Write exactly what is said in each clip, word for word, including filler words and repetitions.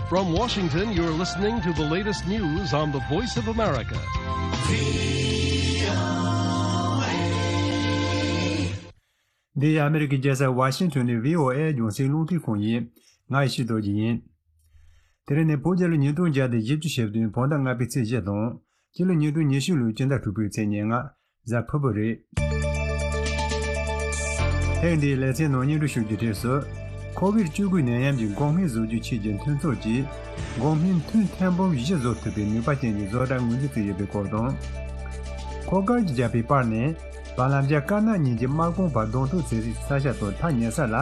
From Washington, you're listening to the latest news on the Voice of America. འདི་ཡང་ཨ་མི་རི་ཀའི་རྒྱལ་ས་ཝ་ཤིང་ཊོན་ནས་བྷི་ཨོ་ཨེ་རྒྱང་སྲིང་རླུང་འཕྲིན་ཁང་ཡིན། ང་ཡེ་ཤེས་རྡོ་རྗེ་ཡིན། དེ་རིང་ནི་བོད་རྒྱལ་ལོ་ཉིས་སྟོང་བརྒྱ་དང་བཞི་བཅུ་ཞེ་བདུན་བོད་ཟླ་ལྔ་པའི་ཚེས་བཞི་དང་། སྤྱི་ལོ་ཉིས་སྟོང་ཉི་ཤུ་ལོའི་སྤྱི་ཟླ་དྲུག་པའི་ཚེས་ཉེར་ལྔ། གཟའ་ཕུར་བུ་རེད། ཐེངས་འདིའི་ལེ་ཚན་ནང་སྙན་སྒྲོན་ཞུ་རྒྱུའི་གྲས་སུ། ཁོ་བིད་བཅུ་དགུ་ནད་ཡམས་ཀྱི་འགོག་སྨན་བཟོ་རྒྱུའི་ཆེད་ཀྱི་མཐུན་ཚོགས་ཀྱིས། འགོག་སྨན་ཐུན་ཐེར་འབུམ་བཞི་བཟོ་ཐུབ་པའི་ནུས་པ་ཅན་གྱི་བཟོ་གྲྭ་ངོས་འཛིན་བྱས་ཡོད་པའི་སྐོར་དང་། མཁོ་དཀར་གྱི་རྒྱལ་པོའི་པར་ནས། བར་ལམ་རྒྱ་དཀར་ནག་གཉིས་ཀྱི་དམག་དཔུང་བར་གདོང་ཐུག་བྱེད་སའི་ས་ཆ་དང་ཐག་ཉེ་ས་ལ།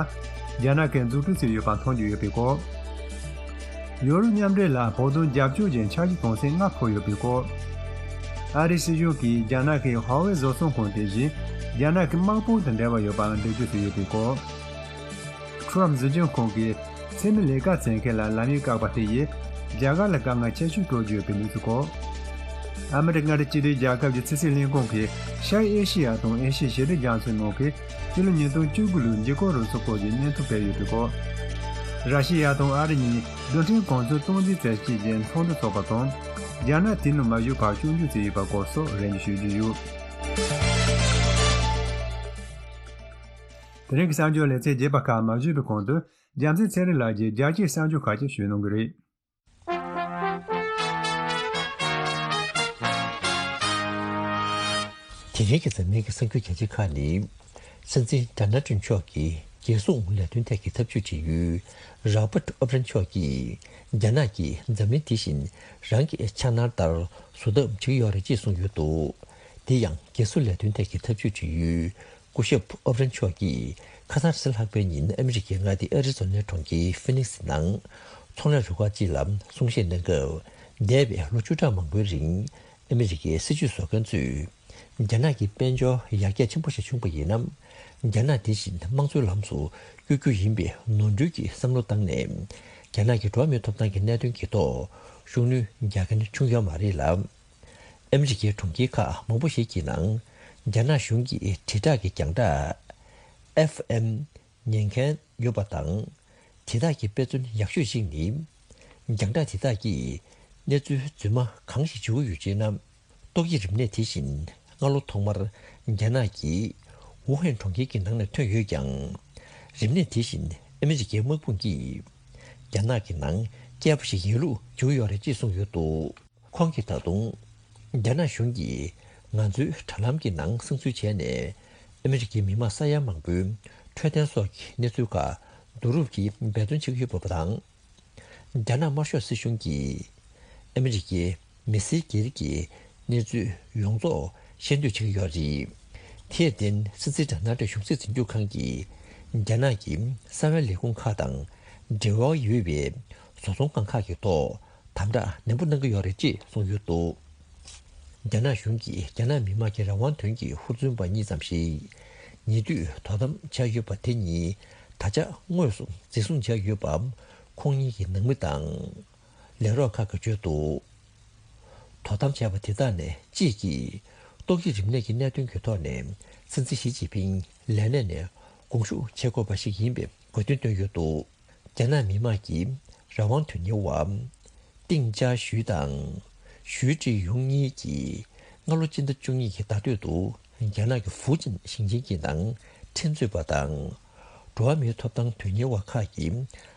རྒྱ་ནག་གིས་འཛུགས་སྐྲུན་བྱས་ཡོད་པ་མཐོང་རྒྱུ་ཡོད་པའི་སྐོར། ཡོ་རོབ་མཉམ་འབྲེལ་ལ་བོད་དོན་རྒྱབ་སྐྱོར་གྱི་འཆར་གཞི་དོན་ཚན་ལྔ་ཕུལ་ཡོད་པའི་སྐོར། ཨ་རིའི་སྲིད་གཞུང་གིས་རྒྱ་ནག་གི་ཧྭ་ཝེ་བཟོ་ཚོང་ཁང་དེ་བཞིན་རྒྱ་ནག་གི་དམག་དཔུང་དང་འབྲེལ་བ་ཡོད་པའང་འགྲེལ་བརྗོད་བྱས་ཡོད་པའི་སྐོར། ཁྲོམ་སྲིད་གཞུང་ཁང་གིས་འཚེ་མེད་ལས་ཀ་བྱེད་མཁན་ལ་ལམ་ཡིག་བཀག་པ་དེ་ཡིས་རྒྱ་གར་ལ་དཀའ་ངལ་ཆེ་ཤོས་སྤྲོད་རྒྱུ་ཡོད་པའི་གནས་ཚུལ་སྐོར། ཨ་མི་རི་ཀ་མངའ་སྡེ་སྤྱི་མཐུན་རྒྱལ་ཁབ་ཀྱི་ཕྱི་སྲིད་ལས་ཁུངས་ཀྱིས་ཤར་ཨེ་ཤེ་ཡ་དང་ཨེ་ཤེ་ཡའི་ཞི་བདེ་རྒྱ་མཚོའི་ནང་གི་སྤྱི་ལོ་ཉིས་སྟོང་བཅུ་དགུ་ལོའི་འཇིགས་སྐུལ་རུ་ཚོགས་སྐོར་གྱི་བརྙན་ཐུང་སྤེལ་ཡོད་པའི་སྐོར། ར་ཤི་ཡ་དང་ཨ་རི་གཉིས་རྡུལ་ཕྲན་གོ་མཚོན་སྟངས་འཛིན་བྱེད་ཆེད་ཀྱི་ཚོགས་འདུ་འཚོགས་པ་དང་། རྒྱ་ནག་དེ་ནང་མ་ཞུགས་པར་སྐྱོན་བརྗོད་བྱས་ཡོད་པའི་སྐོར་སོགས་རེ་འདུན་ཞུ་རྒྱུ་ཡོད། དེ་རིང་གི་གསར་འགྱུར་ལེ་ཚན་རྒྱས་པ་ཁག་མ་ཞུས་པའི་གོང་དུ། རྒྱལ་མཚན་ཚེ་རིང་ལགས་ཀྱིས་རྒྱལ་སྤྱིའི་གསར་འགྱུར་ཁག་ཅིག་ཞུས་གནང་གི་རེད། དེ་རིང་གི་འཛམ་གླིང་གི་གསར་འགྱུར་གལ་ཆེ་ཁག་ནི། སྲིད་འཛིན་ཌོ་ནལ་ཊམ་མཆོག་གི་རྒྱལ་སྲུང་ལས་དོན་ཐད་ཀྱི་ཐབས་ཇུས་དྲི་ཡུལ། རོ་བརྟ་ཨོ་བྷྲན་མཆོག་གིས། རྒྱ་ནག་གིས་འཛམ་གླིང་དེ་བཞིན་རང་གི་འཆར་སྣང་ལྟར་བཟོ་ཐབས་བྱེད་ཀྱི་ཡོད་རེད་ཅེས་གསུངས་ཡོད་འདུག། དེ་ཡང་རྒྱལ་སྲུང་ལས་དོན་ཐད་ཀྱི་ཐབས་ཇུས་དྲི་ཡུལ། སྐུ་ཞབས་ཨོ་བྷྲན་མཆོག་གིས་ཁ་སང་རེས་གཟའ་ལྷག་པའི་ཉིན་ཨ་མི་རི་ཀའི་མངའ་སྡེ་ཨ་རི་ཛོ་ནའི་གྲོང་ཁྱེར་ཧྥི་ནིག་སི་ནང་ཚོང་ལས་རུ་ཁག་ཅིག་ལ་གསུང་བཤད་གནང་སྐབས། འདས་པའི་ལོ་བཅུ་ཕྲག་མང་པོའི་རིང་ཨ་མི་རི་ཀའི་སྲིད་བྱུས་བཟོ་མཁན་ཚོས་རྒྱ་ནག་གི་དཔལ་འབྱོར་ཡར་རྒྱས་ཆེན་པོ་ཞིག་བྱུང་པ་ཡིན་ན། རྒྱ་ནག་དེ་བཞིན་དམངས་གཙོའི་ལམ་སུ་བསྐྱོད་རྒྱུ་ཡིན་པའི་ནོར་འཁྲུལ་གྱི་བསམ་བློ་བཏང་ནས། རྒྱ་ནག་གི་འགྲོ་བ་མིའི་ཐོབ་ཐང་གི་གནད་དོན་གྱི་ཐོག་ཤུགས་སྣོན་རྒྱག་མཁན་བྱུང་ཡོད་མ་རེད་ལ། ཨ་མི་རི་ཀའི་གྲོང་ཁྱེར་ཁག་མང་པོ་ཞིག་གི་ནང་རྒྱ་ནག་གཞུང་གི་དྲིལ་བསྒྲགས་ཀྱི་རྒྱང་བསྒྲགས་ཨེཕ་ཨེམ་ཉན་མཁན་ཡོད་པ་དང་། དེ་དག་གི་དཔེ་མཚོན་ཡག་ཤོས་ཤིག་ནི། རྒྱང་བསྒྲགས་དེ་དག་གིས་གནས་ཚུལ་རྫུན་མ་གང་ཞིག་བརྗོད་ཀྱི་ཡོད་ཅེ་ན། ཏོག་དབྱིབས་རིམས་ནད་དེ་བཞིན་སྔ་ལོ་ཐོག་མར་རྒྱ་ནག་གི་ཝུ་ཧན་གྲོང་ཁྱེར་གྱི་ནང་ནས་ཐོན་ཡོད་ཀྱང་། རིམས་ནད་དེ་བཞིན་ཨ་མི་རི་ཀའི་དམག་དཔུང་གིས་རྒྱ་ནག་གི་ནང་བསྐྱལ་པ་ཞིག་ཡིན་ལུགས་བརྗོད་ཀྱི་ཡོད་རེད་ཅེས་གསུངས་ཡོད་འདུག། ཁོང་གིས་ད་དུང་། རྒྱ་ནག་གཞུང་གིས་ང་ཚོའི་དྲ་ལམ་གྱི་ནང་གསང་འཛུལ་བྱས་ནས། ཨ་མི་རི་ཀའི་མི་མང་ས་ཡ་མང་པོའི་འཕྲོད་བསྟེན་སོགས་ཀྱི་གནས་ཚུལ་ཁག་བསྡུ་རུབ་ཀྱིས་འབད་བརྩོན་བྱེད་ཀྱི་ཡོད་པ་དང་། རྒྱ་ནག་དམར་ཤོག་སྲིད་གཞུང་གིས་ཨ་མི་རི་ཀའི་མི་སེར་སྒེར་གྱི་གནས་ཚུལ་ཡོངས་རྫོགས་ཤེས་འདོད་བྱེད་ཀྱི་ཡོད་རེད། དེར་བརྟེན་སྲིད་འཛིན་ཌོ་ནལ་ཊམ་གཞུང་སྲིད་འཛིན་སྐྱོང་ཁང་གིས་རྒྱ་ནག་གི་གསང་བའི་ལས་ཁུངས་ཁག་དང་འབྲེལ་བ་ཡོད་པའི་བཟོ་ཚོང་ཁང་ཁག་གི་ཐོག་དམ་དྲག་ནན་པོ་གནང་གི་ཡོད་རེད་ཅེས་གསུངས་ཡོད་འདུག། རྒྱ་ནག་གཞུང་གིས་རྒྱ་ནག་མི་དམངས་ཀྱི་རང་དབང་དོན་གྱི་ཧུར་བརྩོན་པ་གཉིས་ཙམ་ཞིག་ཉེ་དུས་དོ་དམ་བྱས་ཡོད་པ་དེ་གཉིས་ད་ཆ་དངོས་སུ་འཛིན་བཟུང་བྱས་ཡོད་པ་ཁོང་གཉིས་ཀྱི་ནང་མི་དང་། ལས་རོགས་ཁག་གིས་བརྗོད་འདུག། དོ་དམ་བྱས་པ་དེ་དག་ནས་གཅིག་གིས་ཏོག་དབྱིབས་རིམས་ནད་ཀྱི་གནད་དོན་གྱི་ཐོག་ནས་སྲིད་འཛིན་ཞི་ཅིན་ཕིང་ལས་གནས་ནས་དགོངས་ཞུ་བྱེད་དགོས་པ་ཞིག་ཡིན་པའི་དགོས་འདུན་བཏོན་ཡོད་འདུག། རྒྱ་ནག་མི་དམངས་ཀྱི་རང་དབང་དོན་གཉེར་བ་ཏིང་ཅཱ་ཞུའེ་དང་ཞུའེ་ཀྲི་ཡུང་གཉིས་ཀྱིས་སྔ་ལོ་སྤྱི་ཟླ་བཅུ་གཉིས་ཀྱི་ཟླ་སྟོད་དུ་རྒྱ་ནག་གི་ཧྥུ་ཅན་ཞིང་ཆེན་གྱི་ནང་ཁྲིམས་རྩོད་པ་དང་། འགྲོ་བ་མིའི་ཐོབ་ཐང་དོན་གཉེར་བ་ཁག་གི་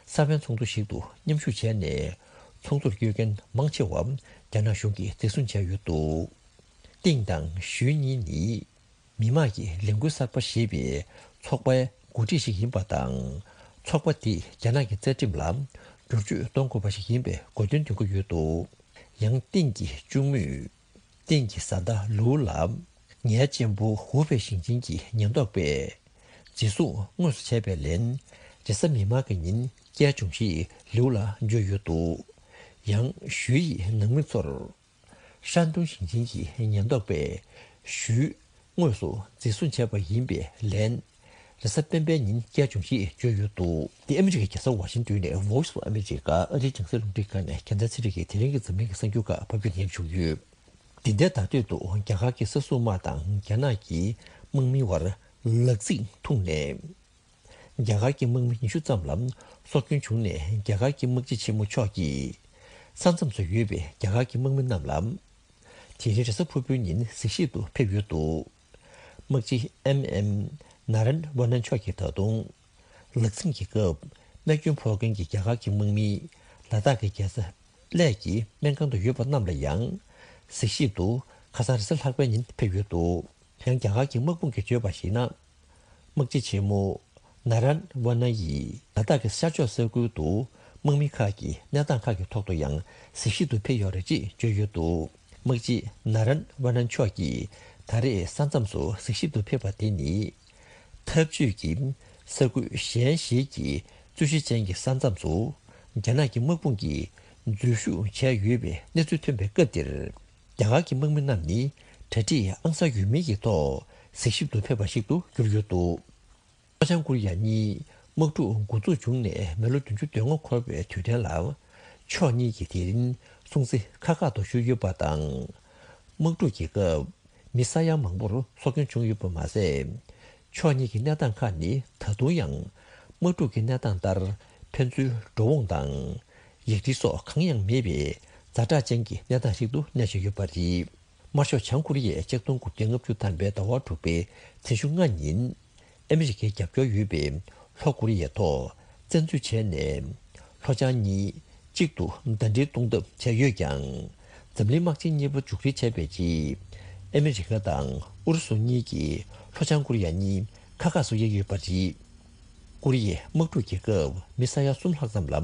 གསང་བའི་ཚོགས་འདུ་ཞིག་ཏུ་མཉམ་ཞུགས་བྱས་ནས་ཚོགས་འདུར་བསྐྱོད་མཁན་མང་ཆེ་བ་རྒྱ་ནག་གཞུང་གིས་འཛིན་བཟུང་བྱས་ཡོད་འདུག། ཏིང་དང་ཞུའེ་གཉིས་ནི། མི་དམངས་ཀྱི་ལས་འགུལ་གསར་པ་ཞེས་པའི་ཚོགས་པའི་འགོ་ཁྲིད་ཞིག་ཡིན་པ་དང་། ཚོགས་པ་དེས་རྒྱ་ནག་གི་རྩ་ཁྲིམས་ལ་བསྒྱུར་བཅོས་གཏོང་དགོས་པ་ཞིག་ཡིན་པའི་དགོས་འདུན་འདོན་གྱི་ཡོད་འདུག། ཡང་ཏིང་གི་གཅུང་མོས། ཏིང་གི་བཟའ་ཟླ་ལུའུ་ལ། ངའི་གཅེན་པོ་ཧུའུ་པེ་ཞིང་ཆེན་གྱི་ཉེན་རྟོག་པས་འཛིན་བཟུང་དངོས་སུ་བྱས་པའི་ལན། རེས་གཟའ་མིག་དམར་གྱི་ཉིན་སྐྱེལ་བྱུང་ཞེས་ལིའུ་ལ་བརྗོད་ཡོད་འདུག། ཡང་ཞུའེ་ཡི་ནང་མི་ཚོར། ཧྲན་ཏུང་ཞིང་ཆེན་གྱི་ཉེན་རྟོག་པས་ཞུའེ་དངོས་སུ་འཛིན་བཟུང་བྱས་པ་ཡིན་པའི་ལན། རེས་གཟའ་སྤེན་པའི་ཉིན་སྐྱེལ་བྱུང་ཞེས་བརྗོད་ཡོད་འདུག། འདི་ཨ་མི་རི་ཀའི་རྒྱལ་ས་ཝ་ཤིང་ཏོན་ནས་Voice of America ཨ་རིའི་རྒྱང་སྲིང་རླུང་འཕྲིན་ཁང་ནས་རྒྱལ་མཚན་ཚེ་རིང་གིས་དེ་རིང་གི་འཛམ་གླིང་གི་གསར་འགྱུར་ཁག་ཕབ་སྒྱུར་ཉན་བྱུང་ཡོད། འདི་ཟླའི་ཟླ་སྟོད་དུ་རྒྱ་གར་གྱི་ས་སྲུང་དམག་དང་རྒྱ་ནག་གི་དམག་མིའི་བར་ལག་རྩིས་ཐུག་ནས། རྒྱ་གར་གྱི་དམག་མི་ཉི་ཤུ་ཙམ་ལ་སྲོག་སྐྱོན་བྱུང་ནས། རྒྱ་གར་གྱི་དམག་སྤྱི་ཆེན་མོ་མཆོག་གིས་ས་མཚམས་སུ་ཡོད་པའི་རྒྱ་གར་གྱི་དམག་མི་རྣམས་ལ། དེ་རིང་རེས་གཟའ་ཕུར་བུའི་ཉིན་གཟིགས་ཞིབ་ཏུ་ཕེབས་ཡོད་འདུག་དམག་སྤྱི་ཨེམ་ཨེམ་ནཱ་རན་ཝ་ནན་མཆོག་གིས་ད་དུང་། ལག་འཛིང་གི་སྐབས་རྨས་སྐྱོན་ཕོག་མཁན་གྱི་རྒྱ་གར་གྱི་དམག་མིས་ལ་དྭགས་ཀྱི་རྒྱལ་ས་གླེ་གི་སྨན་ཁང་དུ་ཡོད་པ་རྣམས་ལ་ཡང་གཟིགས་ཞིབ་ཏུ་ཁ་སང་རེས་གཟའ་ལྷག་པའི་ཉིན་ཕེབས་ཡོད་འདུག་ཡང་རྒྱ་གར་གྱི་དམག་དཔུང་གིས་བརྗོད་པར་གཞིགས་ན། དམག་སྤྱི་ཆེན་མོ་ནཱ་རན་ཝ་ན་ཡིས་ལ་དྭགས་ཀྱི་ཤར་ཕྱོགས་ས་ཁུལ་དུ་དམག་མི་ཁག་གིས་གནས་སྟངས་ཁག་གི་ཐོག་ཏུ་ཡང་གཟིགས་ཞིབ་ཏུ་ཕེབས་ཡོད་རེད་ཅེས་བརྗོད་ཡོད་འདུག་དམག་སྤྱི་ནཱ་རན་ཝ་ན་མཆོག་གིས་ད་རེས་ས་མཚམས་སུ་གཟིགས་ཞིབ་ཏུ་ཕེབས་པ་དེ་ནི། འཐབ་ཇུས་ཀྱི་ས་ཁུལ་གཞན་ཞིག་གི་རྩོད་གཞི་ཅན་གྱི་ས་མཚམས་སུ་རྒྱ་ནག་གི་དམག་དཔུང་གིས་འཛུལ་ཞུགས་བྱས་ཡོད་པའི་གནས་ཚུལ་ཐོན་པའི་སྐབས་འདིར། རྒྱ་གར་གྱི་དམག་མི་རྣམས་ནི་གྲ་སྒྲིག་ཨང་གསར་ཡོད་མེད་ཀྱི་ཐོག་གཟིགས་ཞིབ་ཏུ་ཕེབས་པ་ཞིག་ཏུ་གྱུར་ཡོད་འདུག་ལྷོ་བྱང་ཀོ་རི་ཡ་གཉིས་དམག་འཁྲུག་འགོ་འཛུགས་བྱུང་ནས་མི་ལོ་བདུན་ཅུ་དོན་ལྔ་འཁོར་བའི་དུས་དྲན་ལ། ཕྱོགས་གཉིས་ཀྱིས་དེ་རིང་སྲུང་བརྩི་ཁག་ཁག་ཏུ་ཞུས་ཡོད་པ་དང་། དམག་འཁྲུག་གི་སྐབས་མི་ས་ཡ་མང་པོར་སྲོག་སྐྱོན་བྱུང་ཡོད་པ་མ་ཟད། ཕྱོགས་གཉིས་ཀྱི་གནས་སྟངས་ཁག་ནི་ད་དུང་ཡང་དམག་འཁྲུག་གི་གནས་སྟངས་ལྟར་ཕན་ཚུན་འགྲོ་འོང་དང་ཡིག་རིགས་སོགས་གང་ཡང་མེད་པའི་ཛ་དྲག་ཅན་གྱི་གནས་སྟངས་ཤིག་ཏུ་གནས་བཞིན་ཡོད་པ་རེད། དམར་ཤོག་བྱང་ཀོ་རི་ཡས་ཆིག་སྟོང་དགུ་བརྒྱ་ལྔ་བཅུ་ཐམ་པའི་ཟླ་བ་དྲུག་པའི་ཚེས་བཅུ་ལྔ་ཉིན། ཨ་མི་རི་ཀའི་རྒྱབ་སྐྱོར་ཡོད་པའི་ལྷོ་ཀོ་རི་ཡའི་ཐོག་བཙན་འཛུལ་བྱས་ནས། ལྷོ་བྱང་གཉིས་གཅིག་ཏུ་ཟླ་སྒྲིལ་གཏོང་ཐབས་བྱས་ཡོད་ཀྱང་། འཛམ་གླིང་དམག་ཆེན་གཉིས་པ་མཇུག་སྒྲིལ་བྱས་པའི་རྗེས། ཨ་མི་རི་ཀ་དང་ཨུ་རུ་སུ་གཉིས་ཀྱིས་ལྷོ་བྱང་ཀོ་རི་ཡ་གཉིས་ཁ་ཁ་བཟོ་ཡས་ཡོད་པ་རེད། ཀོ་རི་ཡའི་དམག་འཁྲུག་གི་སྐབས་མི་ས་ཡ་གསུམ་ལྷག་ཙམ་ལ་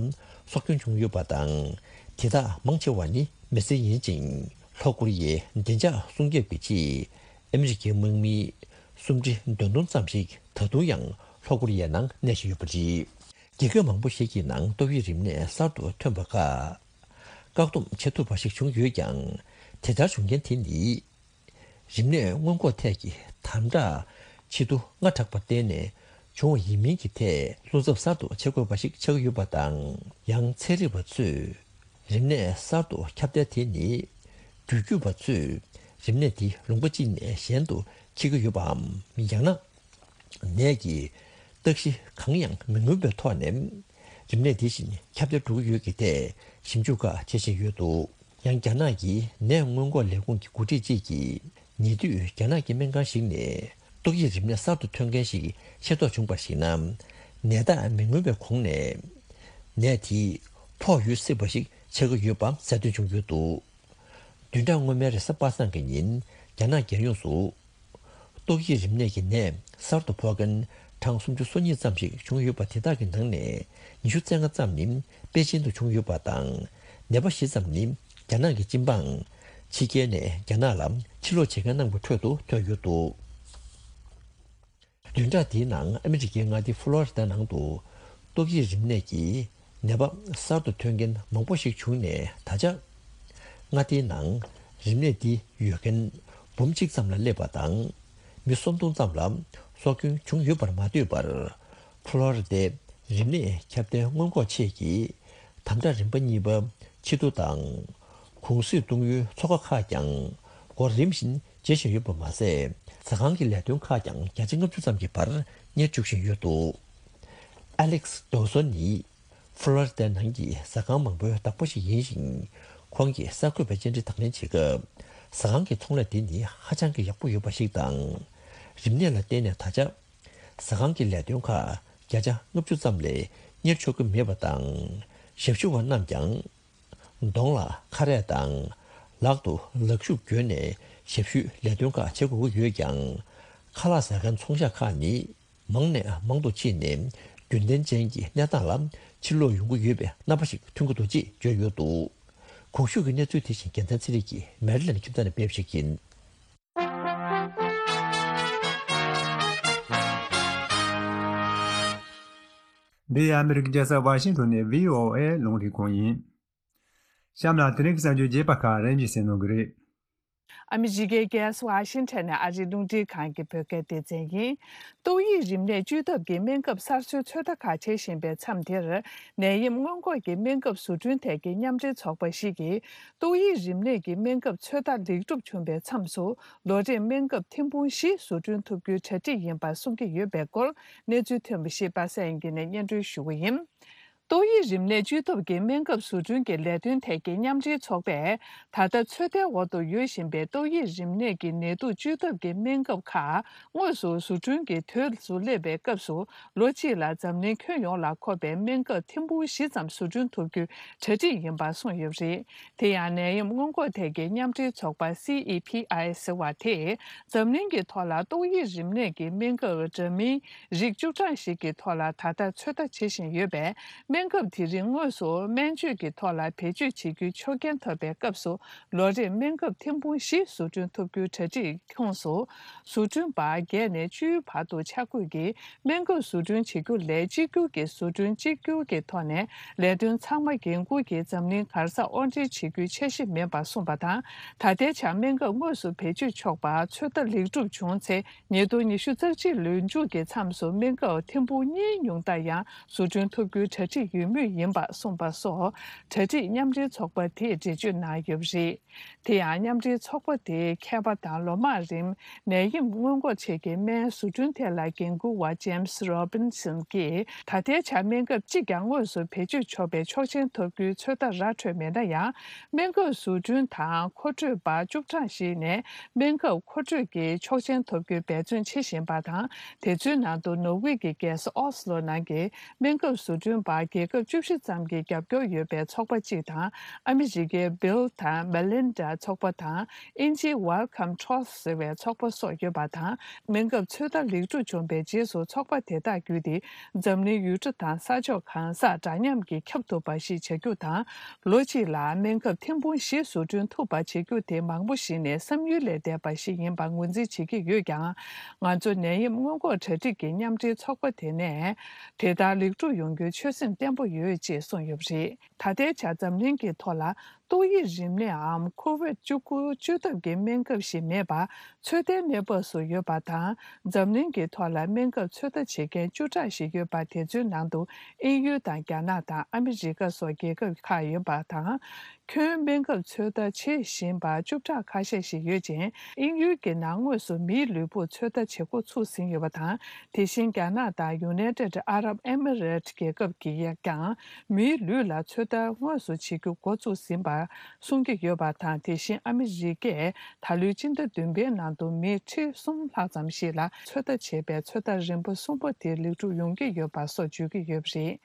སྲོག་སྐྱོན་བྱུང་ཡོད་པ་དང་། དེ་དག་མང་ཆེ་བ་ནི་མི་སེར་ཡིན་ཅིང་། ལྷོ་ཀོ་རི་ཡའི་བདེ་འཇགས་སྲུང་སྐྱོབ་ཀྱི་ཆེད། ཨ་མི་རི་ཀའི་དམག་མི་སུམ་ཁྲི་བདུན་སྟོང་ཙམ་ཞིག་ད་དུང་ཡང་ལྷོ་ཀོ་རི་ཡའི་ནང་གནས་བཞིན་ཡོད་པ་རེད། རྒྱལ་ཁབ་མང་པོ་ཞིག་གི་ནང་ཏོག་དབྱིབས་རིམས་ནད་གསར་དུ་ཐོན་པ་ཁག་བཀག་སྡོམ་བྱེད་ཐུབ་པ་ཞིག་བྱུང་ཡོད་ཀྱང་། དེ་ལྟར་བྱུང་རྐྱེན་དེ་ནི། རིམས་ནད་སྔོན་འགོག་ཐད་ཀྱི་དམ་དྲག་ཆེ་བསྡུར་སྔ་དྲགས་པར་བརྟེན་ནས་བྱུང་བ་ཡིན་མིན་གྱི་ཐད་བློ་འཚབ་གསར་དུ་བྱེད་དགོས་པ་ཞིག་ཆགས་ཀྱི་ཡོད་པ་དང་། ཡང་ཚན་རིག་པ་ཚོས་རིམས་ནད་གསར་དུ་ཁྱབ་གདལ་དེ་ནི། རྒྱུད་སྐྱོབ་པ་ཚོས་རིམས་ནད་དེ་ལུང་པ་གཅིག་ནས་གཞན་དུ་འཁྱེར་གྱི་ཡོད་པའམ། ཡང་ན། ནད་ཀྱི་རྟགས་གཞི་གང་ཡང་མི་མངོན་པའི་ཐོག་ནས། རིམས་ནད་དེ་བཞིན་ཁྱབ་གདལ་འགྲོ་གི་ཡོད་ཀྱི་ཐད་ཞིབ་འཇུག་ཁག་བྱེད་བཞིན་ཡོད་འདུག་ཡང་རྒྱ་ནག་གི་ནད་སྔོན་འགོག་ལས་ཁུངས་ཀྱི་འགོ་ཁྲིད་ཅིག་གིས། ཉེ་དུས་རྒྱ་ནག་གི་སྨན་ཁང་ཞིག་ནས་ཏོག་དབྱིབས་རིམས་ནད་གསར་དུ་ཐོན་མཁན་ཞིག་ཤེས་རྟོགས་བྱུང་པར་གཞིགས་ན། ནད་རྟགས་མི་མངོན་པའི་གོང་ནས་ནད་དེ་ཕོག་ཡོད་སྲིད་པ་ཞིག་ཆགས་ཀྱི་ཡོད་པ་གསལ་སྟོན་བྱུང་ཡོད་འདུག་བདུན་ཕྲག་སྔོན་མའི་རེས་གཟའ་པ་སངས་ཀྱི་ཉིན་རྒྱ་ནག་རྒྱལ་ཡོངས་སུ། ཏོག་དབྱིབས་རིམས་ནད་ཀྱི་ནད་གསར་དུ་ཕོག་མཁན་གྲངས་སུམ་ཅུ་སོ་གཉིས་ཙམ་ཞིག་བྱུང་ཡོད་པ་དེ་དག་གི་ནང་ནས་ཉི་ཤུ་རྩ་ལྔ་ཙམ་ནི་པེ་ཅིན་དུ་བྱུང་ཡོད་པ་དང་། ནད་པ་བཞི་ཙམ་ནི་རྒྱ་ནག་གི་སྤྱི་འབངས་ཕྱི་རྒྱལ་ནས་རྒྱ་ནག་ལ་ཕྱིར་ལོག་བྱེད་མཁན་རྣམས་ཀྱི་ཁྲོད་དུ་ཐོན་ཡོད་འདུག་བདུན་ཕྲག་འདིའི་ནང་ཨ་མི་རི་ཀའི་མངའ་སྡེ་ཕུ་ལོ་རི་ད་ནང་དུ་ཏོག་དབྱིབས་རིམས་ནད་ཀྱི་ནད་པ་གསར་དུ་ཐོན་མཁན་མང་པོ་ཞིག་བྱུང་ནས། ད་ཆ་མངའ་སྡེའི་ནང་རིམས་ནད་འདི་ཡོད་མཁན་འབུམ་གཅིག་ཙམ་ལ་སླེབས་པ་དང་། མི་སུམ་སྟོང་ཙམ་ལ་སྲོག་སྐྱོན་བྱུང་ཡོད་པར་མ་ལྟོས་པར། ཕུ་ལོ་རི་ཏའི་རིམས་ནད་ཁྱབ་གདལ་སྔོན་འགོག་ཆེད་ཀྱི་དམ་དྲག་རིམ་པ་གཉིས་པ་ཕྱིར་བསྡུ་དང་། གུང་སེང་གཏོང་ཡུལ་ཚོགས་ཁག་ཁག་ཀྱང་འགོ་རིམ་བཞིན་བྱེད་བཞིན་ཡོད་པ་མ་ཟད། ཟ་ཁང་གི་ལས་དོན་ཁག་ཀྱང་བརྒྱ་ཆ་ལྔ་བཅུ་ཙམ་གྱི་བར་གཉེར་བཅུག་བཞིན་ཡོད་འདུག་ཨ་ལེག་སི་ཌོ་སོ་ནི་ཕུ་ལོ་རི་ཏའི་ནང་གི་ཟ་ཁང་མང་པོའི་བདག་པོ་ཞིག་ཡིན་ཞིང་། ཁོང་གིས་གསར་འགོད་པའི་བཅར་འདྲི་དང་ལེན་བྱེད་སྐབས། ཟ་ཁང་གི་ཚོང་ལས་དེ་ནི་ཧ་ཅང་གི་ཡག་པོ་ཡོད་པ་ཞིག་དང་། རིམས་ནད་ལ་བརྟེན་ནས་ད་ཆ། ཟ་ཁང་གི་ལས་དོན་ཁག་བརྒྱ་ཆ་ལྔ་བཅུ་ཙམ་ལས་གཉེར་ཆོག་གི་མེད་པ་དང་། ཞབས་ཞུ་བ་རྣམས་ཀྱང་། གདོང་ལ་ཁ་རས་དང་། ལག་ཏུ་ལག་ཤུབས་གྱོན་ནས་ཞབས་ཞུའི་ལས་དོན་ཁག་བྱེད་དགོས་ཀྱི་ཡོད་ཀྱང་། ཁ་ལག་ཟ་མཁན་ཚོང་ཤག་ཁག་ནི། མང་ནས་མང་དུ་ཕྱིན་ནས། རྒྱུན་ལྡན་ཅན་གྱི་གནས་སྟངས་ལ་ཕྱིར་ལོག་ཡོང་གི་ཡོད་པའི་རྣམ་པ་ཞིག་ཐོན་གྱི་འདུག་ཅེས་བརྗོད་ཡོད་འདུག་གོང་ཞུས་ཀྱི་གནས་ཚུལ་དེ་བཞིན་རྒྱལ་མཚན་ཚེ་རིང་གིས་མེ་རི་ལན་ཁྱིམ་ཚང་ནས་སྤེལ་བ་ཞིག་ཡིན། འདི་ཨ་མི་རི་ཀའི་རྒྱལ་ས་ཝ་ཤིང་ཏོན་ནས་བྷི་ཨོ་ཨེ་རླུང་འཕྲིན་ཁང་ཡིན། གཤམ་ལ་དེ་རིང་གི་གསར་འགྱུར་རྒྱས་པ་ཁག་རིམ་བཞིན་གསན་གནང་གི་རེད། ཨ་མི་རི་ཀའི་རྒྱལ་ས་ཝ་ཤིང་ཊོན་ནས་ཨ་རིའི་རླུང་འཕྲིན་ཁང་གི་བོད་སྐད་སྡེ་ཚན་ཡིན། ཏོག་དབྱིབས་རིམས་ནད་བཅོས་ཐབས་ཀྱི་སྨན་ཁབ་གསར་བཟོའི་ཚོད་ལྟ་ཁག་བྱེད་བཞིན་པའི་མཚམས་དེར། ནད་ཡམས་སྔོན་འགོག་གི་སྨན་ཁབ་བཟོ་སྐྲུན་ཐད་ཀྱི་མཉམ་འབྲེལ་ཚོགས་པ་ཞིག་གིས། ཏོག་དབྱིབས་རིམས་ནད་ཀྱི་སྨན་ཁབ་ཚོད་ལྟ་ལེགས་གྲུབ་བྱུང་བའི་མཚམས་སུ། ལོ་རེར་སྨན་ཁབ་ཐེར་འབུམ་བཞི་བཟོ་སྐྲུན་ཐུབ་རྒྱུའི་གྲ་སྒྲིག་ཡིན་པ་གསུང་གི་ཡོད་པའི་སྐོར། གནས་ཚུལ་ཐོན་པ་ཞིག་པ་སངས་དབྱངས་སྐྱིད་ནས་སྙན་སྒྲོན་ཞུ་གི་ཡིན། ཏོག་དབྱིབས་རིམས་ནད་བཅོས་ཐབས་ཀྱི་སྨན་ཁབ་བཟོ་སྐྲུན་གྱི་ལས་དོན་ཐད་ཀྱི་མཉམ་འབྲེལ་ཚོགས་པས། ད་ལྟ་ཚོད་ལྟའི་འོག་ཏུ་ཡོད་བཞིན་པའི་ཏོག་དབྱིབས་རིམས་ནད་ཀྱི་ནད་དུག་བཅོས་ཐབས་ཀྱི་སྨན་ཁབ་ཁག་དངོས་སུ་བཟོ་སྐྲུན་གྱི་དུས་སུ་སླེབས་པའི་སྐབས་སུ། ལོ་གཅིག་ལ་འཛམ་གླིང་ཁྱོན་ཡོངས་ལ་མཁོ་བའི་སྨན་ཁབ་ཐེར་འབུམ་བཞི་ཙམ་བཟོ་སྐྲུན་ཐུབ་རྒྱུའི་གྲ་སྒྲིག་ཡིན་པ་གསུངས་ཡོད་པ་རེད། དེ་ཡང་ནད་ཡམས་སྔོན་འགོག་ཐད་ཀྱི་མཉམ་འབྲེལ་ཚོགས་པ་སི་ཨི་ཕི་ཨའི་ཟེར་བ་དེས། འཛམ་གླིང་གི་ཐོག་ལ་ཏོག་དབྱིབས་རིམས་ནད་ཀྱི་སྨན་ཁབ་འདྲ་མིན་རིགས་བཅུ་གྲངས་ཤིག་གི་ཐོག་ལ་ད་ལྟ་ཚོད་ལྟ་བྱེད་བཞིན་ཡོད་པས། སྨན་ཁབ་དེ་རིགས་དངོས་སུ་སྨན་བཅོས་ཀྱི་ཐོག་ལ་བེད་སྤྱོད་བྱེད་རྒྱུའི་ཆོག་མཆན་ཐོབ་པའི་སྐབས་སུ། ལོ་རེར་སྨན་ཁབ་ཐེར་འབུམ་བཞི་བཟོ་སྐྲུན་ཐུབ་རྒྱུའི་གྲ་སྒྲིག་ཁོངས་སུ། བཟོ་སྐྲུན་པ་བརྒྱད་ནས་བཅུའི་བར་དུ་ཆ་བགོས་ཀྱིས། སྨན་ཁབ་བཟོ་སྐྲུན་བྱེད་རྒྱུ་ལས་གཅིག་གྱུར་གྱི་བཟོ་སྐྲུན་གཅིག་གྱུར་གྱི་ཐོག་ནས་ལས་དོན་ཚང་མ་འགན་འཁུར་གྱིས་འཛམ་གླིང་ག་ས་དབོར་འདྲེན་བྱེད་རྒྱུའི་འཆར་གཞི་མེད་པ་གསུངས་པ་དང་། ད་ལྟའི་ཆར་སྨན་ཁབ་དངོས་སུ་བེད་སྤྱོད་ཆོག་པར་ཚོད་ལྟ་ལེགས་གྲུབ་བྱུང་ཚེ། ཉིས་སྟོང་ཉི་ཤུ་རྩ་གཅིག་ལོའི་མཇུག་གི་མཚམས་སུ་སྨན་ཁབ་ཐེར་འབུམ་གཉིས་ཉུང་མཐར་ཡང་བཟོ་སྐྲུན་ཐུབ་རྒྱུའི་གྲ་སྒྲིག་ཡོད་མུས་ཡིན་པ་གསུངས་པ་སོགས། གྲ་སྒྲིག་མཉམ་འབྲེལ་ཚོགས་པ་དེས་འགྲེལ་བརྗོད་གནང་ཡོད་པ་རེད། དེ་ཡང་མཉམ་འབྲེལ་ཚོགས་པ་དེའི་མཁས་པ་དང་ལོ་མང་རིང་ནད་ཡམས་སྔོན་འགོག་ཆེད་ཀྱི་སྨན་བཟོ་སྐྲུན་ཐད་ལ་འགན་འཁུར་བ་ཇེམ་སི་རོ་བིན་སན་གྱིས། ད་ལྟའི་ཆར་སྨན་ཁབ་གཅིག་ཀྱང་དངོས་སུ་བེད་སྤྱོད་ཆོག་པའི་ཆོག་མཆན་ཐོབ་རྒྱུའི་ཚོད་ལྟ་ར་འཕྲོད་མེད་ན་ཡང་། སྨན་ཁབ་བཟོ་སྐྲུན་དང་མཁོ་སྤྲོད་པ་བཅུ་གྲངས་ཤིག་ནས་སྨན་ཁབ་མཁོ་སྤྲོད་ཀྱི་ཆོག་མཆན་ཐོབ་རྒྱུའི་འབད་བརྩོན་བྱེད་བཞིན་པ་དང་། དེ་ཚོའི་ནང་དུ་ནོར་ཝེ་གྱི་རྒྱལ་ས་ཨོ་སི་ལོ་ནང་གི་སྨན་ཁབ་བཟོ་སྐྲུན་པ་རྒྱལ་ཁབ་བཅུ་བཞི་ཙམ་གྱི་རྒྱབ་སྐྱོར་ཡོད་པའི་ཚོགས་པ་གཅིག་དང་། ཨ་མི་རི་ཀའི་Bill དང་Melinda ཚོགས་པ་དང་། དབྱིན་ཇིའི་Wellcome Trust ཟེར་བའི་ཚོགས་པ་སོགས་ཡོད་པ་དང་། སྨན་ཁབ་ཚོད་ལྟ་ལེགས་གྲུབ་བྱུང་བའི་རྗེས་སུ་ཚོགས་པ་དེ་དག་བརྒྱུད་དེ། འཛམ་གླིང་ཡུལ་གྲུ་དང་ས་ཕྱོགས་གང་སར་འདྲ་མཉམ་གྱིས་ཁྱབ་ཐུབ་པ་ཞིག་བྱ་རྒྱུ་དང་། ལོ་གཅིག་ལ་སྨན་ཁབ་ཐེར་འབུམ་བཞི་བཟོ་སྐྲུན་ཐུབ་པ་བྱེད་རྒྱུ་དེ་མང་པོ་ཞིག་ནས་བསམ་ཡུལ་ལས་འདས་པ་ཞིག་ཡིན་པར་ངོས་འཛིན་བྱེད་ཀྱི་ཡོད་ཀྱང་། ང་ཚོ་ནད་ཡམས་སྔོན་འགོག་གྲ་སྒྲིག་གི་མཉམ་འབྲེལ་ཚོགས་པ་དེ་ནས་དེ་ལྟར་ལེགས་གྲུབ་ཡོང་རྒྱུའི་ཆོད་སེམས་བརྟན་པོ་ཡོད་ཅེས་གསུངས་ཡོད་པ་རེད། ད་ལྟའི་ཆར་འཛམ་གླིང་གི་ཐོག་ལ་ཏོག་དབྱིབས་རིམས་ནད་འམ་ཁོ་ཝིད་བཅུ་དགུ་བཅོས་ཐབས་ཀྱི་སྨན་ཁབ་ཞིག་མེད་པར་ཚོད་ལྟའི་གནས་བབ་སུ་ཡོད་པ་དང་། འཛམ་གླིང་གི་ཐོག་ལ་སྨན་ཁབ་ཚོད་ལྟ་བྱེད་མཁན་བཅུ་ཕྲག་ཞིག་ཡོད་པ། དེ་ཚོའི་ནང་དུ་དབྱིན་ཡུལ་དང་རྒྱ་ནག་དང་ཨ་མི་རི་ཀ་སོགས་རྒྱལ་ཁབ་ཁག་ཡོད་པ་དང་། ཁྱོན་སྨན་ཁབ་ཚོད་ལྟ་བྱེད་བཞིན་པ་བཅུ་ཕྲག་ཁ་ཤས་ཤིག་ཡོད་ཅིང་། དབྱིན་ཡུལ་གྱི་ནང་དངོས་སུ་མིའི་ལུས་པོར་ཚོད་ལྟ་བྱེད་འགོ་ཚུགས་ཟིན་ཡོད་པ་དང་། དེ་བཞིན་རྒྱ་ནག་དང་United Arab Emirates རྒྱལ་ཁབ་ཀྱིས་ཀྱང་མིའི་ལུས་ལ་ཚོད་ལྟ་དངོས་སུ་བྱེད་རྒྱུ་འགོ་ཚུགས་ཟིན་པར་གསུང་གི་ཡོད་པ་དང་། དེ་བཞིན་ཨ་མི་རི་ཀས་ད་ལོའི་སྤྱི་ཟླ་བདུན་པའི་ནང་དུ་མི་ཁྲི་གསུམ་ལྷག་ཙམ་ཞིག་ལ་ཚོད་ལྟ་བྱས་པའི་ཚོད་ལྟ་རིམ་པ་གསུམ་པ་དེ་ལེགས་གྲུབ་ཡོང་གི་ཡོད་པ་སོགས་བརྗོད་ཀྱི་ཡོད་པ་རེད།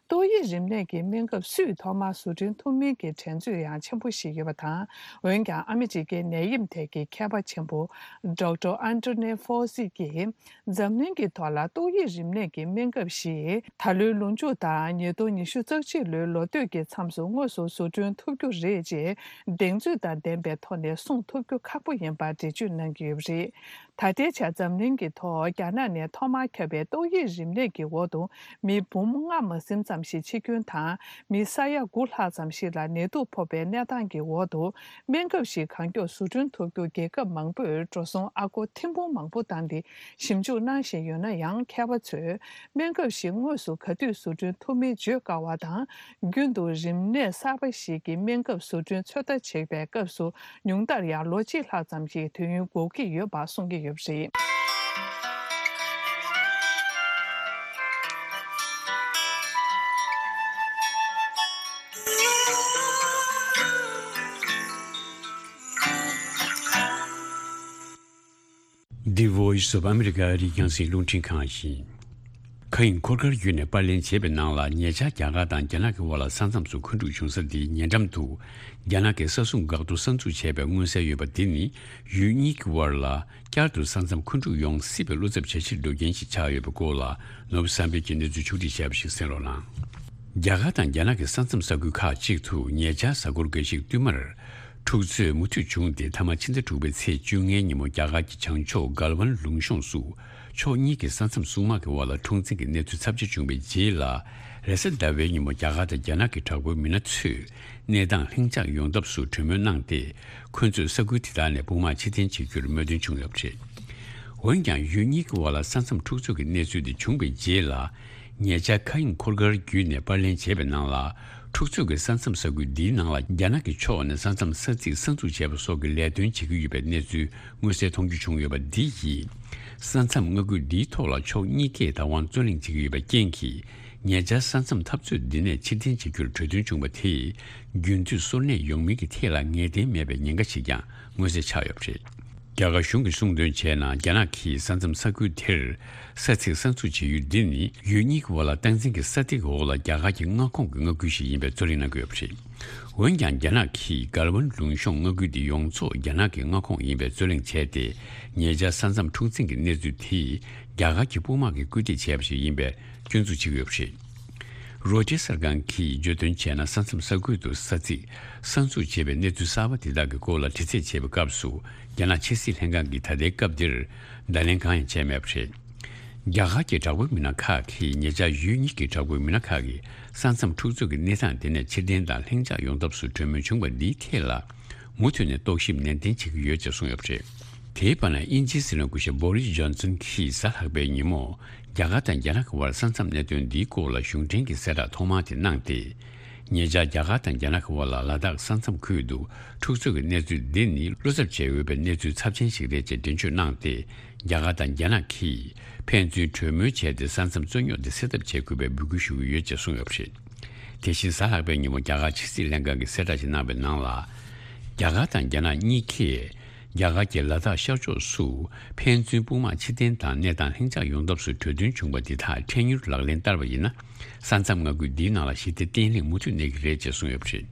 ཏོག་དབྱིབས་རིམས་ནད་ཀྱི་སྨན་ཁབ་སུས་ཐོག་མར་བཟོ་སྐྲུན་ཐུབ་མིན་གྱི་འགྲན་རྩོད་ཡང་ཆེན་པོ་ཞིག་ཡོད་པ་དང་། འོན་ཀྱང་ཨ་མི་རི་ཀའི་ནད་ཡམས་ཐད་ཀྱི་མཁས་པ་ཆེན་པོ་Doctor Anthony Fauci གྱིས། འཛམ་གླིང་གི་ཐོག་ལ་ཏོག་དབྱིབས་རིམས་ནད་ཀྱི་སྨན་ཁབ་ཞིག་ད་ལོའི་ལོ་མཇུག་དང་ཉིས་སྟོང་ཉི་ཤུ་རྩ་གཅིག་ལོའི་ལོ་སྟོད་ཀྱི་མཚམས་སུ་དངོས་སུ་བཟོ་སྐྲུན་ཐུབ་རྒྱུ་རེད་ཅེས་གདེང་ཚོད་དང་ལྡན་པའི་ཐོག་ནས་གསུངས་ཐུབ་རྒྱུ་ཁག་པོ་ཡིན་པར་འགྲེལ་བརྗོད་གནང་གི་ཡོད་པ་རེད། ད་ལྟའི་ཆར་འཛམ་གླིང་གི་ཐོག་རྒྱ་ནག་ནས་ཐོག་མར་ཁྱབ་པའི་ཏོག་དབྱིབས་རིམས་ནད་ཀྱི་འོག་ཏུ་མི་འབུམ་ལྔ་མ་ཟིན་ཙམ་ཞིག་འཆི་སྐྱོན་དང་མི་ས་ཡ་དགུ་ལྷག་ཙམ་ཞིག་ལ་ནད་དུག་ཕོག་པའི་གནས་སྟངས་ཀྱི་འོག་ཏུ། སྨན་ཁབ་ཞིག་གང་མགྱོགས་བཟོ་སྐྲུན་ཐུབ་རྒྱུ་རྒྱལ་ཁབ་མང་པོས་འགྲོ་སོང་ཨ་སྒོར་ཐེར་འབུམ་མང་པོ་བཏང་སྟེ་ཞིབ་འཇུག་གནང་བཞིན་ཡོད་ན་ཡང་། མཁས་པ་ཚོས་སྨན་ཁབ་ཞིག་དངོས་སུ་ག་དུས་བཟོ་སྐྲུན་ཐུབ་མིན་བརྗོད་དཀའ་བ་དང་། རྒྱུན་དུ་རིམས་ནད་གསར་པ་ཞིག་གི་སྨན་ཁབ་བཟོ་སྐྲུན་ཚོད་ལྟ་བྱེད་པའི་སྐབས་སུ། ཉུང་མཐར་ཡང་ལོ་གཅིག་ལྷག་ཙམ་ཞིག་དུས་ཡུན་འགོར་གྱི་ཡོད་པ་གསུང་གི་ཡོད་པ་རེད། The Voice of America ཨ་རིའི་རྒྱང་སྲིང་རླུང་འཕྲིན་ཁང་ཡིན། མཁའ་དབྱིངས་འཁོར་སྐར་བརྒྱུད་ནས་པར་ལེན་བྱས་པའི་ནང་ལ། ཉེ་ཆར་རྒྱ་གར་དང་རྒྱ་ནག་གི་དབར་ལ་ས་མཚམས་སུ་འཁོན་འཁྲུག་བྱུང་ས་འདིའི་ཉེ་འགྲམ་དུ། རྒྱ་ནག་གི་ས་སྲུང་འགག་ཐོག་གསར་འཛུགས་བྱས་པའི་མངོན་གསལ་ཡོད་པ་འདི་ནི། ཡུལ་གཉིས་ཀྱི་དབར་ལ་བསྐྱར་དུ་ས་མཚམས་འཁོན་འཁྲུག་ཡོང་སྲིད་པའི་བློ་འཚབ་བྱ་ཕྱིར་འགྲོ་མཁན་ཞིག་ཆགས་ཡོད་པའི་སྐོར་ལ། ནོར་བུ་བསམ་འཕེལ་གྱིས་གནས་ཚུལ་ཕྱོགས་སྒྲིག་བྱས་པ་ཞིག་གསན་རོགས་གནང་། རྒྱ་གར་དང་རྒྱ་ནག་གི་ས་མཚམས་ས་ཁུལ་ཁག་ཅིག་ཏུ་ཉེ་ཆར་གཟའ་འཁོར་འགའ་ཞིག་བསྟུད་མར་འཁྲུག་རྩོད་མུ་མཐུད་བྱུང་སྟེ། མཐའ་མ་ཕྱི་ཟླ་དྲུག་པའི་ཚེས་བཅོ་ལྔའི་ཉིན་མོ་རྒྱ་གར་གྱི་བྱང་ཕྱོགས་གལ་ཝན་ལུང་གཤོང་སུ་ ཕྱོགས་གཉིས་ཀྱི་ས་མཚམས་སྲུང་དམག་གི་དབར་ལ་འཁྲུག་འཛིང་གི་གནས་ཚུལ་ཚབས་ཆེ་བྱུང་བའི་རྗེས་ལ། རེས་གཟའ་ཟླ་བའི་ཉིན་མོ་རྒྱ་གར་དང་རྒྱ་ནག་གི་དྲག་པོའི་མི་སྣ་ཚོས་གནས་སྟངས་ལྷིང་འཇགས་ཡོང་ཐབས་སུ་གྲོས་མོལ་གནང་སྟེ། ཁོ་ཚོས་ས་ཁུལ་དེ་དག་ནས་དཔུང་དམག་ཕྱིར་འཐེན་བྱེད་རྒྱུར་མོས་མཐུན་བྱུང་ཡོད་པ་རེད། འོན་ཀྱང་ཡུལ་གཉིས་ཀྱི་དབར་ལ་ས་མཚམས་འཁྲུག་རྩོད་ཀྱི་གནས་ཚུལ་དེ་བྱུང་བའི་རྗེས་ལ། ཉེ་ཆར་མཁའ་དབྱིངས་འཁོར་སྐར་བརྒྱུད་ནས་པར་ལེན་བྱས་པའི་ནང་ལ། འཁྲུག་རྩོད་ཀྱི་ས་མཚམས་ས་ཁུལ་འདིའི་ནང་ལ་རྒྱ་ནག་གི་ཕྱོགས་ནས་ས་མཚམས་ས་ཚིགས་གསར་འཛུགས་བྱས་པ་སོགས་ཀྱི་ལས་དོན་བྱེད་ཀྱི་ཡོད་པའི་གནས་ཚུལ་མངོན་གསལ་མཐོང་རྒྱུ་བྱུང་ཡོད་པ་འདི་ཡིས། ས་མཚམས་མངའ་ཁུལ་འདིའི་ཐོག་ལ་ཕྱོགས་གཉིས་ཀས་བདག་དབང་རྩོད་གླེང་བྱེད་ཀྱི་ཡོད་པའི་རྐྱེན་གྱིས། ཉེ་ཆར་ས་མཚམས་འཐབ་རྩོད་འདི་ནས་ཕྱིར་འཐེན་བྱེད་རྒྱུར་གྲོས་མཐུན་བྱུང་བ་དེས། རྒྱུན་མཐུད་སོར་གནས་ཡོང་མིན་གྱི་ཐད་ལ་ངེས་གཏན་མེད་པའི་ཉེན་ཁ་ཞིག་ཀྱང་མངོན་གསལ་ཆགས་ཡོད་པ་རེད། རྒྱ་གར་གཞུང་གིས་གསུངས་དོན་བྱས་ན། རྒྱ་ནག་གིས་ས་མཚམས་ས་ཁུལ་དེར་ས་ཚིགས་གསར་འཛུགས་བྱེད་ཡུལ་འདི་ནི། ཡུལ་གཉིས་ཀྱི་དབར་ལ་སྟངས་འཛིན་གྱི་ས་ཐིག་འོག་ལ་རྒྱ་གར་གྱི་མངའ་ཁོངས་ཀྱི་མངའ་ཁུལ་ཞིག་ཡིན་པའི་རྩོད་གླེང་གནང་གི་ཡོད་པ་རེད། འོན་ཀྱང་། རྒྱ་ནག་གིས་གལ་ཝན་ལུང་གཤོང་མངའ་ཁུལ་དེ་ཡོངས་རྫོགས་རྒྱ་ནག་གི་མངའ་ཁོངས་ཡིན་པའི་རྩོད་གླེང་བྱས་ཏེ། ཉེ་ཆར་ས་མཚམས་འཁྲུག་འཛིང་གི་གནས་ཚུལ་དེ་རྒྱ་གར་གྱི་དཔུང་དམག་གིས་སྐུལ་འདེད་བྱས་པ་ཞིག་ཡིན་པའི་སྐྱོན་འཛུགས་བྱེད་ཀྱི་ཡོད་པ་རེད། རོའི་ཊར་གསར་ཁང་གིས་བརྗོད་དོན་བྱས་ན། ས་མཚམས་ས་ཁུལ་དུ་ས་ཚིགས་གསར་འཛུགས་བྱས་པའི་གནས་ཚུལ་གསར་པ་དེ་དག་གི་སྐོར་ལ་དྲི་རྩད་བྱས་པའི་སྐབས་སུ། རྒྱ་ནག་ཕྱི་སྲིད་ལྷན་ཁང་གིས་ད་ལྟའི་སྐབས་འདིར་བརྡ་ལན་གང་ཡང་བྱས་མེད་པ་རེད། རྒྱ་གར་གྱི་དྲག་པོའི་མི་སྣ་ཁག་གིས་ཉེ་ཆར་ཡུལ་གཉིས་ཀྱི་དྲག་པོའི་མི་སྣ་ཁག་གིས་ས་མཚམས་འཁྲུག་རྩོད་ཀྱི་གནས་སྟངས་དེ་ནས་ཕྱིར་འཐེན་དང་ལྷིང་འཇགས་ཡོང་ཐབས་སུ་གྲོས་མོལ་བྱུང་བ་འདིའི་ཐད་ལ། མུ་མཐུད་ནས་རྟོག་ཞིབ་ནན་ཏན་བྱེད་ཀྱི་ཡོད་ཅེས་གསུངས་ཡོད་པ་རེད། དེའི་བར་ན། དབྱིན་ཇིའི་སྲིད་བློན་སྐུ་ཞབས་བོ་རིས་ཇོན་སན་གྱིས་གཟའ་ལྷག་པའི་ཉིན་མོ། རྒྱ་གར་དང་རྒྱ་ནག་གི་དབར་ས་མཚམས་གནད་དོན་འདིའི་སྐོར་ལ་གཞུང་འབྲེལ་གྱི་གསལ་བསྒྲགས་ཐོག་མ་དེ་གནང་སྟེ། ཉེ་ཆར་རྒྱ་གར་དང་རྒྱ་ནག་གི་དབར་ལ་ལ་དྭགས་ས་མཚམས་ཁུལ་དུ་འཁྲུག་རྩོད་ཀྱི་གནས་ཚུལ་འདི་ནི་བློ་འཚབ་བྱས་ཡོད་པའི་གནས་ཚུལ་ཚབས་ཆེན་ཞིག་རེད་ཅེས་འགྲེལ་བརྗོད་གནང་སྟེ། རྒྱ་གར་དང་རྒྱ་ནག་གིས་ཕན་ཚུན་གྲོས་མོལ་བྱས་ཏེ། ས་མཚམས་རྩོད་རྙོག་འདི་སེལ་ཐབས་བྱེད་དགོས་པའི་འབོད་སྐུལ་ཞུ་གི་ཡོད་ཅེས་གསུངས་ཡོད་པ་རེད། དེ་བཞིན་གཟའ་ལྷག་པའི་ཉིན་མོ་རྒྱ་གར་ཕྱི་སྲིད་ལྷན་ཁང་གིས་གསལ་བསྒྲགས་ཤིག་གནང་བའི་ནང་ལ། རྒྱ་གར་དང་རྒྱ་ནག་གཉིས་ཀས་རྒྱ་གར་གྱི་ལ་དྭགས་ཤར་ཕྱོགས་སུ་ཕན་ཚུན་དཔུང་དམག་ཕྱིར་འཐེན་དང་གནས་སྟངས་ལྷིང་འཇགས་ཡོང་ཐབས་སུ་གྲོས་མཐུན་བྱུང་བ་འདི་དག་འཕྲལ་མྱུར་ལག་ལེན་བསྟར་བ་ཡིན་ན། ས་མཚམས་མངའ་ཁུལ་འདིའི་ནང་ལ་ཞི་བདེ་བརྟན་ལྷིང་མུ་མཐུད་གནས་ཀྱི་རེད་ཅེས་གསུངས་ཡོད་པ་རེད།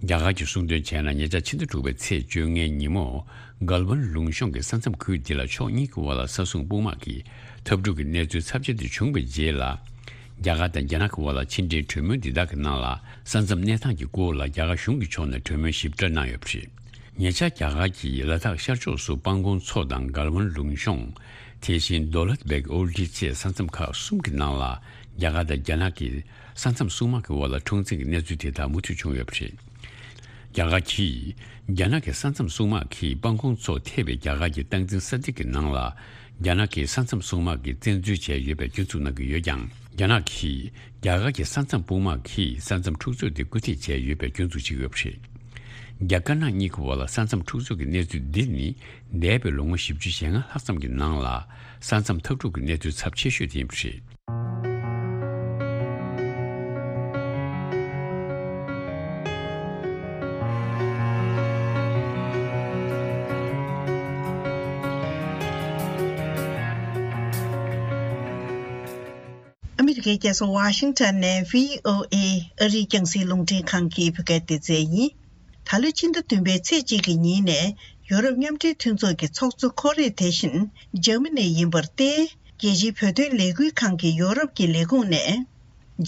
རྒྱ་གར་གྱིས་གསུངས་དོན་བྱས་ན། ཉེ་ཆར་ཕྱི་ཟླ་དྲུག་པའི་ཚེས་བཅོ་ལྔའི་ཉིན་མོ། གལ་ཝན་ལུང་གཤོང་གི་ས་མཚམས་ཁུལ་འདི་ལ་ཕྱོགས་གཉིས་ཀྱི་དབར་ལ་ས་སྲུང་དཔུང་དམག་གི་འཐབ་འཁྲུག་གི་གནས་ཚུལ་ཚབས་ཆེ་དེ་བྱུང་བའི་རྗེས་ལ། རྒྱ་གར་དང་རྒྱ་ནག་གི་དབར་ལ་ཕྱི་འབྲེལ་གྲོས་མོལ་འདི་དག་གི་ནང་ལ། ས་མཚམས་གནས་སྟངས་ཀྱི་སྐོར་ལ་རྒྱ་གར་གཞུང་གི་ཕྱོགས་ནས་གྲོས་མོལ་ཞིབ་ཕྲ་གནང་ཡོད་པ་རེད། ཉེ་ཆར་རྒྱ་གར་གྱིས་ལ་དྭགས་ཤར་ཕྱོགས་སུ་སྤང་གོང་མཚོ་དང་གལ་ཝན་ལུང་གཤོང་། དེ་བཞིན་རྡོ་ལད་བེག་ཨོལ་ཌི་བཅས་ས་མཚམས་ཁག་གསུམ་གྱི་ནང་ལ། རྒྱ་གར་དང་རྒྱ་ནག་གི་ས་མཚམས་སྲུང་དམག་གི་དབར་ལ་འཁྲུག་འཛིང་གི་གནས་ཚུལ་དེ་དག་མུ་མཐུད་བྱུང་ཡོད་པ་རེད། རྒྱ་གར་གྱིས་རྒྱ་ནག་གི་ས་མཚམས་སྲུང་དམག་གིས་སྤང་གོང་མཚོ་ཐེ་བའི་རྒྱ་གར་གྱི་སྟངས་འཛིན་ས་ཐིག་གི་ནང་ལ། རྒྱ་ནག་གི་ས་མཚམས་སྲུང་དམག་གིས་བཙན་འཛུལ་བྱས་ཡོད་པའི་སྐྱོན་འཛུགས་གནང་གི་ཡོད་ཀྱང་། རྒྱ་ནག་གིས་རྒྱ་གར་གྱི་ས་མཚམས་དཔུང་དམག་གིས་ས་མཚམས་འཁྲུག་རྩོད་དེ་སྐུལ་འདེད་བྱས་ཡོད་པའི་སྐྱོན་འཛུགས་བྱེད་ཀྱི་ཡོད་པ་རེད། རྒྱ་དཀར་ནག་གཉིས་ཀྱི་དབར་ལ་ས་མཚམས་འཁྲུག་རྩོད་ཀྱི་གནས་ཚུལ་འདི་ནི། འདས་པའི་ལོ་ངོ་བཞི་བཅུ་ཞེ་ལྔ་ལྷག་ཙམ་གྱི་ནང་ལ། ས་མཚམས་འཐབ་འཁྲུག་གི་གནས་ཚུལ་ཚབས་ཆེ་ཤོས་དེ་ཡིན་པ་རེད། ཨ་མི་རི་ཀའི་རྒྱལ་ས་ཝ་ཤིང་ཊོན་ནས་བྷི་ཨོ་ཨེ་ཨ་རིའི་རྒྱང་སྲིང་རླུང་འཕྲིན་ཁང་གི་བོད་སྐད་སྡེ་ཚན་ཡིན། ད་ལོའི་ཕྱི་ཟླ་བདུན་པའི་ཚེས་གཅིག་གི་ཉིན་ནས་ཡོ་རོབ་མཉམ་འབྲེལ་མཐུན་ཚོགས་ཀྱི་ཚོགས་གཙོ་ཁོ་རེ་དེ་བཞིན་འཇར་མ་ནི་ཡིན་པར་བརྟེན། རྒྱལ་སྤྱིའི་བོད་དོན་ལས་འགུལ་ཁང་གི་ཡོ་རོབ་ཀྱི་ལས་ཁུངས་ནས།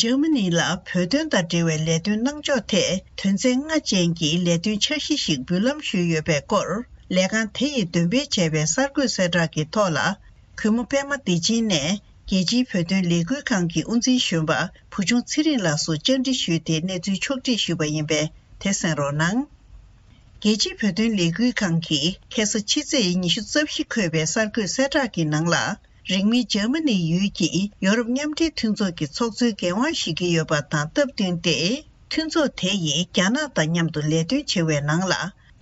འཇར་མ་ནི་ལ་བོད་དོན་དང་འབྲེལ་བའི་ལས་དོན་གནང་ཕྱོགས་ཐད་དོན་ཚན་ལྔ་ཅན་གྱི་ལས་དོན་འཆར་གཞི་ཞིག་འབུལ་ལམ་ཞུས་ཡོད་པའི་སྐོར། ལས་ཁང་དེ་ཡིས་འདོན་སྤེལ་བྱས་པའི་གསར་འགོད་གསལ་བསྒྲགས་ཀྱི་ཐོག་ལ། གུས་མོ་པད་མ་བདེ་ཆེན་ནས་རྒྱལ་སྤྱིའི་བོད་དོན་ལས་འགུལ་ཁང་གི་དབུ་འཛིན་གཞོན་པ་བུ་ཆུང་ཚེ་རིང་ལགས་སུ་བཅར་འདྲི་ཞུས་ཏེ་གནས་ཚུལ་ཕྱོགས་བསྒྲིགས་ཞུས་པ་ཡིན་པས་དེ་གསན་རོགས་གནང་། རྒྱལ་སྤྱིའི་བོད་དོན་ལས་འགུལ་ཁང་གིས་ཁ་སང་ཕྱི་ཚེས་ཉི་ཤུ་རྩ་བཞི་འཁོད་པའི་གསར་འགོད་གསལ་བསྒྲགས་ཀྱི་ནང་ལ། རིང་མིན་འཇར་མ་ནི་ཡུལ་གྱི་ཡོ་རོབ་མཉམ་འབྲེལ་མཐུན་ཚོགས་ཀྱི་ཚོགས་གཙོའི་འགན་དབང་བཞེས་ཀྱི་ཡོད་པ་དང་སྟབས་བསྟུན་ཏེ། མཐུན་ཚོགས་དེ་ཡིས་རྒྱ་ནག་དང་མཉམ་དུ་ལས་དོན་བྱེད་པའི་ནང་ལ།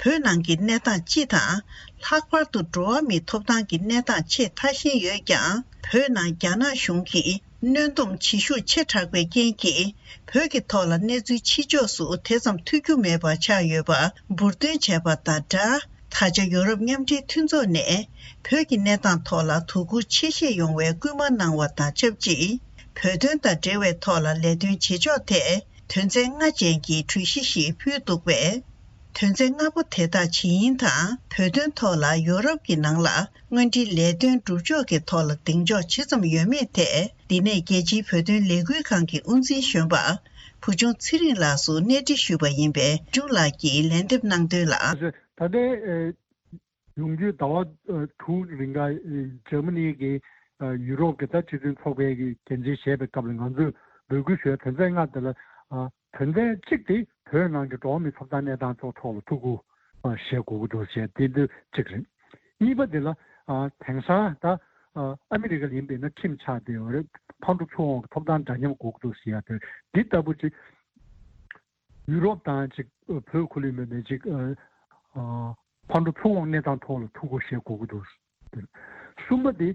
བོད་ནང་གི་གནས་སྟངས་སྤྱི་དང་། ལྷག་པར་དུ་འགྲོ་བ་མིའི་ཐོབ་ཐང་གི་གནས་སྟངས་ཆེས་ཐ་ཞན་ཡོད་ཀྱང་། བོད་ནང་རྒྱ་ནག་གཞུང་གིས་གནོན་སྡོམ་བྱེད་ཤུགས་ཆེ་དྲགས་པའི་རྐྱེན་གྱིས། བོད་ཀྱི་ཐོག་ལ་གནས་ཚུལ་ཕྱི་ཕྱོགས་སུ་དེ་ཙམ་ཐོས་རྒྱུ་མེད་པ་ཆགས་ཡོད་པ་འབུར་འདོན་བྱས་པ་དང་སྦྲགས། ད་ཆ་ཡོ་རོབ་མཉམ་འབྲེལ་མཐུན་ཚོགས་ནས་བོད་ཀྱི་གནས་སྟངས་ཐོག་ལ་དོ་ཁུར་ཆེ་བཞེས་ཡོང་བའི་སྐུལ་མ་གནང་བ་དང་ཆབས་ཅིག་བོད་དོན་དང་འབྲེལ་བའི་ཐོག་ལ་ལས་དོན་བྱེད་ཕྱོགས་ཐད་དོན་ཚན་ལྔ་ཅན་གྱི་གྲོས་གཞི་ཞིག་ཕུལ་འདུག་པས། དོན་ཚན་ལྔ་པོ་དེ་དག་ཇི་ཡིན་དང་། བོད་དོན་ཐོག་ལ་ཡོ་རོབ་ཀྱི་ནང་ལ་དངོས་འབྲེལ་ལས་དོན་སྒྲུབ་ཕྱོགས་ཀྱི་ཐོག་ལ་གདེང་འཇོག་ཇི་ཙམ་ཡོད་མེད་ཐད། འདི་ནས་རྒྱལ་སྤྱིའི་བོད་དོན་ལས་འགུལ་ཁང་གི་དབུ་འཛིན་གཞོན་པ་བུ་ཆུང་ཚེ་རིང་ལགས་སུ་གནས་འདྲི་ཞུས་པ་ཡིན་པས། བུ་ཆུང་ལགས་ཀྱིས་ལན་འདེབས་གནང་དོན་ལ། ད་ལྟའི་ ཡོང་རྒྱུའི་ཟླ་བ་དྲུག་རིང་ག་འཇར་མ་ནི་གི་ཡུ་རོབ་ཀྱི་ད་སྤྱི་མཐུན་ཚོགས་པའི་གི་འགན་འཛིན་བྱས་པའི་སྐབས་ལ་ང་ཚོས་འབོད་སྐུལ་ཞུ་བའི་དོན་ཚན་ལྔ་དེ་ལ་དོན་ཚན་གཅིག་དེ་བོད་ནང་གི་འགྲོ་བ་མིའི་ཐོབ་ཐང་གནས་སྟངས་ཐོག་ཐོག་ལ་ཐུགས་ཁུར་བཞེས་དགོས་ཀྱི་འདུག་ཟེར་དེ་འདི་གཅིག་རེད། གཉིས་པ་དེ་ལ་དེང་སང་ད་ཨ་མི་རི་ཀ་ལ་ཡིན་པས་ན་ཁྲིམས་ཆགས་བསྡད་ཡོད་རེད། ཕར་འགྲོ་ཚུར་འོང་གི་ཐོབ་ཐང་འདྲ་མཉམ་དགོས་ཀྱི་འདུག་ཟེར་ཡ་དེ་འདི་ལྟ་བུ་ཅིག་ཡུ་རོབ་དང་ཅིག་བོད་ཁུལ་ལ་ཡིན་པས་ན་ཅིག་ཕར་འགྲོ་ཚུར་འོང་གནས་སྟངས་ཐོག་ལ་ཐུགས་ཁུར་བཞེས་དགོས་ཀྱི་འདུག་གསུམ་པ་དེ་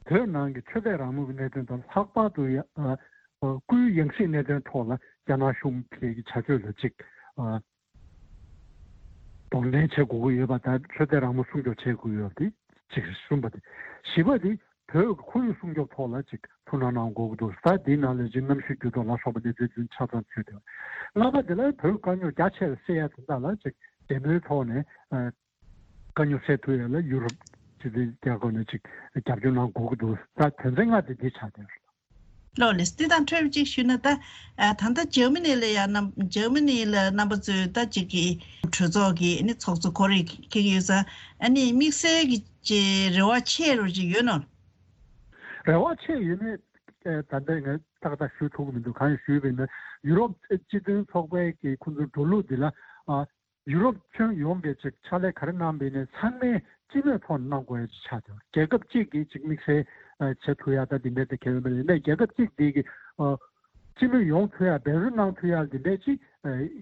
བོད་ནང་གི་ཆོས་དད་རང་མོས་ཀྱི་གནད་དོན་དང་ལྷག་པར་དུ་ཡ་སྐུའི་ཡང་སྲིད་གནད་དོན་ཐོག་ལ་རྒྱ་ནག་གཞུང་གི་བྱ་སྤྱོད་ལ་ཅིག་གདོང་ལེན་བྱེད་དགོས་ཀྱི་ཡོད་པ་དང་ཆོས་དད་རང་མོས་སྲུང་སྐྱོབ་བྱེད་དགོས་ཡོད་པ་དེ་གཅིག་རེད། གསུམ་པ་དེ། བཞི་པ་དེ་བོད་ཀྱི་ཁོར་ཡུག་སྲུང་སྐྱོབ་ཐོག་ལ་ཅིག་ཐུགས་སྣང་གནང་དགོས་ཀྱི་འདུག་ས་དེའི་ནང་ལ་ཅིག་གནམ་གཤིས་འགྱུར་ལྡོག་ལ་སོགས་པ་གནས་ཚུལ་ཚུན་ཆ་ཚང་ཚུད་དེ། ལྔ་པ་དེ་ལ་བོད་དཀའ་རྙོག་རྒྱ་ཆེ་རུ་སེལ་ཡ་དེ་འདྲ་ལ་ཅིག་འབྲེལ་མོལ་ཐོག་ནས་དཀའ་རྙོག་སེལ་ཐུབ་ཡ་ལ་ཡུ་རོབ་སྤྱི་མཐུན་རྒྱལ་ཁབ་ནས་ཅིག་རྒྱབ་སྐྱོར་གནང་དགོས་ཀྱི་འདུག་ད་དོན་ཚན་ལྔ་དེ་འདི་ཆགས་བསྡད་ཡོད་རེད། ལགས་ལགས། འདི་དང་འཕྲོས་པ་ཅིག་ཞུས་ན་ད། ཨ་ད་ལྟ་འཇར་མ་ནི་ལ་ཡང་རྣམ་འཇར་མ་ནི་ལ་རྣམ་པ་ཚོས་ད་ཅིག་གི་གྲོས་ཚོགས་ཀྱི་ནི་ཚོགས་གཙོ་ཁོ་རེ་འཁེལ་གྱི་ཡོད་ཙང་ཨ་ནི་དམིགས་བསལ་གྱི་ཅིག་རེ་བ་ཆེ་རུ་ཅིག་ཡོད་ནོ། རེ་བ་ཆེ་ཡོད་མེད་ད་ལྟ་ངས་ཏག་ཏག་ཞུ་ཐུབ་ཀྱི་མི་འདུག་གང་ཡིན་ཞུས་པ་ཡིན་ན་ཡུ་རོབ་སྤྱི་མཐུན་ཚོགས་པའི་གི་ཁོང་ཚོའི་འགྲོ་ལུགས་འདི་ལ་ཨ། ཡུ་རོབ་ཁྱོན་ཡོངས་ཀྱི་ཅིག་ཕྱག་ལས་ག་རེ་གནང་བ་ཡིན་ནའི་ཚང་མས་སྤྱི་མོས་ཐོག་ནས་གནང་དགོས་ཡ་ཅིག་ཆགས་ཡོད། རྒྱལ་ཁབ་གཅིག་གིས་ཅིག་དམིགས་བསལ་བྱེད་ཐུབ་ཡ་ད་འདི་འདྲ་དེ་གལ་ཡོད་མ་རེད། ཡིན་ནའི་རྒྱལ་ཁབ་གཅིག་འདི་གི་སྤྱི་མོས་ཡོང་ཐུབ་ཡ་འབད་རྩོལ་གནང་ཐུབ་ཡ་འདི་འདྲ་ཅིག་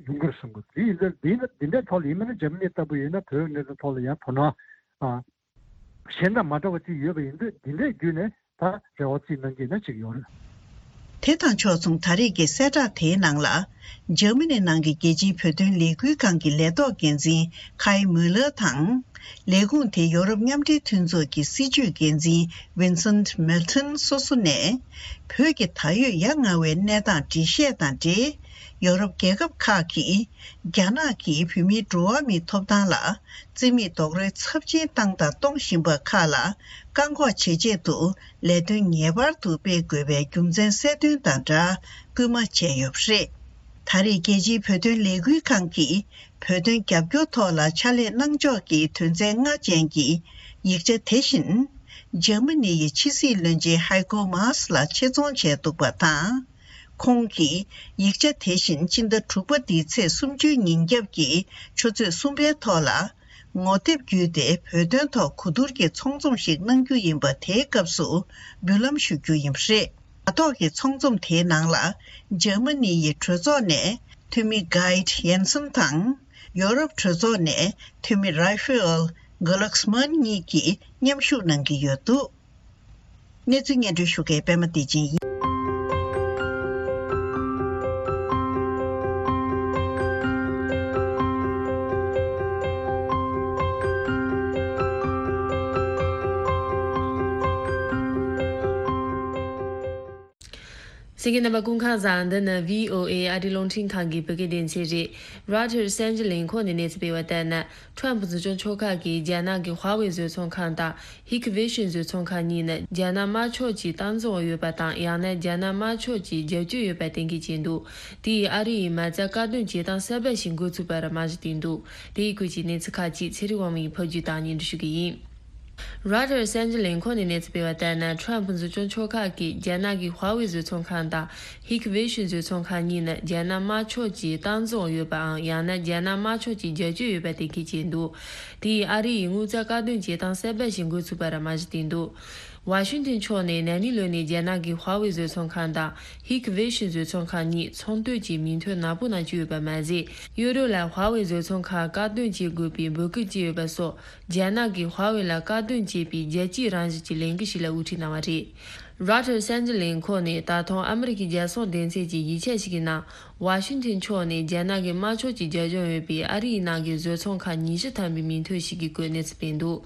ཡོང་གི་རེད་བསམ་གི་འདུག་དེ་ཡིན་ཙང་འདི་འདི་འདྲའི་ཐོག་ལ་ཡིན་མིན་ན་འཇར་མ་ནི་ལྟ་བུ་ཡིན་ན་བོད་གནད་དོན་ཐོག་ལ་ཡང་དོ་སྣང་གཞན་དང་མ་འདྲ་བ་ཅིག་ཡོད་པ་ཡིན་དུས་འདི་འདྲའི་བརྒྱུད་ནས་ད་རེ་བ་རྩིས་གནང་གི་ན་ཅིག་ཡོད་རེད། དེ་དང་ཕྱོགས་མཚུངས་ད་རེས་ཀྱི་གསལ་བསྒྲགས་དེའི་ནང་ལ། འཇར་མ་ནི་ནང་གི་རྒྱལ་སྤྱིའི་བོད་དོན་ལས་འགུལ་ཁང་གི་ལས་ཐོག་འགན་འཛིན་ཁའི་མུ་ལར་དང་། ལས་ཁུངས་དེའི་ཡོ་རོབ་མཉམ་འབྲེལ་མཐུན་ཚོགས་ཀྱི་སྲིད་བྱུས་འགན་འཛིན་ཝིན་སེན་མེལ་ཐོན་སོ་སོ་ནས། བོད་ཀྱི་ད་ཡོད་ཡ་ང་བའི་གནས་སྟངས་འགྲེལ་བཤད་དང་འབྲེལ། ཡོ་རོབ་རྒྱལ་ཁབ་ཁག་གིས་རྒྱ་ནག་གིས་བོད་མིའི་འགྲོ་བ་མིའི་ཐོབ་ཐང་ལ་རྩིས་མེད་རྡོག་རོལ་ཚབས་ཆེན་བཏང་དང་གཏོང་བཞིན་པ་ཁག་ལ་བཀག་འགོག་བྱེད་ཆེད་དུ་ལས་དོན་ངེས་པར་དུ་སྤེལ་དགོས་པའི་རྒྱུ་མཚན་གསལ་སྟོན་དང་སྦྲགས་སྐུལ་མ་བྱས་ཡོད་པ་རེད། ད་རེས་རྒྱལ་སྤྱིའི་བོད་དོན་ལས་འགུལ་ཁང་གིས་བོད་དོན་རྒྱབ་སྐྱོར་ཐོག་ལ་ཕྱག་ལས་གནང་ཕྱོགས་ཀྱི་དོན་ཚན་ལྔ་ཅན་གྱི་ཡིག་ཆ་དེ་བཞིན་འཇར་མ་ནི་ཡི་ཕྱི་སྲིད་བློན་ཆེན་ཧའི་ཀོ་མཱས་ལ་ཆེད་རྫོང་བྱས་འདུག་པ་དང་། ཁོང་གིས་ཡིག་ཆ་དེ་བཞིན་ཕྱི་ཟླ་དྲུག་པ་འདིའི་ཚེས་སུམ་ཅུའི་ཉིན་རྒྱབ་ཀྱི་ཆུ་ཚོད་གསུམ་པའི་ཐོག་ལ་ངོ་དེབ་བརྒྱུད་དེ་བོད་དོན་ཐོག་གོ་བསྡུར་གྱི་ཚོགས་འཛོམས་ཤིག་གནང་རྒྱུ་ཡིན་པ་དེའི་སྐབས་སུ་འབུལ་ལམ་ཞུ་རྒྱུ་ཡིན་པ་རེད། དྲ་ཐོག་གི་ཚོགས་འཛོམས་དེའི་ནང་ལ་འཇར་མ་ནི་ཡི་གྲོས་ཚོགས་ནས་འཐུས་མི་གྷའིད་ཡན་སན་དང་། ཡོ་རོབ་གྲོས་ཚོགས་ནས་འཐུས་མི་རཱ་ཧྥེ་ཨེལ་གྷ་ལག་སི་མན་གཉིས་ཀྱིས་མཉམ་ཞུགས་གནང་གི་ཡོད་འདུག་གནས་ཚུལ་སྙན་སྒྲོན་ཞུ་མཁན་པད་མ་བདེ་ཆེན་ཡིན། གསན་མཁན་རྣམ་པ་སྐུ་ཁམས་བཟང་། འདི་ནི་བྷི་ཨོ་ཨེ་ཨ་རིའི་རླུང་འཕྲིན་ཁང་གི་བོད་སྐད་སྡེ་ཚན་རེད། རོའི་ཊར་གསར་འགྱུར་ལས་ཁུངས་ནས་གནས་ཚུལ་སྤེལ་བ་ལྟར་ན། ཁྲམ་ཕུ་འཛིན་སྐྱོང་ཕྱོགས་ཁག་གིས་རྒྱ་ནག་གི་ཧྭ་ཝེ་བཟོ་ཚོང་ཁང་དང་ཧིག་ཝེ་ཤིན་བཟོ་ཚོང་ཁང་གཉིས་ནི་རྒྱ་ནག་དམར་ཕྱོགས་ཀྱི་སྟངས་འཛིན་འོག་ཡོད་པ་དང་། ཡང་ན་རྒྱ་ནག་དམར་ཕྱོགས་ཀྱི་རྒྱབ་སྐྱོར་ཡོད་པ་གཏན་འཁེལ་བྱས་འདུག་དེ་ཡིས་ཨ་རི་ཡིས་མ་རྩ་བཀག་སྡོམ་བྱེད་སྟངས་གསར་པ་ཞིག་འགོ་ཚུགས་པར་རྨང་གཞི་བཏིང་འདུག་དེའི་སྐོར་གྱི་གནས་ཚུལ་ཁག་ཅིག་ཚེ་རིང་དབང་མོས་ཕབ་སྒྱུར་དང་སྙན་སྒྲོན་ཞུ་གི་ཡིན། རོའི་ཊར་གསར་འགྱུར་ལས་ཁུངས་ནས་གནས་ཚུལ་སྤེལ་བ་ལྟར་ན། ཁྲམ་ཕུ་འཛིན་སྐྱོང་ཕྱོགས་ཁག་གིས་རྒྱ་ནག་གི་ཧྭ་ཝེ་བཟོ་ཚོང་ཁང་དང་ཧིག་ཝེ་ཤིན་བཟོ་ཚོང་ཁང་གཉིས་ནི་རྒྱ་ནག་དམར་ཕྱོགས་ཀྱི་སྟངས་འཛིན་འོག་ཡོད་པའམ། ཡང་ན་རྒྱ་ནག་དམར་ཕྱོགས་ཀྱི་རྒྱབ་སྐྱོར་ཡོད་པ་གཏན་འཁེལ་བྱས་འདུག་དེ་ཡིས་ཨ་རི་ཡིས་དངུལ་རྩ་བཀག་སྡོམ་བྱེད་སྟངས་གསར་པ་ཞིག་འགོ་ཚུགས་པར་རྨང་གཞི་བཏིང་འདུག་ཝ་ཤིང་ཏན་ཕྱོགས་ནས་ན་ནིང་ལོ་ནས་རྒྱ་ནག་གི་ཧྭ་ཝེ་བཟོ་ཚོང་ཁང་དང་ཧིག་ཝེ་ཤིན་བཟོ་ཚོང་ཁང་གཉིས་ཚོང་དོན་གྱི་མིང་ཐོ་ནག་པོ་ནང་བཅུག་ཡོད་པ་མ་ཟད། གཡོ་རོ་ལ་ཧྭ་ཝེ་བཟོ་ཚོང་ཁང་བཀག་སྡོམ་བྱེད་དགོས་པའི་འབོད་སྐུལ་བྱས་ཡོད་པ་སོགས། རྒྱ་ནག་གིས་ཧྭ་ཝེ་ལ་བཀག་སྡོམ་བྱས་པའི་རྒྱལ་སྤྱིའི་རང་བཞིན་གྱི་ལས་འགུལ་ཞིག་ལ་དབུ་ཁྲིད་གནང་བ་རེད། རོའི་ཊར་གསར་འགྱུར་ལས་ཁུངས་ནས་ད་དུང་ཨ་མི་རི་ཀའི་རྒྱལ་སྲུང་སྡེ་ཚན་གྱི་ཡིག་ཆ་ཞིག་གི་ནང་། ཝ་ཤིང་ཏན་ཕྱོགས་ནས་རྒྱ་ནག་གི་དམར་ཕྱོགས་ཀྱི་རྒྱབ་ལྗོངས་ཡོད་པའི་ཨ་རིའི་ནང་གི་བཟོ་ཚོང་ཁང་ཉི་ཤུ་ཐམ་པའི་མིང་ཐོ་ཞིག་གི་སྐོར་གནས་ཚུལ་སྤེལ་འདུག་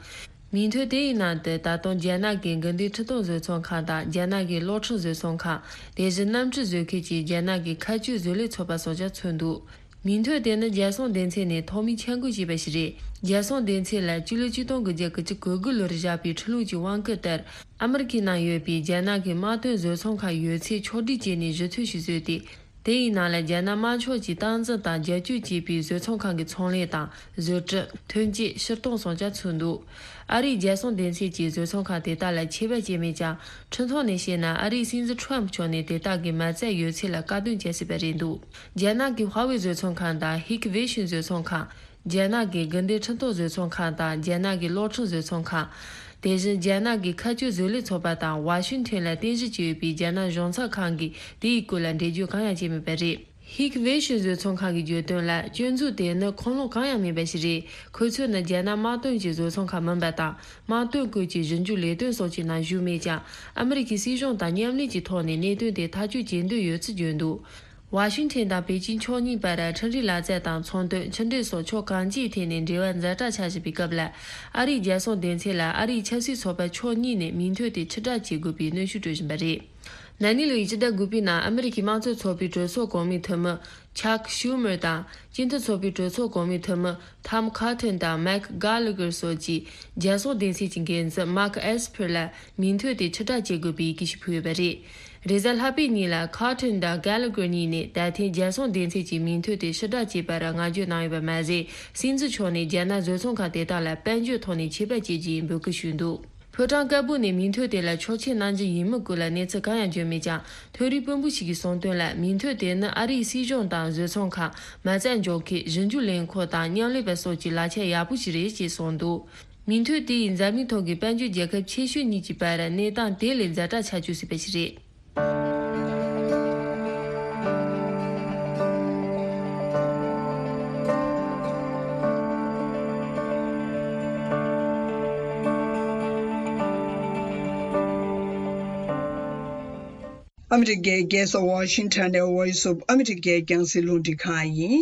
མིང་ཐོ་དེ་ཡི་ནང་དུ་ད་དུང་རྒྱ་ནག་གི་དགུན་དུས་ཁྲི་སྟོང་བཟོ་ཚོང་ཁང་དང་རྒྱ་ནག་གི་གློག་འཕྲུལ་བཟོ་ཚོང་ཁང་། དེ་བཞིན་གནམ་གྲུ་བཟོ་མཁན་གྱི་རྒྱ་ནག་གི་མཁའ་སྤྱོད་བཟོ་ལས་ཚོགས་པ་སོགས་ཀྱང་ཚུད་འདུག་མིང་ཐོ་དེ་ནི་རྒྱལ་སྲུང་སྡེ་ཚན་ནས་ཐོག་མའི་འཆར་འགོད་བྱས་པ་ཞིག་རེད། རྒྱལ་སྲུང་སྡེ་ཚན་ལ་སྤྱི་ལོ་ཆིག་སྟོང་དགུ་བརྒྱ་དགུ་བཅུ་གོ་དགུ་ལོར་བཞག་པའི་ཁྲི་ལུགས་ཀྱི་དབང་བསྐུར་ལྟར། ཨ་མི་རི་ཀའི་ནང་ཡོད་པའི་རྒྱ་ནག་གི་དམག་དོན་བཟོ་ཚོང་ཁང་ཡོད་ཚད་ཕྱོགས་སྒྲིག་བྱས་ནས་གཞི་རྩ་ཞིག་བཟོས་ཏེ། དེ་ཡི་ནང་ལ་རྒྱ་ནག་དམར་ཕྱོགས་ཀྱིས་སྟངས་འཛིན་དང་རྒྱབ་སྐྱོར་བྱས་པའི་བཟོ་ཚོང་ཁང་གི་ཚོང་ལས་དང་བཟོ་སྐྲུན། ཐོན་སྐྱེད། ཕྱིར་གཏོང་སོགས་ཀྱང་ཚུད་འདུག་ཨ་རིའི་རྒྱལ་སྲུང་སྡེ་ཚན་གྱིས་བཟོ་ཚོང་ཁང་དེ་དག་ལ་ཆད་པ་བཅད་མེད་ཀྱང་། ཁྲིམས་ཐོག་ནས་བཤད་ན། ཨ་རིའི་སྲིད་འཛིན་ཁྲོམ་མཆོག་ནས་དེ་དག་གི་མ་རྩ་ཡོད་ཚད་ལ་བཀག་སྡོམ་བྱེད་སྲིད་པ་རེད་འདུག་རྒྱ་ནག་གི་ཧྭ་ཝེ་བཟོ་ཚོང་ཁང་དང་ཧིག་ཝེ་ཤིན་བཟོ་ཚོང་ཁང་། རྒྱ་ནག་གི་དགུན་སྡེ་ཁྲིམས་གཏོང་བཟོ་ཚོང་ཁང་དང་རྒྱ་ནག་གི་གློག་འཕྲིན་བཟོ་ཚོང་ཁང་། དེ་བཞིན་རྒྱ་ནག་གི་མཁའ་སྐྱོད་བཟོ་ལས་ཚོགས་པ་དང་ཝ་ཤིང་ཊོན་ལ་རྟེན་གཞི་བྱས་ཡོད་པའི་རྒྱ་ནག་གཞུང་ཚབ་ཁང་གིས་དེའི་སྐོར་ལ་འགྲེལ་བརྗོད་གང་ཡང་བྱས་མེད་པ་རེད། ཧིག་ཝེ་ཤིན་བཟོ་ཚོང་ཁང་གིས་བརྗོད་དོན་ལ། སྐྱོན་འཛུགས་དེ་ནི་ཁུངས་ལུང་གང་ཡང་མེད་པ་ཞིག་རེད། ཁོ་ཚོ་ནི་རྒྱ་ནག་དམག་དོན་གྱི་བཟོ་ཚོང་ཁང་མིན་པ་དང་། དམག་དོན་སྐོར་གྱི་ཞིབ་འཇུག་ལས་དོན་སོགས་ཀྱི་ནང་ཞུགས་མེད་ཀྱང་། ཨ་མི་རི་ཀའི་སྲིད་གཞུང་དང་མཉམ་ལས་ཀྱི་ཐོག་ནས་གནད་དོན་དེ་ཐག་གཅོད་བྱེད་འདོད་ཡོད་ཚུལ་བརྗོད་འདུག་ཝ་ཤིང་ཊོན་དང་པེ་ཅིན་ཕྱོགས་གཉིས་བར་ཁྲིམས་རའི་ལག་རྩལ་དང་ཚོང་དོན། ཕྱི་འབྲེལ་སོགས་ཕྱོགས་གང་ཅིའི་ཐད་ནས་འབྲེལ་བ་ཛ་དྲག་ཆགས་བཞིན་པའི་སྐབས་ལ། ཨ་རིའི་རྒྱལ་སྲུང་སྡེ་ཚན་ལ་ཨ་རིའི་ཆབ་སྲིད་ཚོགས་པ་ཕྱོགས་གཉིས་ནས་མིང་ཐོ་དེ་ཕྱིར་བསྒྲགས་བྱེད་དགོས་པའི་གནོན་ཤུགས་སྤྲོད་བཞིན་པ་རེད། ན་ནིང་ལོའི་སྤྱི་ཟླ་དགུ་པའི་ནང་ཨ་མི་རི་ཀའི་དམངས་གཙོ་ཚོགས་པའི་གྲོས་ཚོགས་གོང་མའི་འཐུས་མི་ཆག་ཤུ་མར་དང་། སྤྱི་མཐུན་ཚོགས་པའི་གྲོས་ཚོགས་གོང་མའི་འཐུས་མི་ཐམ་ཁ་ཐོན་དང་མེག་གྷ་ལ་གྷར་སོགས་ཀྱིས་རྒྱལ་སྲུང་སྡེ་ཚན་གྱི་འགན་འཛིན་མཱག་ཨེས་ཕར་ལ་མིང་ཐོ་དེ་ཕྱིར་བསྒྲགས་བྱེད་དགོས་པའི་ཡི་གེ་ཞིག་ཕུལ་ཡོད་པ་རེད། རེས་གཟའ་ལྷག་པའི་ཉིན་ལ་ཁ་ཐོན་དང་གྷ་ལ་གྷར་གཉིས་ནས་ད་ཐེངས་རྒྱལ་སྲུང་སྡེ་ཚན་གྱི་མིང་ཐོ་དེ་ཕྱིར་བསྒྲགས་བྱས་པར་བསྔགས་བརྗོད་གནང་ཡོད་པ་མ་ཟད། སྲིད་འཛིན་མཆོག་ནས་རྒྱ་ནག་བཟོ་ཚོང་ཁང་དེ་དག་ལ་དཔལ་འབྱོར་ཐོག་ནས་ཆད་པ་བཅད་རྒྱུ་ཡིན་འབོད་སྐུལ་ཞུས་འདུག་ཕོ་བྲང་དཀར་པོ་ནས་མིང་ཐོ་དེ་ལ་ཕྱོགས་ཆེན་གནང་རྒྱུ་ཡིན་མིན་སྐོར་ལ་གནས་ཚུལ་གང་ཡང་བརྗོད་མེད་ཀྱང་། ཐོ་རིག་དཔོན་པོ་ཞིག་གིས་གསུངས་དོན་ལ། མིང་ཐོ་དེ་ནི་ཨ་རིའི་སྲིད་གཞུང་དང་བཟོ་ཚོང་ཁང་། མ་རྩ་འཇོག་མཁན། ཞིབ་འཇུག་ལས་ཁུངས་དང་མཉམ་ལས་པ་སོགས་ཀྱི་ལག་ཆ་ཡག་པོ་ཞིག་རེད་ཅེས་གསུངས་འདུག་མིང་ཐོ་དེ་ཡིས་འཛམ་གླིང་ཐོག་གི་དཔལ་འབྱོར་རྒྱལ་ཁབ་ཆེ་ཤོས་གཉིས་ཀྱི་བར་གནས་སྟངས་དེ་ལས་ཛ་དྲག་ཆགས་བཅུག་སྲིད་པ་ཞིག་རེད། ཨ་མི་རི་ཀའི་རྒྱལ་ས་ཝ་ཤིང་ཊོན་ནས་Voice of America རྒྱང་སྲིང་རླུང་འཕྲིན་ཁང་ཡིན།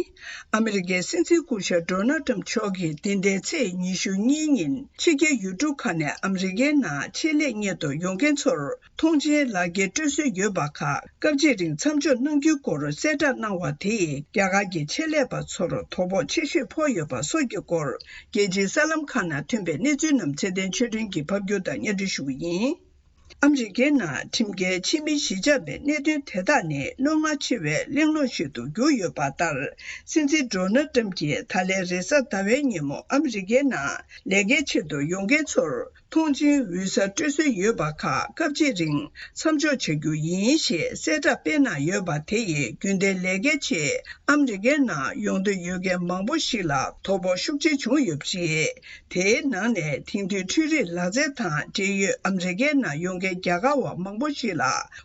ཨ་མི་རི་ཀའི་སྲིད་འཛིན་སྐུ་ཞབས་ཌོ་ནལ་ཊམ་མཆོག་གིས་འདི་ཟླའི་ཚེས་ཉི་ཤུ་གཉིས་ཉིན་ཕྱི་རྒྱལ་ཡུལ་གྲུ་ཁག་ནས་ཨ་མི་རི་ཀའི་ནང་ཆེད་ལས་གཉེར་དུ་ཡོང་མཁན་ཚོར་ཐོངས་མཆན་ལག་འཁྱེར་སྤྲོད་སྲོལ་ཡོད་པ་ཁག་སྐབས་གཅིག་རིང་མཚམས་འཇོག་གནང་རྒྱུའི་སྐོར་གསལ་བསྒྲགས་གནང་བ་དེས། རྒྱ་གར་གྱི་ཆེད་ལས་པ་ཚོར་དོ་ཕོག་ཆེ་ཤོས་ཕོག་ཡོད་པ་སོགས་ཀྱི་སྐོར། རྒྱལ་སྤྱིའི་གསར་ལམ་ཁག་ནང་ཐོན་པའི་གནས་ཚུལ་རྣམས་ཚེ་བརྟན་ཆོས་སྒྲོན་གྱིས་ཕབ་སྒྱུར་དང་སྙན་སྒྲོན་ཞུ་གི་ཡིན། ཨ་མི་རི་ཀའི་ནང་ཁྲིམས་འགལ་ཕྱི་མི་གཞིས་ཆགས་པའི་གནད་དོན་དེ་དག་ནི་རྣོ་ངར་ཆེ་བའི་གླེང་སློང་ཞིག་ཏུ་གྱུར་ཡོད་པ་ལྟར། སྲིད་འཛིན་ཌོ་ནལ་ཊམ་གྱིས་ད་ལན་རེས་གཟའ་ཟླ་བའི་ཉིན་མོ་ཨ་མི་རི་ཀའི་ནང་ལས་ཀའི་ཆེད་དུ་ཡོང་མཁན་ཚོར་ཐོངས་མཆན་འོས་གསར་སྤྲོད་སྲོལ་ཡོད་པ་ཁག་སྐབས་གཅིག་རིང་མཚམས་འཇོག་བྱ་རྒྱུ་ཡིན་ཞེས་གསལ་བསྒྲགས་སྤེལ་གནང་ཡོད་པ་དེ་ཡིས་རྒྱུན་ལྡན་ལས་ཀའི་ཆེད་ཨ་མི་རི་ཀའི་ནང་ཡོང་འདོད་ཡོད་མཁན་མང་པོ་ཞིག་ལ་དོ་ཕོག་ཤུགས་ཆེ་བྱུང་ཡོད་པ་རེད། དེའི་ནང་ནས་དེང་དུས་འཕྲུལ་རིག་ལག་རྩལ་དང་འབྲེལ་ཡོད་ཨ་མི་རི་ཀའི་ནང་ཡོང་མཁན་རྒྱ་གར་བ་མང་པོ་ཞིག་ལ་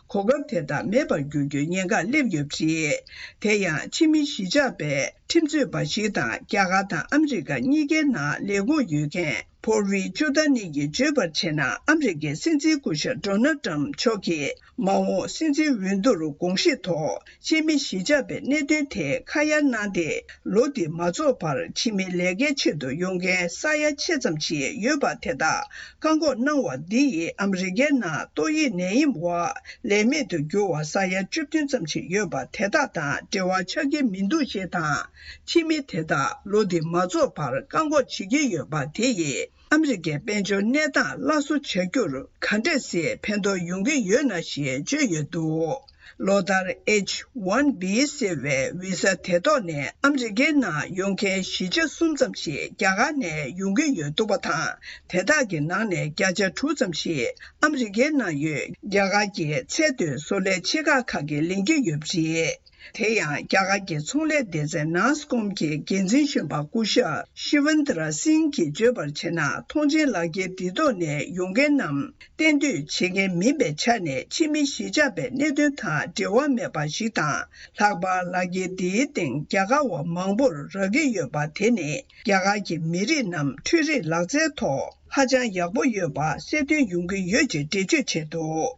གོ་སྐབས་དེ་དག་མེད་པར་འགྱུར་རྒྱུའི་ཉེན་ཁ་སླེབས་ཡོད་པ་རེད། དེ་ཡང་ཕྱི་མི་གཞིས་ཆགས་པའི་ཁྲིམས་རྩོད་པ་ཞིག་དང་རྒྱ་གར་དང་ཨ་མི་རི་ཀ་གཉིས་ཀའི་ནང་ལས་ཁུངས་ཡོད་མཁན་པོ་རི་ཅུ་ད་ནི་ཡིས་བརྗོད་པར་བྱས་ན། ཨ་མི་རི་ཀའི་སྲིད་འཛིན་སྐུ་ཞབས་ཌོ་ནལ་ཊམ་མཆོག་གིས་མ་འོངས་སྲིད་འཛིན་འོས་བསྡུར་དགོངས་གཞི་ཐོག་ཕྱི་མི་གཞིས་ཆགས་པའི་གནད་དོན་དེ་ཁ་ཡ་གནང་སྟེ། ལོ་འདི་མ་རྫོགས་བར་ཕྱི་མི་ལས་ཀའི་ཆེད་དུ་ཡོང་མཁན་ས་ཡ་ཕྱེད་ཙམ་ཞིག་ཡོད་པ་དེ་དག་བཀག་འགོག་གནང་བ་འདི་ཡིས་ཨ་མི་རི་ཀའི་ནང་ཏོག་དབྱིབས་ནད་ཡམས་འོག་ལས་མེད་དུ་གྱུར་བ་ས་ཡ་བཅུ་བདུན་ཙམ་ཞིག་ཡོད་པ་དེ་དག་དང་འབྲེལ་བ་ཆགས་ཀྱི་མི་འདུག་ཅེས་དང་། ཕྱི་མི་དེ་དག་ལོ་འདི་མ་རྫོགས་བར་བཀག་འགོག་བྱེད་ཀྱི་ཡོད་པ་དེ་ཡིས་ཨ་མི་རི་ཀའི་དཔལ་འབྱོར་གནས་སྟངས་སླར་གསོ་བྱ་རྒྱུར་ག་འདྲས་སེ་ཕན་ཐོགས་ཡོང་གི་ཡོད་ན་ཞེས་བརྗོད་ཡོད་འདུག་ལོ་ལྟར་ཨེཆ་ཝན་བི་ཟེར་བའི་བི་ས་དེ་ཐོག་ནས་ཨ་མི་རི་ཀའི་ནང་ཡོང་མཁན་བཞི་ཆ་གསུམ་ཙམ་ཞིག་རྒྱ་གར་ནས་ཡོང་གི་ཡོད་འདུག་པ་དང་། དེ་དག་གི་ནང་ནས་བརྒྱ་ཆ་དྲུག་ཙམ་ཞིག་ཨ་མི་རི་ཀའི་ནང་ཡོད་རྒྱ་གར་གྱི་ཚད་མཐོའི་བཟོ་ལས་ཆེ་ཁག་ཁག་གིས་ལེན་གྱི་ཡོད་པ་རེད། དེ་ཡང་རྒྱ་གར་གྱི་ཚོང་ལས་སྡེ་ཚན་ནཱས་ཀོམ་གྱི་འགན་འཛིན་གཞོན་པ་སྐུ་ཞབས་ཤི་ཝན་དི་ར་སིང་གིས་བརྗོད་པར་བྱས་ན། ཐོངས་མཆན་ལག་འཁྱེར་འདི་ཐོག་ནས་ཡོང་མཁན་རྣམས་གཏན་སྡོད་བྱེད་མཁན་མིན་པའི་ཆ་ནས་ཕྱི་མི་གཞིས་ཆགས་པའི་གནད་དོན་དང་འབྲེལ་བ་མེད་པ་ཞིག་དང་། ལྷག་པར་ལག་འཁྱེར་འདིའི་སྟེང་རྒྱ་གར་བ་མང་པོར་རག་གི་ཡོད་པ་དེ་ནི་རྒྱ་གར་གྱི་མི་རིགས་རྣམས་འཕྲུལ་རིག་ལག་རྩལ་ཐོག་ཧ་ཅང་ཡག་པོ་ཡོད་པ་གསལ་སྟོན་ཡོང་གི་ཡོད་ཅེས་འགྲེལ་བརྗོད་བྱས་འདུག་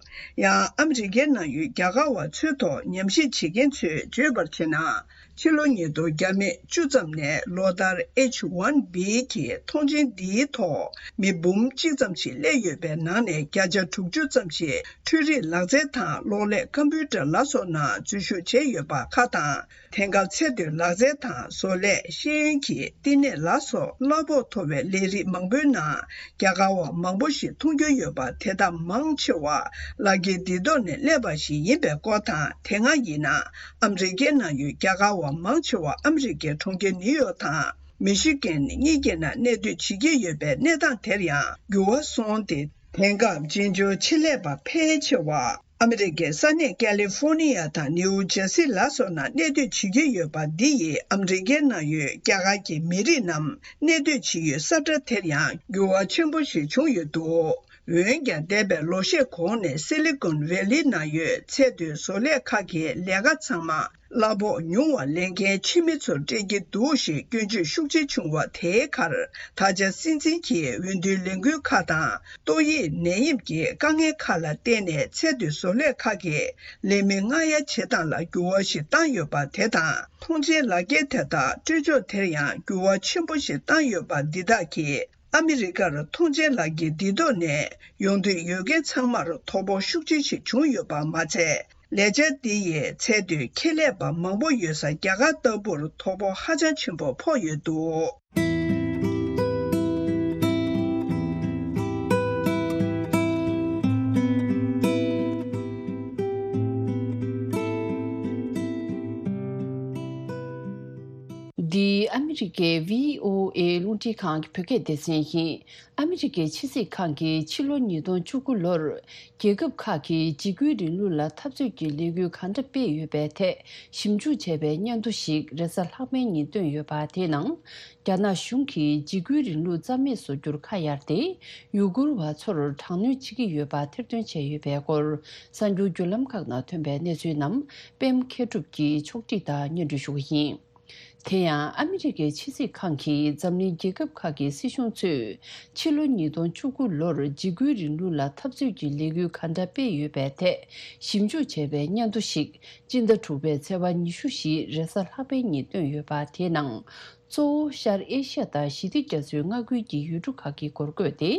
ཡང་ཨ་མི་རི་ཀའི་ནང་ཡོད་རྒྱ་གར་བ་ཚོའི་ཐོག་ཉམས་ཞིབ་བྱེད་མཁན་ཚོས་བརྗོད་པར་བྱས་ན། ཕྱི་ལོ་ཉིས་སྟོང་བརྒྱ་མེད་བཅུ་ཙམ་ནས་ལོ་ལྟར་ཨེཆ་ཝན་བི་གི་ཐོངས་མཆན་འདིའི་ཐོག་མི་འབུམ་གཅིག་ཙམ་ཞིག་སླེབས་ཡོད་པའི་ནང་ནས་བརྒྱ་ཆ་དྲུག་ཅུ་ཙམ་ཞིག་འཕྲུལ་རིག་ལག་རྩལ་དང་གློག་ཀླད་ཀམ་པུ་ཊར་ལ་སོགས་ནང་འཛུལ་ཞུགས་བྱས་ཡོད་པ་ཁག་དང་། དེང་སྐབས་ཚད་མཐོའི་ལག་རྩལ་དང་བཟོ་ལས། ཤེས་ཡོན་གྱི་བསྟི་གནས་ལ་སོགས་གླ་ཕོགས་མཐོ་བའི་ལས་རིགས་མང་པོའི་ནང་རྒྱ་གར་བ་མང་པོ་ཞིག་མཐོང་རྒྱུ་ཡོད་པ། དེ་དག་མང་ཆེ་བ་ལག་འཁྱེར་འདི་ཐོག་ནས་སླེབས་པ་ཞིག་ཡིན་པའི་སྐོར་དང་། དེ་སྔ་ཡིན་ན་ཨ་མི་རི་ཀའི་ནང་ཡོད་རྒྱ་གར་བ་མང་ཆེ་བ་ཨ་མི་རི་ཀའི་གྲོང་ཁྱེར་ནིའུ་ཡོག་དང་མི་ཤི་གན་གཉིས་ཀྱི་ནང་གནས་སྡོད་བྱེད་ཀྱི་ཡོད་པའི་གནས་སྟངས་དེར་ཡང་འགྱུར་བ་སོང་སྟེ། དེང་སྐབས་བཙན་བྱོལ་ཆེད་ལས་པ་ཕལ་ཆེ་བ་ཨ་མི་རི་ཀའི་ས་གནས་ཀ་ལི་ཧྥོ་ནི་ཡ་དང་ནིའུ་ཇར་སི་ལ་སོགས་ནང་གནས་སྡོད་བྱེད་ཀྱི་ཡོད་པ་འདི་ཡིས་ཨ་མི་རི་ཀའི་ནང་ཡོད་རྒྱ་གར་གྱི་མི་རིགས་རྣམས་གནས་སྡོད་བྱེད་ཡུལ་ས་ཁྲ་དེར་ཡང་འགྱུར་བ་ཆེན་པོ་ཞིག་བྱུང་ཡོད་འདུག་འོན་ཀྱང་འདས་པའི་ལོ་ཤས་གོང་ནས་སི་ལི་ཀོན་ཝེ་ལི་ནང་ཡོད་ཚད་མཐོའི་བཟོ་ལས་ཁག་གི་ལས་ཀ་ཚང་མ་གླ་ཕོགས་ཉུང་བ་ལེན་མཁན་ཕྱི་མི་ཚོར་སྤྲད་ཀྱི་འདུག་ཞེས་སྐྱོན་བརྗོད་ཤུགས་ཆེ་བྱུང་བ་དེའི་ཁར། ད་ཆ་སྲིད་འཛིན་གྱིས་འོས་བསྡུའི་ལས་འགུལ་ཁག་དང་ཏོག་དབྱིབས་ནད་ཡམས་ཀྱི་དཀའ་ངལ་ཁག་ལ་བརྟེན་ནས་ཚད་མཐོའི་བཟོ་ལས་ཁག་གིས་ལས་མི་མངགས་ཡ་བྱེད་སྟངས་ལ་འགྱུར་བ་ཞིག་བཏང་ཡོད་པ་དེ་དང་། ཐོངས་མཆན་ལག་འཁྱེར་དེ་དག་སྤྲོད་ཕྱོགས་དེར་ཡང་འགྱུར་བ་ཆེན་པོ་ཞིག་བཏང་ཡོད་པ་འདི་དག་གིས། ཨ་མི་རི་ཀར་ཐོངས་མཆན་ལག་འཁྱེར་འདི་ཐོག་ནས་ཡོང་འདོད་ཡོད་མཁན་ཚང་མར་དོ་ཕོག་ཤུགས་ཆེ་ཞིག་བྱུང་ཡོད་པ་མ་ཚད། ལས་འཆར་འདི་ཡིས་ཚད་མཐོའི་ཁྱད་ལས་པ་མང་པོ་ཡོད་ས་རྒྱ་གར་ལྟ་བུར་དོ་ཕོག་ཧ་ཅང་ཆེན་པོ་ཕོག་ཡོད་འདུག་འདི་ཨ་མི་རི་ཀའི་བྷི་ཨོ་ཨེ་རླུང་འཕྲིན་ཁང་གི་བོད་སྐད་སྡེ་ཚན་ཡིན། ཨ་མི་རི་ཀའི་ཕྱི་སྲིད་ཁང་གིས་ཕྱི་ལོ་ཉིས་སྟོང་བཅུ་དགུ་ལོར་རྒྱལ་ཁབ་ཁག་གིས་འཇིགས་སྐུལ་རིང་ལུགས་ལ་འཐབ་རྩོད་ཀྱི་ལས་འགུལ་གང་འདྲ་སྤེལ་ཡོད་པའི་ཐད་ཞིབ་འཇུག་བྱས་པའི་སྙན་ཐོ་ཞིག་རེས་གཟའ་ལྷག་པའི་ཉིན་བཏོན་ཡོད་པ། དེའི་ནང་རྒྱ་ནག་གཞུང་གིས་འཇིགས་སྐུལ་རིང་ལུགས་རྩ་མེད་བཟོ་རྒྱུར་ཁ་གཡར་ཏེ། ཡུ་གུར་བ་ཚོར་དྲག་གནོན་བྱེད་ཀྱི་ཡོད་པ་ཐེར་འདོན་བྱས་ཡོད་པའི་སྐོར། གསར་འགྱུར་བརྒྱུད་ལམ་ཁག་ནང་ཐོན་པའི་གནས་ཚུལ་རྣམས་པད་མ་མཁས་གྲུབ་ཀྱིས་ཕྱོགས་སྒྲིག་དང་སྙན་སྒྲོན་ཞུ་གི་ཡིན། དེ་ཡང་ཨ་མི་རི་ཀའི་ཕྱི་སྲིད་ཁང་གིས་འཛམ་གླིང་རྒྱལ་ཁབ་ཁག་གི་སྲིད་གཞུང་ཚོས་ཕྱི་ལོ་ཉིས་སྟོང་བཅུ་དགུ་ལོར་འཇིགས་སྐུལ་རིང་ལུགས་ལ་འཐབ་རྩོད་ཀྱི་ལས་འགུལ་ག་འདྲ་སྤེལ་ཡོད་པའི་ཐད་ཞིབ་འཇུག་བྱས་པའི་སྙན་ཐོ་ཞིག་སྤྱི་ཟླ་དྲུག་པའི་ཚེས་པ་ཉི་ཤུ་བཞི་རེས་གཟའ་ལྷག་པའི་ཉིན་བཏོན་ཡོད་པ། དེའི་ནང་གཙོ་བོ་ཤར་ཨེ་ཤ་ཡ་དང་ཞི་བདེ་རྒྱ་མཚོའི་མངའ་ཁུལ་གྱི་ཡུལ་གྲུ་ཁག་གི་སྐོར་བཀོད་དེ།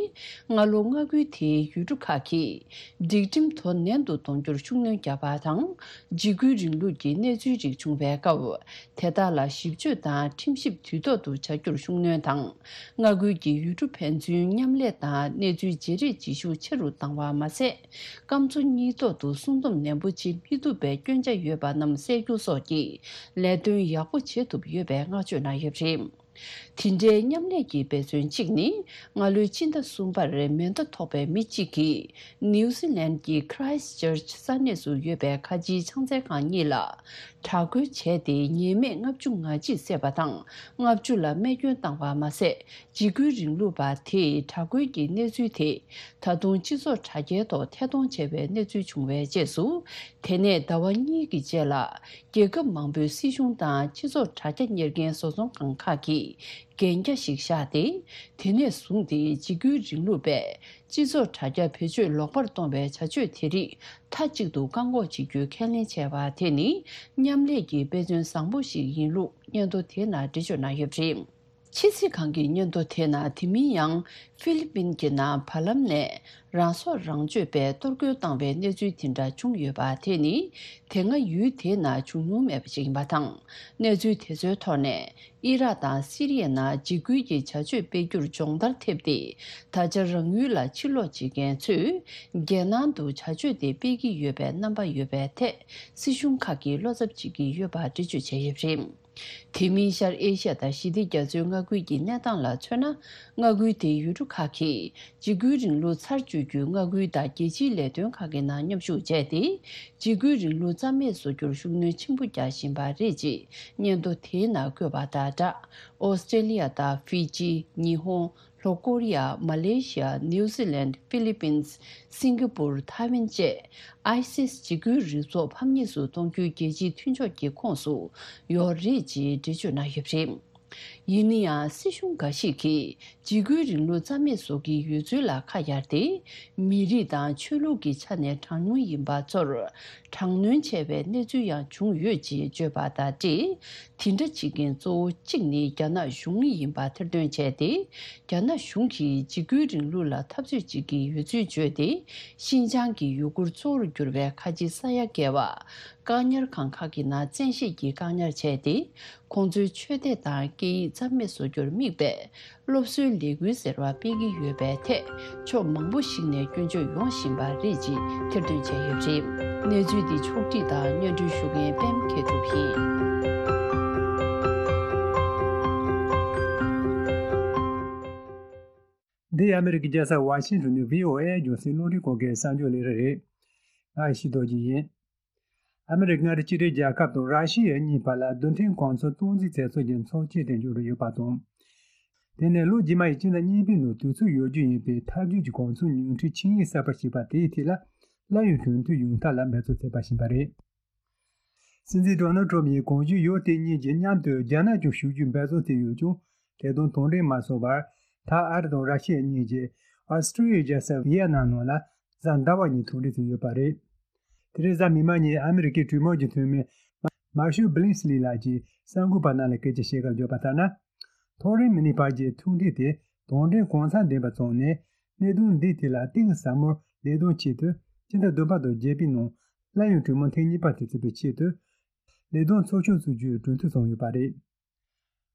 སྔ་ལོ་མངའ་ཁུལ་དེའི་ཡུལ་གྲུ་ཁག་གིས་སྒྲིག་ཁྲིམས་དོ་ནན་དུ་གཏོང་རྒྱུར་ཤུགས་སྣོན་བརྒྱབ་པ་དང་། འཇིགས་སྐུལ་རིང་ལུགས་ཀྱི་གནས་ཚུལ་རིགས་བྱུང་བའི་སྐབས། དེ་དག་ལ་ཞིབ་དཔྱོད་དང་ཁྲིམས་ཞིབ་དུས་ཐོག་ཏུ་བྱ་རྒྱུར་ཤུགས་སྣོན་དང་། མངའ་ཁུལ་གྱི་ཡུལ་གྲུ་ཕན་ཚུན་མཉམ་ལས་དང་གནས་ཚུལ་བརྗེ་རེས་བྱེད་ཤུགས་ཆེ་རུ་བཏང་བ་མ་ཟད། སྐམ་མཚོ་གཉིས་ཐོག་ཏུ་སྲུང་སྡོམ་ནན་པོ་བྱེད་མི་ཐུབ་པའི་སྐྱོན་ཆ་ཡོད་པ་རྣམས་སེལ་རྒྱུ་སོགས་ཀྱི་ལས་དོན་ཡག་པོ་བྱེད་ཐུབ་ཡོད་པའི་བསྔགས་བརྗོད་གནང་ཡོད་པ་རེད། དེ་འདྲའི་མཉམ་ལས་ཀྱི་འབད་བརྩོན་གཅིག་ནི། སྔ་ལོའི་ཕྱི་ཟླ་གསུམ་པར་མེ་མདའ་ཐོགས་པའི་མི་གཅིག་གིས་ནིའུ་ཟི་ལན་གྱི་Christchurch ས་གནས་སུ་ཡོད་པའི་ཁ་ཆེའི་ཕྱག་འཚལ་ཁང་གཉིས་ལ་དྲག་རྒོལ་བྱས་ཏེ། ཉེས་མེད་ལྔ་བཅུ་ང་གཅིག་བསད་པ་དང་། ལྔ་བཅུ་ལ་རྨས་སྐྱོན་བཏང་བ་མ་ཟད། འཇིགས་སྐུལ་རིང་ལུགས་པ་དེས་དྲག་རྒོལ་གྱི་གནས་ཚུལ་དེ་ད་དུང་སྤྱི་ཚོགས་དྲ་རྒྱའི་ཐོག་ཐད་གཏོང་བྱས་པའི་གནས་ཚུལ་བྱུང་བའི་རྗེས་སུ། དེ་ནས་ཟླ་བ་གཉིས་ཀྱི་རྗེས་ལ། རྒྱལ་ཁབ་མང་པོའི་སྲིད་གཞུང་དང་སྤྱི་ཚོགས་དྲ་རྒྱ་གཉེར་མཁན་བཟོ་ཚོང་ཁང་ཁག་གིས་འགན་རྒྱ་ཞིག་བཞག་སྟེ། དེ་ནས་བཟུང་སྟེ་འཇིགས་སྐུལ་རིང་ལུགས་པས་སྤྱི་ཚོགས་དྲ་རྒྱ་བེད་སྤྱོད་ལོག་པར་གཏོང་བའི་བྱ་སྤྱོད་དེ་རིགས་མཐའ་གཅིག་ཏུ་བཀག་འགོག་བྱེད་རྒྱུའི་ཁས་ལེན་བྱས་པ་དེ་ནི། མཉམ་ལས་ཀྱི་དཔེ་མཚོན་བཟང་པོ་ཞིག་ཡིན་ལུགས་སྙན་ཐོ་དེའི་ནང་འགྲེལ་བརྗོད་གནང་ཡོད་པ་རེད། ཕྱི་སྲིད་ཁང་གི་སྙན་ཐོ་དེའི་ནང་། དེ་མིན་ཡང་ཧྥི་ལི་པིན་གྱི་ནང་བར་ལམ་ནས་རང་སྲོག་རང་གཅོད་པས་གཏོར་རྒོལ་བཏང་བའི་གནས་ཚུལ་དེ་འདྲ་བྱུང་ཡོད་པ་དེ་ནི། དེ་སྔ་ཡུལ་དེའི་ནང་བྱུང་མྱོང་མེད་པ་ཞིག་ཡིན་པ་དང་། གནས་ཚུལ་དེ་ཚོའི་ཐོག་ནས། ཨི་རག་དང་སི་རི་ཡའི་ནང་འཇིགས་སྐུལ་གྱི་བྱ་སྤྱོད་སྤེལ་རྒྱུར་སྦྱོང་བརྡར་ཐེབས་ཏེ། ད་ཆ་རང་ཡུལ་ལ་ཕྱིར་ལོག་བྱེད་མཁན་ཚོས། རྒྱལ་ནང་དུ་བྱ་སྤྱོད་དེ་སྤེལ་གྱི་ཡོད་པའི་རྣམ་པ་ཡོད་པའི་ཐད། སྲིད་གཞུང་ཁག་གིས་བློ་འཚབ་བྱེད་ཀྱི་ཡོད་པ་འགྲེལ་བརྗོད་བྱས་ཡོད་པ་རེད། དེ་མིན་ཤར་ཨེ་ཤ་ཡ་དང་ཞི་བདེ་རྒྱ་མཚོའི་མངའ་ཁུལ་གྱི་གནས་སྟངས་ལ་མཚོན་ན། མངའ་ཁུལ་དེའི་ཡུལ་གྲུ་ཁག་གིས་འཇིགས་སྐུལ་རིང་ལུགས་ཚར་གཅོད་རྒྱུའི་མངའ་ཁུལ་དང་རྒྱལ་སྤྱིའི་ལས་དོན་ཁག་གི་ནང་མཉམ་ཞུགས་བྱས་ཏེ། འཇིགས་སྐུལ་རིང་ལུགས་རྩ་མེད་བཟོ་རྒྱུར་ཤུགས་སྣོན་ཆེན་པོ་རྒྱག་བཞིན་པ་རེད་ཅེས་སྙན་ཐོ་དེའི་ནང་བཀོད་པ་དང་སྦྲགས། ཨོ་སི་ཀྲེ་ལི་ཡ་དང་ཧྥི་ཇི། ཉི་ཧོང་། ལྷོ་ཀོ་རི་ཡ། མ་ལེ་ཤི་ཡ། ནིའུ་ཟི་ལན། ཧྥི་ལི་པིན། སིང་ག་པུར། ཐའེ་ཝན་བཅས་ཨའི་སིས་འཇིགས་སྐུལ་རིག་ཚོགས་ཕམ་ཉེས་སུ་གཏོང་རྒྱུའི་རྒྱལ་སྤྱིའི་མཐུན་ཕྱོགས་ཀྱི་ཁོངས་སུ་ཡོད་རེད་ཅེས་འགྲེལ་བརྗོད་གནང་ཡོད་པ་རེད། ཡིན་ན་ཡང་སྲིད་གཞུང་འགའ་ཞིག་གིས་འཇིགས་སྐུལ་རིང་ལུགས་རྩ་མེད་བཟོ་གི་ཡོད་ཚུལ་ལ་ཁ་གཡར་ཏེ། མི་རིགས་དང་ཆོས་ལུགས་ཀྱི་ཆ་ནས་གྲངས་ཉུང་ཡིན་པ་ཚོར་དྲག་གནོན་བྱས་པའི་གནས་ཚུལ་ཡང་བྱུང་ཡོད་ཅེས་བརྗོད་པ་དང་འབྲེལ། དེ་འདྲ་བྱེད་མཁན་གཙོ་བོ་གཅིག་ནི་རྒྱ་ནག་གཞུང་ཡིན་པ་ཐེར་འདོན་བྱས་ཏེ། རྒྱ་ནག་གཞུང་གིས་འཇིགས་སྐུལ་རིང་ལུགས་ལ་འཐབ་རྩོད་བྱེད་ཀྱི་ཡོད་ཚུལ་བརྗོད་དེ། ཤིན་ཅང་གི་ཡུ་གུར་གཙོ་བོར་གྱུར་པའི་ཁ་ཆེ་ས་ཡ་བརྒལ་བ། བཀག་ཉར་ཁང་ཁག་གི་ནང་བཙན་ཤེད་ཀྱིས་བཀག་ཉར་བྱས་ཏེ། ཁོང་ཚོའི་ཆོས་དད་དང་སྐད་ཡིག་རྩ་མེད་བཟོ་རྒྱུར་དམིགས་པའི་སློབ་གསོའི་ལས་འགུལ་ཟེར་བ་སྤེལ་གྱི་ཡོད་པའི་ཐད། ཕྱོགས་མང་པོ་ཞིག་ནས་སྐྱོན་བརྗོད་ཡོང་བཞིན་པ་རེད་ཅེས་ཐེར་འདོན་བྱས་ཡོད་པ་རེད། གནས་ཚུལ་འདི་ཕྱོགས་བསྒྲིགས་དང་སྙན་སྒྲོན་ཞུ་མཁན་པད་མ་མཁས་གྲུབ་ཡིན། འདི་ཨ་མི་རི་ཀའི་རྒྱལ་ས་ཝ་ཤིང་ཊོན་ནས་བྷི་ཨོ་ཨེ་རྒྱང་སྲིང་རླུང་འཕྲིན་ཁང་གི་གསར་འགྱུར་ལས་རིམ་རེད། ང་ཡེ་ཤེས་རྡོ་རྗེ་ཡིན། ཨ་མི་རི་ཀ་མངའ་སྡེ་གཅིག་སྒྲིལ་རྒྱལ་ཁབ་དང་ར་ཤི་ཡ་གཉིས་བར་ལ་རྡུལ་ཕྲན་གོ་མཚོན་སྟངས་འཛིན་མཛད་ཚུལ་གྱི་ཚོགས་ཆེན་དེ་མཇུག་བསྒྲིལ་ཡོད་པ་དང་། དེ་ནས་ལོ་རྗེས་མ་ཡི་སྤྱི་ཟླ་གཉིས་པའི་ནང་དུས་ཚོད་ཡོད་རྒྱུ་ཡིན་པའི་འཐབ་ཇུས་ཀྱི་གོ་མཚོན་ཉུང་འཕྲི་ཆིངས་ཡིག་གསར་པ་ཞིག་པ་དེའི་ཐད་ལ་གླ་ཡོད་གྲོས་མཐུན་ཡོང་ཐབས་ལ་འབད་རྩོལ་བྱས་པ་ཞིག་པ་རེད། སྲིད་འཛིན་ཌོ་ནལ་ཊམ་ཡིས་གོང་ཞུས་ཡོད་དེ་གཉིས་ཀྱིས་མཉམ་དུ་རྒྱ་ནག་ཀྱང་ཞུགས་རྒྱུའི་འབད་རྩོལ་དེ་ཡོད་ཀྱང་། དེ་དང་དོན་འབྲས་མ་སོང་བར། ད་ཨ་རི་དང་ར་ཤི་ཡ་གཉིས་ཀྱིས་ཨོ་སི་ཀྲི་ཡའི་རྒྱལ་ས་ཝི་ཡ་ནམ་ནང་ལ་གཟའ་ཟླ་བ་ཉིན་ཐུག་འཕྲད་བྱས་ཡོད་པ་རེད། དེ་རིང་གཟའ་མིག་དམར་ཉིན་ཨ་མི་རི་ཀའི་གྲོས་མོལ་གྱི་འཐུས་མི་མར་ཤལ་བྷི་ལིང་སི་ལི་ལགས་ཀྱིས་གསར་འགོད་པ་རྣམས་ལ་སྐད་ཆ་བཤད་སྐབས་བརྗོད་པ་ལྟར་ན། ཐག་རིང་མི་ནུས་བར་གྱི་ཐུག་འཕྲད་དེ་དོན་འབྲས་གང་ཚང་ལྡན་པ་བྱུང་ནས། གནད་དོན་འདིའི་ཐད་ལ་གཏིང་ཟབ་མོར་ལས་དོན་ཆེད་དུ་སྤྱི་ཟླ་བདུན་པ་དང་བརྒྱད་པའི་ནང་གླ་ཡོད་གྲོས་མོལ་ཐེངས་གཉིས་པ་དེ་བྱེད་པའི་ཆེད་དུ་ལས་དོན་ཚོགས་ཆུང་བཙུགས་རྒྱུའི་གྲོས་མཐུན་བྱུང་ཡོད་པ་རེད།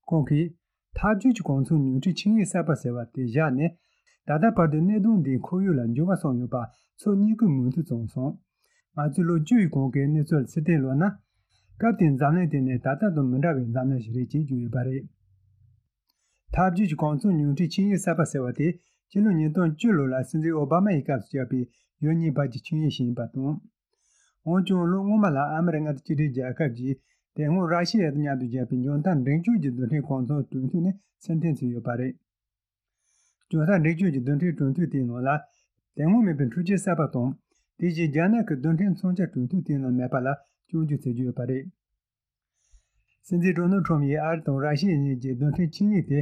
ཁོང་གིས། འཐབ་ཇུས་ཀྱི་གོ་མཚོན་ཉུང་འཕྲི་ཆིངས་ཡིག་གསར་པ་ཟེར་བ་དེ་བཞག་ནས། ད་ལྟ་བར་དུ་གནད་དོན་འདིའི་ཁོར་ཡུག་ལ་འགྱུར་བ་སོང་ཡོད་པ་ཚོ་གཉིས་ཀྱིས་མུ་མཐུད་བྱུང་སོང་། ང་ཚོས་ལོ་བཅུ་ཡི་གོང་གི་གནས་ཚུལ་ལ་ཕྱིར་བལྟས་ལོག་ན། སྐབས་དེའི་འཛམ་གླིང་དེ་ནི་ད་ལྟ་དང་མི་འདྲ་བའི་འཛམ་གླིང་ཞིག་རེད་ཅེས་བརྗོད་ཡོད་པ་རེད། འཐབ་ཇུས་ཀྱི་གོ་མཚོན་ཉུང་འཕྲི་ཆིངས་ཡིག་གསར་པ་ཟེར་བ་དེ་ཕྱི་ལོ་ཉིས་སྟོང་བཅུ་ལོ་ལ་སྲིད་འཛིན་ཨོ་བྷ་མ་ཡི་སྐབས་སུ་བཞག་པའི་ཡུལ་གཉིས་བར་གྱི་ཆིངས་ཡིག་ཞིག་ཡིན་པ་དང་། འོན་ཀྱང་ལོ་སྔོན་མ་ལ་ཨ་མི་རི་ཀ་མངའ་སྡེ་གཅིག་སྒྲིལ་རྒྱལ་ཁབ་ཀྱིས་དེ་སྔོན་ར་ཤི་ཡ་དང་མཉམ་དུ་བཞག་པའི་འཇོན་ཐང་འབྲིང་ཆུང་གི་རྡུལ་ཕྲན་གོ་མཚོན་གྲོས་མཐུན་ནས་ཕྱིར་འཐེན་བྱས་ཡོད་པ་རེད། འཇོན་ཐང་འབྲིང་ཆུང་གི་རྡུལ་ཕྲན་གྲོས་མཐུན་དེའི་ནང་ལ་དེ་སྔོན་མེད་པའི་འཕྲུལ་ཆས་གསར་པ་དང་། དེ་བཞིན་རྒྱ་ནག་གི་རྡུལ་ཕྲན་མཚོན་ཆ་གྲོས་མཐུན་དེའི་ནང་མེད་པ་ལ་སྐྱོན་བརྗོད་བྱེད་ཀྱི་ཡོད་པ་རེད། སྲིད་འཛིན་ཌོ་ནལ་ཁྲོམ་ཡིས་ཨ་རི་དང་ར་ཤི་ཡ་གཉིས་ཀྱི་རྡུལ་ཕྲན་ཆིངས་ཡིག་དེ་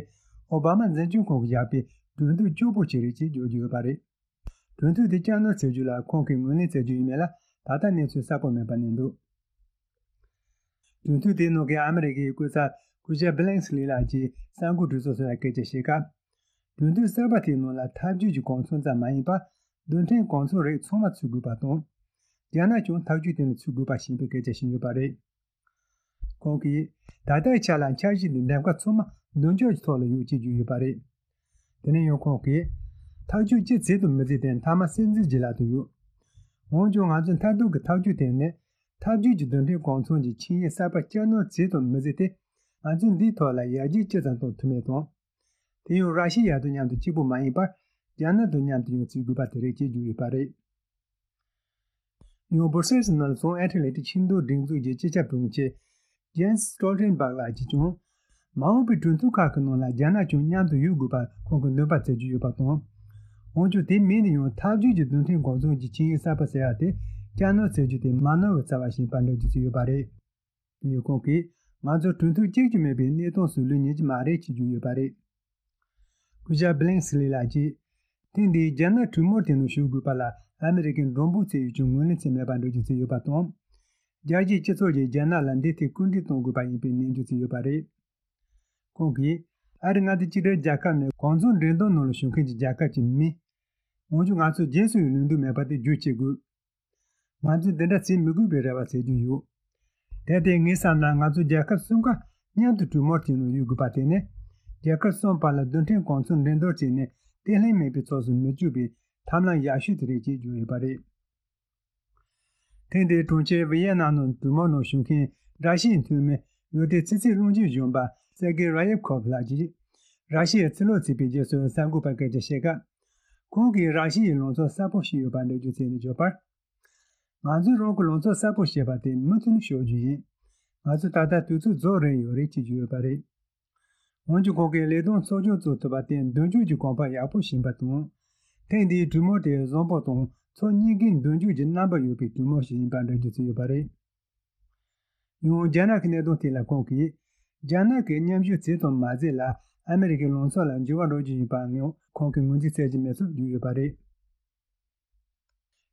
ཨོ་བྷ་མ་འཛིན་སྐྱོང་ཁང་གིས་བཞག་པའི་གྲོས་མཐུན་སྐྱོ་པོ་ཞིག་རེད་ཅེས་བརྗོད་ཀྱི་ཡོད་པ་རེད། གྲོས་མཐུན་དེ་བསྐྱར་ནོར་བྱེད་རྒྱུ་ལ་ཁོང་གིས་ངོས་ལེན་བྱེད་རྒྱུ་ཡིན་མིན་ལ་ད་ལྟ་གནས་ཚུལ་གསལ་པོ་མེད་པ་གནས་འདུག་གྲོས་མཐུན་དེའི་ནང་གི་ཨ་མི་རི་ཀའི་སྐུ་ཚབ་སྐུ་ཞབས་བྷི་ལིང་སི་ལི་ལགས་ཀྱིས་གསར་འགོད་གྲོས་ཚོགས་སུ་སྐད་ཆ་བཤད་སྐབས། གྲོས་མཐུན་གསར་པ་དེའི་ནང་ལ་འཐབ་ཇུས་ཀྱི་གོ་མཚོན་ཙམ་མ་ཡིན་པར་རྡུལ་ཕྲན་གོ་མཚོན་རིགས་ཚང་མ་ཚུད་དགོས་པ་དང་། རྒྱ་ནག་ཀྱང་ཐག་གཅོད་དེ་ནི་ཚུད་དགོས་པ་ཞེས་པའི་སྐད་ཆ་བཤད་ཡོད་པ་རེད། ཁོང་གིས། ད་ལྟའི་ཆ་ལ་འཆར་གཞི་འདི་འདེམས་ཀ་ཚང་མ་མདུན་ཅོག་གི་ཐོག་ལ་ཡོད་ཅེས་བརྗོད་ཡོད་པ་རེད། དེ་ནས་ཡང་ཁོང་གིས། ཐག་གཅོད་ཅི་བྱེད་དང་མི་བྱེད་དེ་མཐའ་མ་སྲིད་འཛིན་གྱི་ལག་ཏུ་ཡོད། འོན་ཀྱང་ང་ཚོའི་མཐར་ཐུག་གི་ཐག་གཅོད་དེ་ནི། འཐབ་ཇུས་ཀྱི་རྡུལ་ཕྲན་གོ་མཚོན་གྱི་ཆིངས་ཡིག་གསར་པ་བསྐྱར་ནོར་བྱེད་དང་མི་བྱེད་དེ། ང་ཚོས་འདིའི་ཐོག་ལ་ཡར་རྒྱས་ཅི་ཙམ་གཏོང་ཐུབ་མིན་དང་། དེ་ཡང་ར་ཤི་ཡ་དང་མཉམ་དུ་གཅིག་པུ་མ་ཡིན་པར། རྒྱ་ནག་དང་མཉམ་དུ་ཡང་བྱེད་དགོས་པ་དེ་རེད་ཅེས་བརྗོད་ཡོད་པ་རེད། ཡང་སྦུར་སེལ་སི་ནང་ལ་བྱུང་ཨེ་ཐི་ལེ་ཊིག་ཆིངས་འདོར་སྒྲིག་འཛུགས་ཀྱི་སྤྱི་ཁྱབ་དྲུང་ཆེ་ཇེན་སི་སི་ཊོལ་ཊེན་བྷག་ལགས་ཀྱིས་ཀྱང་། མ་འོངས་པའི་གྲོས་མཐུན་ཁག་གི་ནང་ལ་རྒྱ་ནག་ཀྱང་མཉམ་དུ་ཡོད་དགོས་པར་ཁོང་གིས་འདུན་པ་བྱེད་ཀྱི་ཡོད་པ་དང་། འོན་ཀྱང་དེ་མིན་ན་ཡང་འཐབ་ཇུས་ཀྱི་རྡུལ་ཕྲན་གོ་མཚོན་གྱི་ཆིངས་ཡིག་གསར་པ་ཟེར་ཡག་དེ་བསྐྱར་ནོར་བྱེད་རྒྱུ་དེ་མ་ནོར་བའི་རྩ་བ་ཞིག་ཡིན་པར་འགྲེལ་བརྗོད་བྱས་ཡོད་པ་རེད། དེ་ཡང་ཁོང་གིས་ང་ཚོ་གྲོས་མཐུན་གཅིག་ཀྱང་མེད་པའི་གནས་སྟངས་སུ་ལུས་ཉན་གྱི་མ་རེད་ཅེས་བརྗོད་ཡོད་པ་རེད། སྐུ་ཞབས་བྷི་ལིང་སི་ལི་ལགས་ཀྱིས། ཐེངས་འདིའི་རྒྱ་ནག་གྲོས་མོལ་དེ་ནང་ཞུགས་དགོས་པ་ལ་ཨ་མི་རི་ཀས་མགྲོན་པོ་བྱས་ཡོད་ཀྱང་ངོས་ལེན་བྱས་མེད་པར་འགྲེལ་བརྗོད་བྱས་ཡོད་པ་དང་། རྒྱལ་སྤྱིའི་སྤྱི་ཚོགས་ཀྱིས་རྒྱ་ནག་ལ་འདིའི་ཐད་སྐུལ་འདེད་གཏོང་དགོས་པ་ཡིན་པའི་ནན་བརྗོད་བྱས་ཡོད་པ་རེད། ཁོང་གིས། ཨ་རི་མངའ་སྡེ་གཅིག་སྒྲིལ་རྒྱལ་ཁབ་ནི་གོ་མཚོན་འགྲན་བསྡུར་ནང་ལ་ཞུགས་མཁན་གྱི་རྒྱལ་ཁབ་ཅིག་མིན། འོན་ཀྱང་ང་ཚོས་རྗེས་སུ་ཡི་ལུས་འདུག་མེད་པ་དེ་བརྗོད་བྱེད་དགོས། ང་ཚོས་འདི་འདྲ་བྱེད་མི་དགོས་པའི་རེ་བ་བྱེད་ཀྱི་ཡོད། དེ་ལྟས་ངས་བསམ་ན་ང་ཚོ་རྒྱལ་ཁབ་གསུམ་ཀ་མཉམ་དུ་གྲོས་མོལ་བྱེད་ནང་ཡོད་དགོས་པ་དེ་ནི། རྒྱལ་ཁབ་གསུམ་བར་ལ་རྡུལ་ཕྲན་གོ་མཚོན་འགྲན་བསྡུར་བྱས་ནས་བརྟན་ལྷིང་མེད་པའི་ཕྱོགས་སུ་མི་བསྐྱོད་པའི་ཐབས་ལམ་ཡག་ཤོས་དེ་རེད་ཅེས་བརྗོད་ཡོད་པ་རེད། ཐེངས་འདིའི་གྲོང་ཁྱེར་ཝི་ཡེ་ནམ་ནང་གྲོས་མོལ་ནང་ཞུགས་མཁན་ར་ཤི་ཡའི་འཐུས་མི་ཡོད་དེ་ཕྱི་སྲིད་བློན་ཆེན་གཞོན་པ་སེར་གེ་ར་ཡེབ་ཁོབ་ལགས་ཀྱིས། ར་ཤི་ཡས་ཕྱིར་ལོག་བྱས་པའི་རྗེས་སུ་གསར་འགོད་པར་སྐད་ཆ་བཤད་སྐབས། ཁོང་གིས་ར་ཤི་ཡའི་ལངས་ཕྱོགས་གསལ་པོ་ཞིག་ཡོད་པར་འགྲེལ་བརྗོད་བྱས་ནས་བརྗོད་པར། ང་ཚོས་རང་གི་ལངས་ཕྱོགས་གསལ་པོ་བྱས་པ་དེ་མུ་མཐུད་ནས་ཤོད་རྒྱུ་ཡིན། ང་ཚོས་ད་ལྟ་དུས་ཚོད་རྫོགས་རན་ཡོད་རེད་ཅེས་བརྗོད་ཡོད་པ་རེད། འོན་ཀྱང་ཁོང་གིས་ལས་དོན་ཚོགས་ཆུང་བཙུགས་ཐུབ་པ་དེ་མདུན་སྐྱོད་ཀྱི་གོ་འཕང་ཡག་པོ་ཞིག་ཡིན་པ་དང་། ཐེངས་འདིའི་གྲོས་མོལ་དེ་བཟང་པོ་དང་ཕྱོགས་གཉིས་ཀའི་མདུན་སྐྱོད་ཀྱི་རྣམ་པ་ཡོད་པའི་གྲོས་མོལ་ཞིག་ཡིན་པར་འགྲེལ་བརྗོད་བྱས་ཡོད་པ་རེད། ཡང་རྒྱ་ནག་གི་གནད་དོན་ཐད་ལ་ཁོང་གིས། རྒྱ་ནག་གི་མཉམ་ཞུགས་བྱས་དང་མ་བྱས་ལ་ཨ་མི་རི་ཀའི་ལངས་ཕྱོགས་ལ་འགྱུར་བ་འགྲོ་རྒྱུ་ཡིན་པའང་ཁོང་གིས་ངོས་འཛིན་བྱེད་ཀྱི་མེད་ཚུལ་བརྗོད་ཡོད་པ་རེད།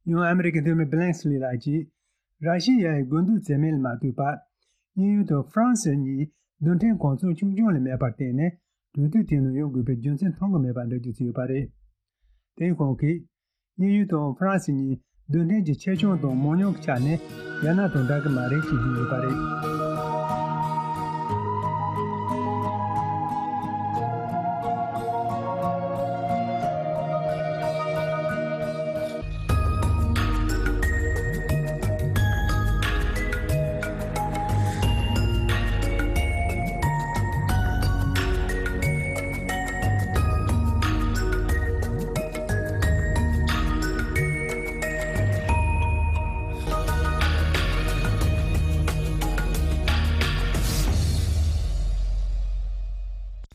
ཡང་ཨ་མི་རི་ཀའི་འཐུས་མི་བྷི་ལན་སི་ལི་ལགས་ཀྱིས། ར་ཤི་ཡའི་དགོས་འདུན་བྱེད་མིན་ལ་མ་ལྟོས་པར། དབྱིན་ཡུལ་དང་ཧྥ་རན་སི་གཉིས་རྡུལ་ཕྲན་གོ་མཚོན་ཆུང་ཆུང་ལས་མེད་པར་བརྟེན་ནས་གྲོས་མཐུན་དེ་ནང་ཡོང་དགོས་པའི་རྒྱུ་མཚན་མཐོང་གི་མེད་པ་འགྲེལ་བརྗོད་བྱས་ཡོད་པ་རེད། དེ་ཁོང་གིས། དབྱིན་ཡུལ་དང་ཧྥ་རན་སི་གཉིས་རྡུལ་ཕྲན་གྱི་ཆེ་ཆུང་དང་མང་ཉུང་གི་ཆ་ནས་རྒྱ་ནག་དང་འདྲ་གི་མ་རེད་ཅེས་བརྗོད་ཡོད་པ་རེད།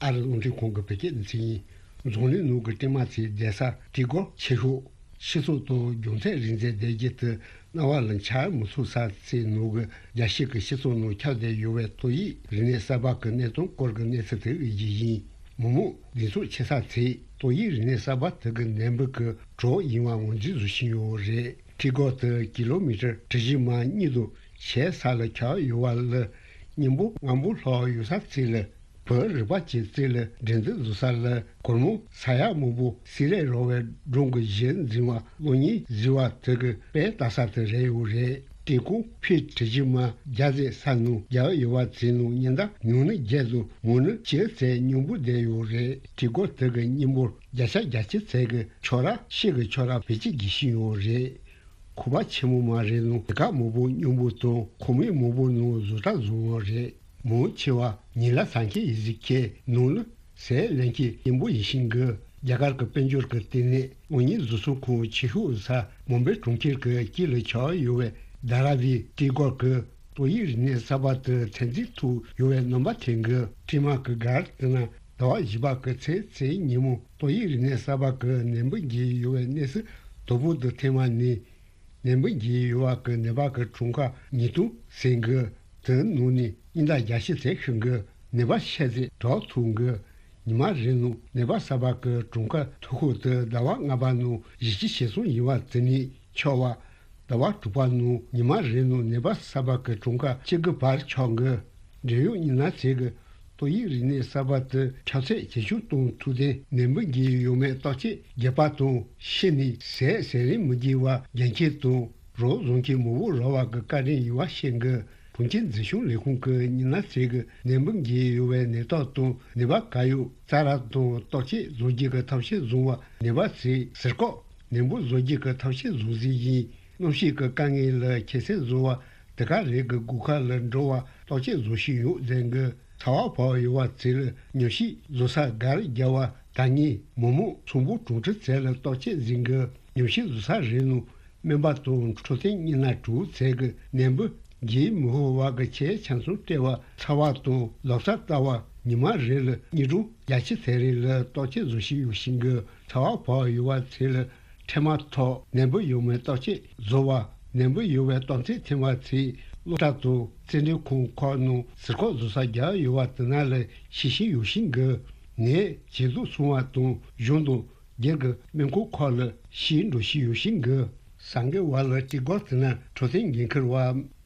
ཨ་རིའི་རླུང་འཕྲིན་ཁང་གི་བོད་སྐད་སྡེ་ཚན་ཡིན། འཛམ་གླིང་ནང་གི་ཀྲིག་དམར་ཚའི་རྒྱལ་ས་ཀྲིག་གོར་ཆེ་ཤོས། སྤྱི་ཚོགས་དང་སྦྱོང་ཚན་རིག་འཛིན་སྡེ་བརྒྱད་དུ་སྣང་བ་ལ་འཆར་མི་ཚུགས་ས་ཚའི་ནང་གི་རྒྱལ་སྤྱི་གི་སྤྱི་ཚོགས་ནང་ཁྱབ་བསྡད་ཡོད་པའི་ཏོག་དབྱིབས་རིམས་ནད་གསར་པ་གི་གནས་སྟངས་སྐོར་གྱི་གནས་ཚུལ་དེ་ཡིན། མི་མང་སྡེ་ཚོགས་ཆེ་ས་ཚའི་ཏོག་དབྱིབས་རིམས་ནད་གསར་པ་དེ་གི་ནད་འབུ་གི་གྲོགས་ཡིན་པ་ངོས་འཛིན་བཟོ་བཞིན་ཡོད་རེད། ཀྲིག་གོར་དེ་ཀི་ལོ་མི་ཊར་གྲུ་བཞི་མ་གཉིས་དང་ཕྱེད་ས་ལ་ཁྱབ་ཡོད་པ་ལ། སྙིང་པོ་སྔོན་པོ་ལྷག་ཡོད་ས་ཚིག་ལ། བོད་རིག་པ་ཅན་ཚིག་ལ་འགྲན་བསྡུར་བཟོ་ས་ལ། གོར་མོ་ས་ཡག་མང་པོ་སི་རེད་རོ་བའི་སྒྲུང་གི་གཞི་འཛིན་པ་གློག་བརྙན་གཟིགས་པ་དེ་གི་དཔེ་ལྟ་ས་དེ་རེད་ཡོད་རེད། ཀྲིག་གོར་ཕི་གྲུ་བཞི་མ་བརྒྱ་ཙམ་ས་ནང་རྒྱག་ཡོད་པ་ཚིག་ནང་ཉིན་ལྟར་ཉུང་ན་བརྒྱད་དང་མང་ན་བཅུ་ཙམ་སྙིང་པོ་བསྡད་ཡོད་རེད། ཀྲིག་གོར་དེ་གི་སྙིང་པོར་བརྒྱ་ཆ་བརྒྱད་ཅུ་ཙམ་གྱི་ཁྱོ་ར་ཤེལ་གྱི་ཁྱོ་ར་བེད་སྤྱོད་བགྱིད་བཞིན་ཡོད་རེད། ཁང་པ་ཆེན་མོ་མ་རེད་ནང་དེ་ག་མང་པོ་སྙིང་པོ་དང་ཁོག་སྨད་མང་པོ་ནང་བཟོ་གྲྭ་བཟོ་བ་རེད། མང་ཆེ་བ་ཉིན་ལ་ཟ་མཁན་ཡིན་ཟེར་མཁན་ནང་ལ་ཟས་ལེན་མཁན་སྙིང་པོ་ཡིན་བཞིན་གི། རྒྱ་གར་གྱི་དཔལ་འབྱོར་གྱི་ལྟེ་གནས་དངུལ་གཉེར་བཟོ་ཚོང་ཁང་ཆེ་ཤོས་ས་མུམ་བེ་གྲོང་ཁྱེར་གྱི་དཀྱིལ་ལ་ཆགས་ཡོད་པའི་དྷ་ར་བི་ཀྲིག་གོར་གྱི་ཏོག་དབྱིབས་རིམས་ནད་གསར་པ་དེ་ཚོད་འཛིན་ཐུབ་ཡོད་པའི་རྣམ་པ་ཐོན་གི། ཀྲིག་དམར་གྱི་སྒར་དེ་ན་ཟླ་བ་བཞི་པ་གི་ཚེས་བཅུ་ཉིན་མོ་ཏོག་དབྱིབས་རིམས་ནད་གསར་པ་གི་ནད་འབུ་འགོས་ཡོད་པའི་གནས་ཚུལ་དོ་པོ་དུ་ཐོན་པ་ནས། ནད་འབུ་འགོས་ཡོད་པ་གི་ནད་པ་གི་གྲངས་ཀ་ཉིས་སྟོང་ཟིན་གི། དེའི་ནང་ནས་སྙིང་གཏམ་བརྒྱ་ཤས་ཚད་ཤི་གི། ནད་པ་ཤས་ཚད་དྲག་ཐུག་གི། ཉི་མ་རེ་ནང་ནད་པ་གསར་པ་གི་གྲངས་ཀ་མཐོ་ཤོས་དེ་ཟླ་བ་ལྔ་པ་ནང་བཞི་བཅུ་ཞེ་གསུམ་ཡིན་པ་དེ་ནས་ཆག་པ། ཟླ་བ་དྲུག་པ་ནང་ཉི་མ་རེ་ནང་ནད་པ་གསར་པ་གི་གྲངས་ཀ་གཅིག་གི་བར་ཆག་གི། འབྲེལ་ཡོད་མི་སྣ་ཚོས་ཀྱིས་ཏོག་དབྱིབས་རིམས་ནད་གསར་པ་དེ་ཁྱབ་ཚད་ཇེ་ཆུང་གཏོང་ཐུབ་དེ་ནད་འབུ་འགོས་ཡོད་མེད་བརྟག་དཔྱད་བརྒྱབ་པ་དང་ཤི་ནས་ཟས་ཟ་རིན་མི་དགོས་པ་རྒྱག་མཁན་དང་རོགས་བཟོ་མཁན་མང་པོ་རག་པ་གི་བཀའ་དྲིན་ཡོད་པ་བཤད་གི། གྲོང་ཁྱེར་འཛིན་སྐྱོང་ལས་ཁུངས་ཀྱི་མི་སྣ་ཚོས་ཀྱིས་ནད་འབུ་འགོས་ཡོད་པའི་ནད་རྟགས་དང་ནད་པ་ག་ཡོད་རྩ་ར་དང་བརྟག་དཔྱད་བཟོ་རྒྱུ་གི་ཐབས་ཤེས་བཟུང་བ། ནད་པ་ཚོས་ཟུར་བཀག་ནད་འབུ་བཟོ་རྒྱུ་གི་ཐབས་ཤེས་བཟུང་ཟིན་ཡིན། གནམ་གཤིས་ཀྱི་དཀའ་ངལ་ལ་ཁྱད་བསད་བཟོ་བ། དེ་ག་རེ་གི་སྒོ་ཁ་ལ་འགྲོ་བ་བརྟག་དཔྱད་བཟོ་བཞིན་ཡོད་ཟེར་གི། ཚ་བ་བབས་ཡོད་པ་ཚོ་ལ་ཉམས་ཞིབ་བཟོ་ས་སྒར་རྒྱག་པ་ད་ངས་མི་མང་ཚོང་པ་གྲོང་ཁྱེར་ཚོ་ལ་བརྟག་དཔྱད་ཟིན་གི། ཉམས་ཞིབ་བཟོ་ས་རེ་ནང་སྨན་པ་དང་འཕྲོད་བསྟེན་གཉིས་སྣ་དྲུག་ཚོ་གི་ནད་འབུ་འགོས་མི་ཤེས་པ་གི་ཆེད་ཆང་ཚོང་སྤྲད་པ། ཚ་བ་དང་ལག་ཆ་ལྟ་བ་ཉི་མ་རེ་ལ་གཉིས་གྲངས་བརྒྱད་ཅུ་ཚོ་རེ་ལ་བརྟག་དཔྱད་བཟོ་བཞིན་ཡོད་བཞིན་གི། ཚ་བ་བབས་ཡོད་པ་ཚོ་ལ་འཕྲལ་མ་ཐོག་ནད་འབུ་ཡོད་མེད་བརྟག་དཔྱད་བཟོ་བ། ནད་འབུ་ཡོད་པའི་རྟགས་མཚན་ཐོན་པ་ཚོས་སློབ་གྲྭ་དང་རྩེད་འགྲན་ཁང་ཁག་ནང་ཟུར་བཀག་བཟོ་ས་རྒྱག་ཡོད་པ་དེ་ན་ལ་ཤེས་བཞིན་ཡོད་བཞིན་གི། ནད་ཇེ་སྡུག་སོང་བ་དང་གཞུང་དང་སྒེར་གྱི་སྨན་ཁང་ཁག་ལ་ཞིག་འགྲོ་བཞིན་ཡོད་བཞིན་གི། གསར་འགོད་པ་ལ་ཀྲིག་གོར་དེ་ན་འཕྲོད་བསྟེན་འགན་འཁུར་བ་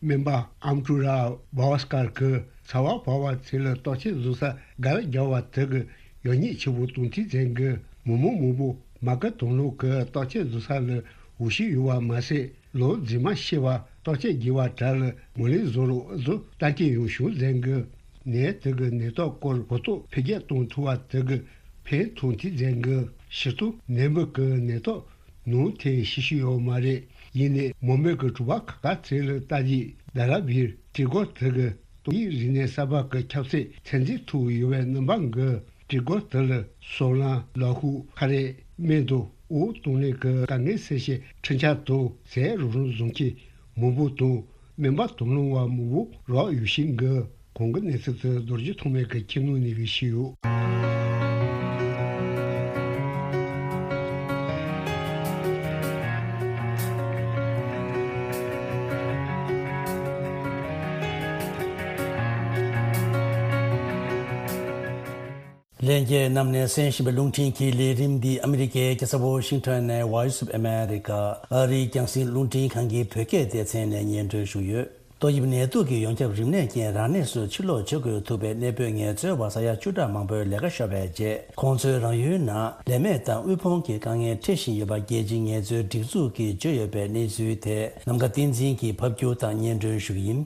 སྨན་པ་ཨམ་ཀྲུ་ར་བྷ་བ་སྐར་གྱིས་ཚ་བ་བབས་པ་ཚོ་ལ་བརྟག་དཔྱད་བཟོ་ས་སྒར་རྒྱག་པ་དེ་གི་ཡག་ཉེས་ཆེ་པོ་གཏོང་ཐུབ་ཟེར་གི། མི་མང་མང་པོ་མ་སྐུལ་དང་བླངས་ཀྱིས་བརྟག་དཔྱད་བཟོ་ས་ལ་འོས་ཤོས་ཡོད་པ་མ་ཟད། ལོ་རྫུན་མ་ཤི་བ་བརྟག་དཔྱད་བགྱིས་པ་དག་ལ་ངོས་ལེན་བཟོ་རོགས་ཟེར་ལྟ་མཁན་ཡང་བྱུང་ཟེར་གི། ནད་དེ་གི་ནད་རྟགས་སྐོར་གོ་རྟོགས་འཕེལ་རྒྱས་གཏོང་ཐུབ་པ་དེ་གི་ཕན་ཐོགས་ཐུབ་ཟེར་གི། སྤྱིར་བཏང་ནད་འབུ་གི་ནད་རྟགས་ནང་དེ་ཤེས་ཤེས་ཡོད་མ་རེད། ཡིན་ནའི་མུམ་བེ་གི་གྲོང་པ་ཁག་ཁག་ཚོ་ལ་ལྟ་རྒྱུ་ད་ར་བིར་ཀྲིག་གོར་དེ་གི་ཏོག་དབྱིབས་རིམས་ནད་གསར་པ་གི་ཁྱབ་ཚད་ཚད་འཛིན་ཐུབ་ཡོད་པའི་རྣམ་པ་གི། ཀྲིག་གོར་དེ་ལ་སོལ་རླངས་ལག་ཤུབས་ཁ་རས་སྨན་དང་འོ་བཏང་ལེན་གི་དཀའ་ངལ་སེལ་བྱེད་འཕྲུལ་ཆས་དང་ཟས་རོགས་རམ་བཟོ་མཁན་མང་པོ་དང་སྨན་པ་དང་བླངས་པ་མང་པོ་རག་ཡོད་བཞིན་གི། གོང་གི་གནས་ཚུལ་དེ་རྡོ་རྗེ་ཐོགས་མེད་ཀྱིས་ཁྱིམ་ནང་ནས་བེད་སྤྱོད་ཡོད། ལྷན་རྒྱས་རྣམས་ནས་གསན་བཞིན་པའི་རླུང་འཕྲིན་གྱི་ལས་རིམ་འདི་ཨ་མི་རི་ཀའི་རྒྱལ་ས་ཝོ་ཤིང་ཊོན་ནས་Voice of America ཨ་རིའི་རྒྱང་སྲིང་རླུང་འཕྲིན་ཁང་གི་བོད་སྐད་སྡེ་ཚན་ནས་སྙན་སྒྲོན་ཞུས་ཡོད། ཏོག་དབྱིབས་ནད་དུག་གི་ཡོངས་ཁྱབ་རིམས་ནད་རྐྱེན་རང་གནས་སུ་ཕྱིར་ལོག་བྱེད་དགོས་ཐུག་པའི་གནས་སྤོས་ངལ་རྩོལ་བ་ས་ཡ་བཅུ་ཕྲག་མང་པོའི་ལས་ཀ་ཤོར་བའི་རྗེས། ཁོང་ཚོའི་རང་ཡུལ་ནང་ལས་མེད་དང་དབུལ་ཕོངས་ཀྱི་དཀའ་ངལ་འཕྲད་བཞིན་ཡོད་པ་རྒྱལ་སྤྱིའི་ངལ་རྩོལ་སྒྲིག་འཛུགས་ཀྱིས་བརྗོད་ཡོད་པའི་གནས་ཚུལ་དེ་ནམ་མཁའ་བསྟན་འཛིན་གྱིས་ཕབ་སྒྱུར་དང་སྙན་སྒྲོན་ཞུ་གི་ཡིན།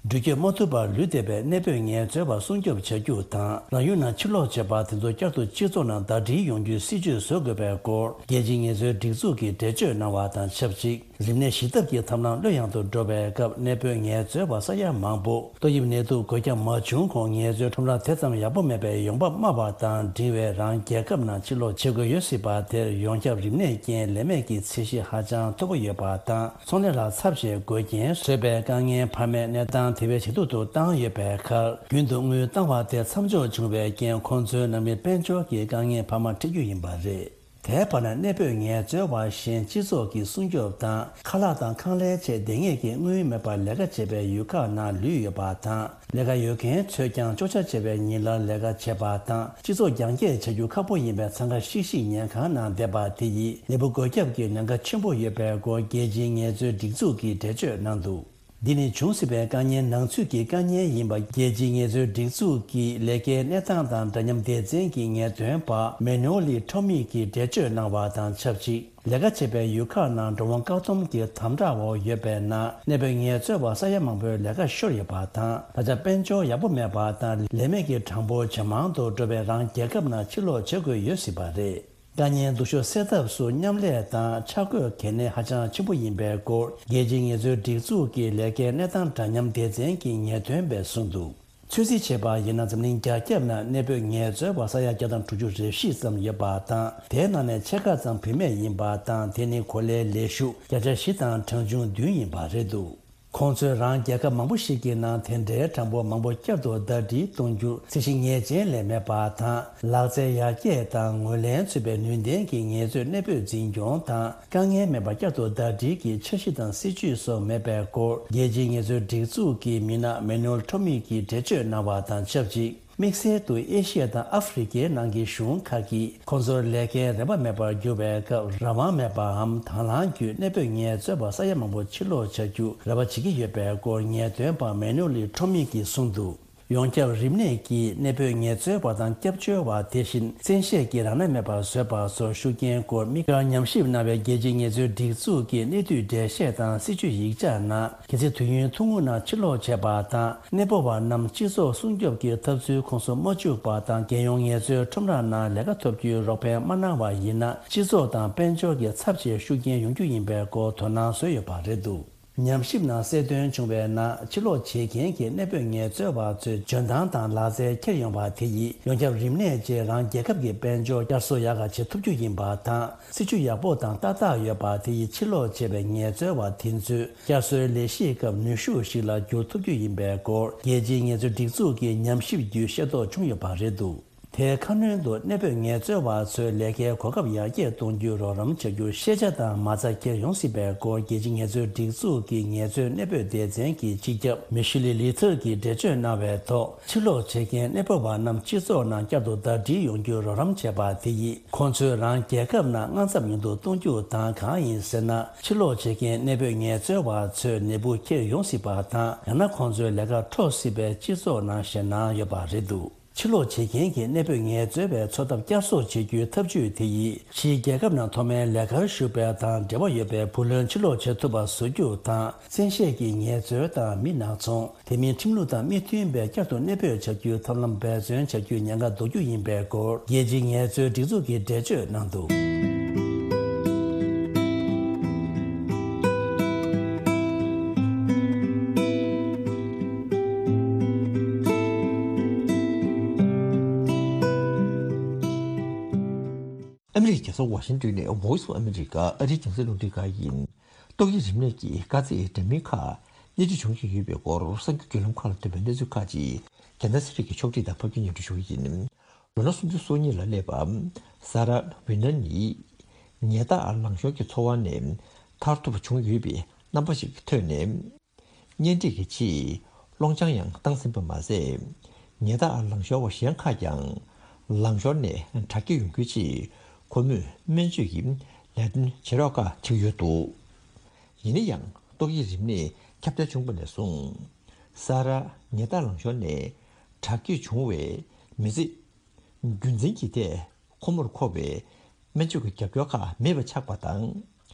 འགྲུལ་སྐྱོད་མ་ཐུབ་པར་ལུས་བསྡད་པའི་གནས་སྤོས་ངལ་རྩོལ་བ་སྲུང་སྐྱོབ་བྱ་རྒྱུ་དང་རང་ཡུལ་ནང་ཕྱིར་ལོག་བྱེད་པ་དེ་ཚོ་བསྐྱར་དུ་སྤྱི་ཚོགས་ནང་ཟླ་སྒྲིལ་ཡོང་རྒྱུའི་སྲིད་ཇུས་བཟོ་དགོས་པའི་སྐོར་རྒྱལ་སྤྱིའི་ངལ་རྩོལ་སྒྲིག་འཛུགས་ཀྱིས་འགྲེལ་བརྗོད་གནང་བ་དང་ཆབས་ཅིག་རིམས་ནད་ཞི་ཐབས་ཀྱི་ཐབས་ལམ་བློ་ཡང་དུ་འགྲོ་བའི་སྐབས་གནས་སྤོས་ངལ་རྩོལ་བ་ས་ཡ་མང་པོ་ཏོག་དབྱིབས་ནད་དུག་འགོས་ཁྱབ་མ་བྱུང་གོང་ངལ་རྩོལ་ཁྲོམ་ར་དེ་ཙམ་ཡག་པོ་མེད་པའི་ཡོང་འབབ་དམའ་བ་དང་འབྲིང་བའི་རང་རྒྱལ་ཁབ་ནང་ཕྱིར་ལོག་བྱེད་དགོས་ཡོད་སྲིད་པ་དེར་ཡོངས་ཁྱབ་རིམས་ནད་རྐྱེན་ལས་མེད་ཀྱི་ཚད་གཞི་ཧ་ཅང་མཐོ་པོ་ཡོད་པ་དང་ཚོང་ལས་ལ་ཚབས་ཆེ་དགོས་རྐྱེན་བཟོས་པའི་དཀའ་ངལ་འཕར་མའི་གནས་སྟངས་དེ་བས་ཇེ་སྡུག་ཏུ་བཏང་ཡོད་པའི་ཁར་རྒྱུན་དུ་དངུལ་བཏང་བ་དེ་མཚམས་འཇོག་བྱུང་བའི་རྐྱེན་ཁོང་ཚོའི་ནང་མི་དཔལ་འབྱོར་གྱི་དཀའ་ངལ་འཕར་མ་འཕྲད་རྒྱུ་ཡིན་པ་རེད། དེའི་བར་ན་གནས་སྤོས་ངལ་རྩོལ་བ་གཞན་སྤྱི་ཚོགས་ཀྱི་སྲུང་སྐྱོབ་དང་ཁ་ལག་དང་ཁང་གླའི་ཆེད་ལྡེ་ངེས་ཀྱི་དངུལ་མེད་པར་ལས་ཀ་བྱེད་པའི་ཡུལ་ཁག་ནང་ལུས་ཡོད་པ་དང་ལས་ཀ་ཡོད་མཁན་ཚོས་ཀྱང་གཅོག་ཆ་ཆེ་བའི་ཉིན་ལ་ལས་ཀ་བྱེད་པ་དང་སྤྱི་ཚོགས་རྒྱང་བཀྱེད་བྱ་རྒྱུ་ཁག་པོ་ཡིན་པའི་འཚང་ཁ་ཤིག་ཤིག་ཉལ་ཁང་ནང་བསྡད་པ་དེ་ཡིས་ནད་འབུ་འགོས་ཁྱབ་ཀྱི་ཉེན་ཁ་ཆེན་པོ་ཡོད་པའི་སྐོར་རྒྱལ་སྤྱིའི་ངལ་རྩོལ་སྒྲིག་འཛུགས་ཀྱིས་འགྲེལ་བརྗོད་གནང་འདུག་འདི་ནི་བྱུང་སྲིད་པའི་དཀའ་ངལ་ནང་ཚུད་ཀྱི་དཀའ་ངལ་ཡིན་པ་རྒྱལ་སྤྱིའི་ངལ་རྩོལ་སྒྲིག་འཛུགས་ཀྱི་ལས་ཀའི་གནས་སྟངས་དང་འདྲ་མཉམ་སྡེ་ཚན་གྱི་ངེས་སྟོན་པ་མེ་ནོ་ལི་ཁྲོ་མི་གིས་འགྲེལ་བརྗོད་གནང་བ་དང་ཆབས་ཅིག་ལས་ཀ་བྱེད་པའི་ཡུལ་ཁག་ནང་འགྲོ་འོང་བཀག་སྡོམ་གྱི་དམ་དྲག་འོག་ཡོད་པའི་ནང་གནས་སྤོས་ངལ་རྩོལ་བ་ས་ཡ་མང་པོའི་ལས་ཀ་ཤོར་ཡོད་པ་དང་ད་ཆ་དཔལ་འབྱོར་ཡག་པོ་མེད་པ་དང་ལས་མེད་ཀྱི་གྲངས་འབོར་ཇེ་མང་དུ་འགྲོ་བའི་རང་རྒྱལ་ཁབ་ནང་ཕྱིར་ལོག་བྱེད་དགོས་ཡོད་སྲིད་པ་རེད། དཀའ་ངལ་སྡུག་ཤོས་སེལ་ཐབས་སུ་མཉམ་ལས་དང་འཆར་འགོད་གལ་གནད་ཧ་ཅང་ཆེན་པོ་ཡིན་པའི་སྐོར་རྒྱལ་སྤྱིའི་ངལ་རྩོལ་སྒྲིག་འཛུགས་ཀྱི་ལས་ཀའི་གནས་སྟངས་འདྲ་མཉམ་སྡེ་ཚན་གྱི་ངེས་སྟོན་པས་གསུངས་འདུག་ཚོད་རྩིས་བྱས་པར་ཡིན་ན་འཛམ་གླིང་རྒྱ་ཁྱབ་ནང་གནས་སྤོས་ངལ་རྩོལ་བ་ས་ཡ་བརྒྱ་དང་དྲུག་ཅུ་རེ་བཞི་ཙམ་ཡོད་པ་དང་དེའི་ནང་ནས་ཕྱེད་ཀ་ཙམ་བུད་མེད་ཡིན་པ་དང་དེ་ནི་གོ་ལའི་ལས་ཞུགས་བརྒྱ་ཆ་བཞི་དང་གྲངས་ཆུང་བདུན་ཡིན་པ་རེད་འདུག་ཁོང་ཚོས་རང་རྒྱལ་ཁབ་མང་པོ་ཞིག་གི་ནང་དེ་འདྲའི་གྲངས་འབོར་མང་པོ་བསྐྱར་དུ་ཟླ་སྒྲིལ་གཏོང་རྒྱུར་ཚད་གཞི་ངེས་ཅན་ལས་མེད་པ་དང་ལག་རྩལ་ཡར་རྒྱས་དང་ངོས་ལེན་ཚུད་པའི་ནུས་ལྡན་གྱི་ངལ་རྩོལ་གནས་སྤོས་འཛིན་སྐྱོང་དང་དཀའ་ངལ་མེད་པར་བསྐྱར་དུ་ཟླ་སྒྲིལ་གྱི་འཆར་གཞི་དང་སྲིད་ཇུས་སོགས་མེད་པའི་སྐོར་རྒྱལ་སྤྱིའི་ངལ་རྩོལ་སྒྲིག་འཛུགས་ཀྱི་མི་སྣ་མེ་ནུལ་ཁྲོ་མི་གིས་འགྲེལ་བརྗོད་གནང་བ་དང་ཆབས་ཅིག་དམིགས་བསལ་དུ་ཨེ་ཤི་ཡ་དང་ཨ་ཧྥེ་རི་ཁའི་ནང་གི་གཞུང་ཁག་གིས་ཁོང་ཚོར་ལས་ཀའི་རེ་བ་མེད་པར་གྱུར་བའི་སྐབས་རང་དབང་མེད་པའམ་དང་བླངས་བརྒྱུད་གནས་སྤོས་ངལ་རྩོལ་བ་ས་ཡ་མང་པོ་ཕྱིར་ལོག་བྱ་རྒྱུ་རེ་བ་བྱེད་ཀྱི་ཡོད་པའི་སྐོར་ངེས་སྟོན་པ་མེ་ནུ་ལི་ཁྲོ་མི་གིས་གསུངས་འདུག་ཡོངས་ཁྱབ་རིམས་ནད་ཀྱིས་གནས་སྤོས་ངལ་རྩོལ་བ་དང་སྐྱབས་བཅོལ་བ་དེ་བཞིན་བཙན་ཤེད་ཀྱིས་རང་མནའ་མེད་པར་བཟོས་པ་སོགས་ཤུགས་རྐྱེན་སྐོར་དམིགས་བཀར་ཉམས་ཞིབ་གནང་བའི་རྒྱལ་སྤྱིའི་ངལ་རྩོལ་སྒྲིག་འཛུགས་ཀྱི་གནས་སྡུད་འགྲེལ་བཤད་དང་སྲིད་ཇུས་ཡིག་ཆ་ནང་གལ་སྲིད་དུས་ཡུན་ཐུང་ངུ་ནང་ཕྱིར་ལོག་བྱས་པ་དང་གནས་སྤོ་བ་རྣམས་སྤྱི་ཚོགས་སྲུང་སྐྱོབ་ཀྱི་ཐབས་ཚུལ་ཁོངས་སུ་མ་བཅུག་པ་དང་རྒྱལ་ཡོངས་ངལ་རྩོལ་ཁྲོམ་ར་ནང་ལས་ཀ་ཐོབ་རྒྱུའི་རོགས་ཕན་མ་གནང་བ་ཡིན་ན་སྤྱི་ཚོགས་དང་དཔལ་འབྱོར་གྱི་ཚབས་ཆེའི་ཤུགས་རྐྱེན་ཡོང་རྒྱུ་ཡིན་པའི་སྐོར་དོ་སྣང་བཟོས་ཡོད་པ་རེད་འདུག་ཉམས་ཞིབ་ནང་གསལ་སྟོན་བྱུང་བའི་ནང་ཕྱིར་ལོག་བྱེད་མཁན་གྱི་གནས་སྤོས་ངལ་རྩོལ་བ་ཚོའི་འཇོན་ཐང་དང་ལག་རྩལ་འཁྱེར་ཡོང་བ་དེ་ཡིས་ཡོངས་ཁྱབ་རིམས་ནད་ཀྱིས་རང་རྒྱལ་ཁབ་ཀྱི་དཔལ་འབྱོར་བསྐྱར་གསོ་ཡག་ག་བྱེད་ཐུབ་རྒྱུ་ཡིན་པ་དང་སྲིད་ཇུས་ཡག་པོ་དང་ཏག་ཏག་ཡོད་པ་དེ་ཡིས་ཕྱིར་ལོག་བྱས་པའི་ངལ་རྩོལ་བ་དེ་ཚོས་བསྐྱར་གསོའི་ལས་གཞིའི་སྐབས་ནུས་ཤུགས་ཤིག་ལ་འགྱུར་ཐུབ་རྒྱུ་ཡིན་པའི་སྐོར་རྒྱལ་སྤྱིའི་ངལ་རྩོལ་སྒྲིག་འཛུགས་ཀྱི་ཉམས་ཞིབ་བརྒྱུད་ཤེས་རྟོགས་བྱུང་ཡོད་པ་རེད་འདུག་དེའི་ཁ་སྣོན་དུ་གནས་སྤོས་ངལ་རྩོལ་བ་ཚོའི་ལས་ཀའི་གོ་སྐབས་ཡར་རྒྱས་གཏོང་རྒྱུའི་རོགས་རམ་བྱ་རྒྱུར་ཤེས་བྱ་དང་མ་རྩ་འཁྱེར་ཡོང་སྲིད་པའི་སྐོར་རྒྱལ་སྤྱིའི་ངལ་རྩོལ་སྒྲིག་འཛུགས་ཀྱི་ངལ་རྩོལ་གནས་སྤོས་སྡེ་ཚན་གྱི་སྤྱི་ཁྱབ་མི་ཤི་ལི་ལི་ཐར་གྱིས་འགྲེལ་བརྗོད་གནང་བའི་ཐོག་ཕྱིར་ལོག་བྱེད་མཁན་གནས་སྤོ་བ་རྣམས་སྤྱི་ཚོགས་ནང་བསྐྱར་དུ་ཟླ་སྒྲིལ་ཡོང་རྒྱུར་རོགས་རམ་བྱས་པ་དེ་ཡིས་ཁོང་ཚོའི་རང་རྒྱལ་ཁབ་ནང་དངངས་འཚབ་ཉུང་དུ་གཏོང་རྒྱུ་དང་གང་ཡིན་ཟེར་ན་ཕྱིར་ལོག་བྱེད་མཁན་གནས་སྤོས་ངལ་རྩོལ་བ་ཚོས་ནད་འབུ་འཁྱེར་ཡོང་སྲིད་པ་དང་ཡང་ན་ཁོང་ཚོའི་ལས་ཀ་འཕྲོག་སྲིད་པའི་སྤྱི་ཚོགས་ནང་ཞེད་སྣང་ཡོད་པ་རེད་འདུག་ཕྱིར་ལོག་བྱེད་མཁན་གྱི་གནས་སྤོས་ངལ་རྩོལ་བའི་འཚོ་ཐབས་བསྐྱར་གསོ་བྱེད་རྒྱུའི་ཐབས་ཇུས་དེ་ཡིས་ཕྱིའི་རྒྱལ་ཁབ་ནང་མཐོ་དམན་ལས་ཀར་ཞུགས་པའི་དང་འབྲེལ་བ་ཡོད་པའི་བུ་ལོན་ཕྱིར་ལོག་བྱེད་ཐུབ་པ་བཟོ་རྒྱུ་དང་བཙན་ཤེད་ཀྱིས་ངལ་རྩོལ་དང་མི་ནག་ཚོང་དེ་མིན་ཁྲིམས་ལུགས་དང་མི་མཐུན་པའི་བསྐྱར་དུ་གནས་སྤོས་བྱ་རྒྱུའི་ཐབས་ལམ་འབད་བརྩོན་བྱ་རྒྱུའི་ཉེན་ཁ་ཟློག་རྒྱུ་ཡིན་པའི་སྐོར་རྒྱལ་སྤྱིའི་ངལ་རྩོལ་སྒྲིག་འཛུགས་ཀྱིས་འགྲེལ་བརྗོད་གནང་འདུག་ཨ་མི་རི་ཀའི་རྒྱལ་ས་ཝ་ཤིང་ཏོན་ནས་Voice of America ཨ་རིའི་རྒྱང་སྲིང་རླུང་འཕྲིན་ཁང་ཡིན། ཏོག་དབྱིབས་རིམས་ནད་ཀྱིས་དཀའ་ཚེགས་འདྲ་མིན་ཁག་སྣེ་ཁྲིད་བྱུང་བཞིན་ཡོད་པའི་སྐོར་གསར་འགྱུར་བརྒྱུད་ལམ་ཁག་ལ་ཐོན་པའི་གནས་ཚུལ་ཁག་ཅིག་རྒྱལ་ནང་གསེར་ཁྲིར་གྱིས་ཕྱོགས་སྒྲིག་དང་ཕབ་སྒྱུར་སྙན་སྒྲོན་ཞུ་གི་ཡིན། ལོ་ན་སུམ་ཅུ་སོ་གཉིས་ལ་སླེབས་པ། ས་ར་ཝི་ནན་ནི། ཉལ་ཐ་ཨར་ལང་ཤོར་གྱི་ཚོར་བ་ནས་ཐར་ཐུབ་པ་བྱུང་ཡོད་པའི་རྣམ་པ་ཞིག་ཐོན་ནས། གཉེན་སྒྲིག་གི་ཆེད་སློང་ཆང་ཡང་བཏང་ཟིན་པ་མ་ཟད། ཉལ་ཐ་ཨར་ལང་ཤོར་བ་གཞན་ཁག་ཀྱང་ ལང་ཤོར་ནས་དྲག་སྐྱེད་ཡོང་རྒྱུའི་ཆེད་ཁོ་མོས་སྨན་བཅོས་ཀྱི་ལས་དོན་བྱེད་རོགས་ཁག་བྱེད་ཀྱི་ཡོད་འདུག་ཡིན་ན་ཡང་ཏོག་དབྱིབས་རིམས་ནད་ཁྱབ་གདལ་བྱུང་བ་ནས་བཟུང་ས་ར་ཉལ་ཐ་ལང་ཤོར་ནས་དྲག་སྐྱེད་བྱུང་བའི་མི་ཚེ་རྒྱུན་འཛིན་གྱི་ཐད་ཁོ་མོར་མཁོ་བའི་སྨན་བཅོས་ཀྱི་རྒྱབ་སྐྱོར་ཁག་མེད་པ་ཆགས་པ་དང་།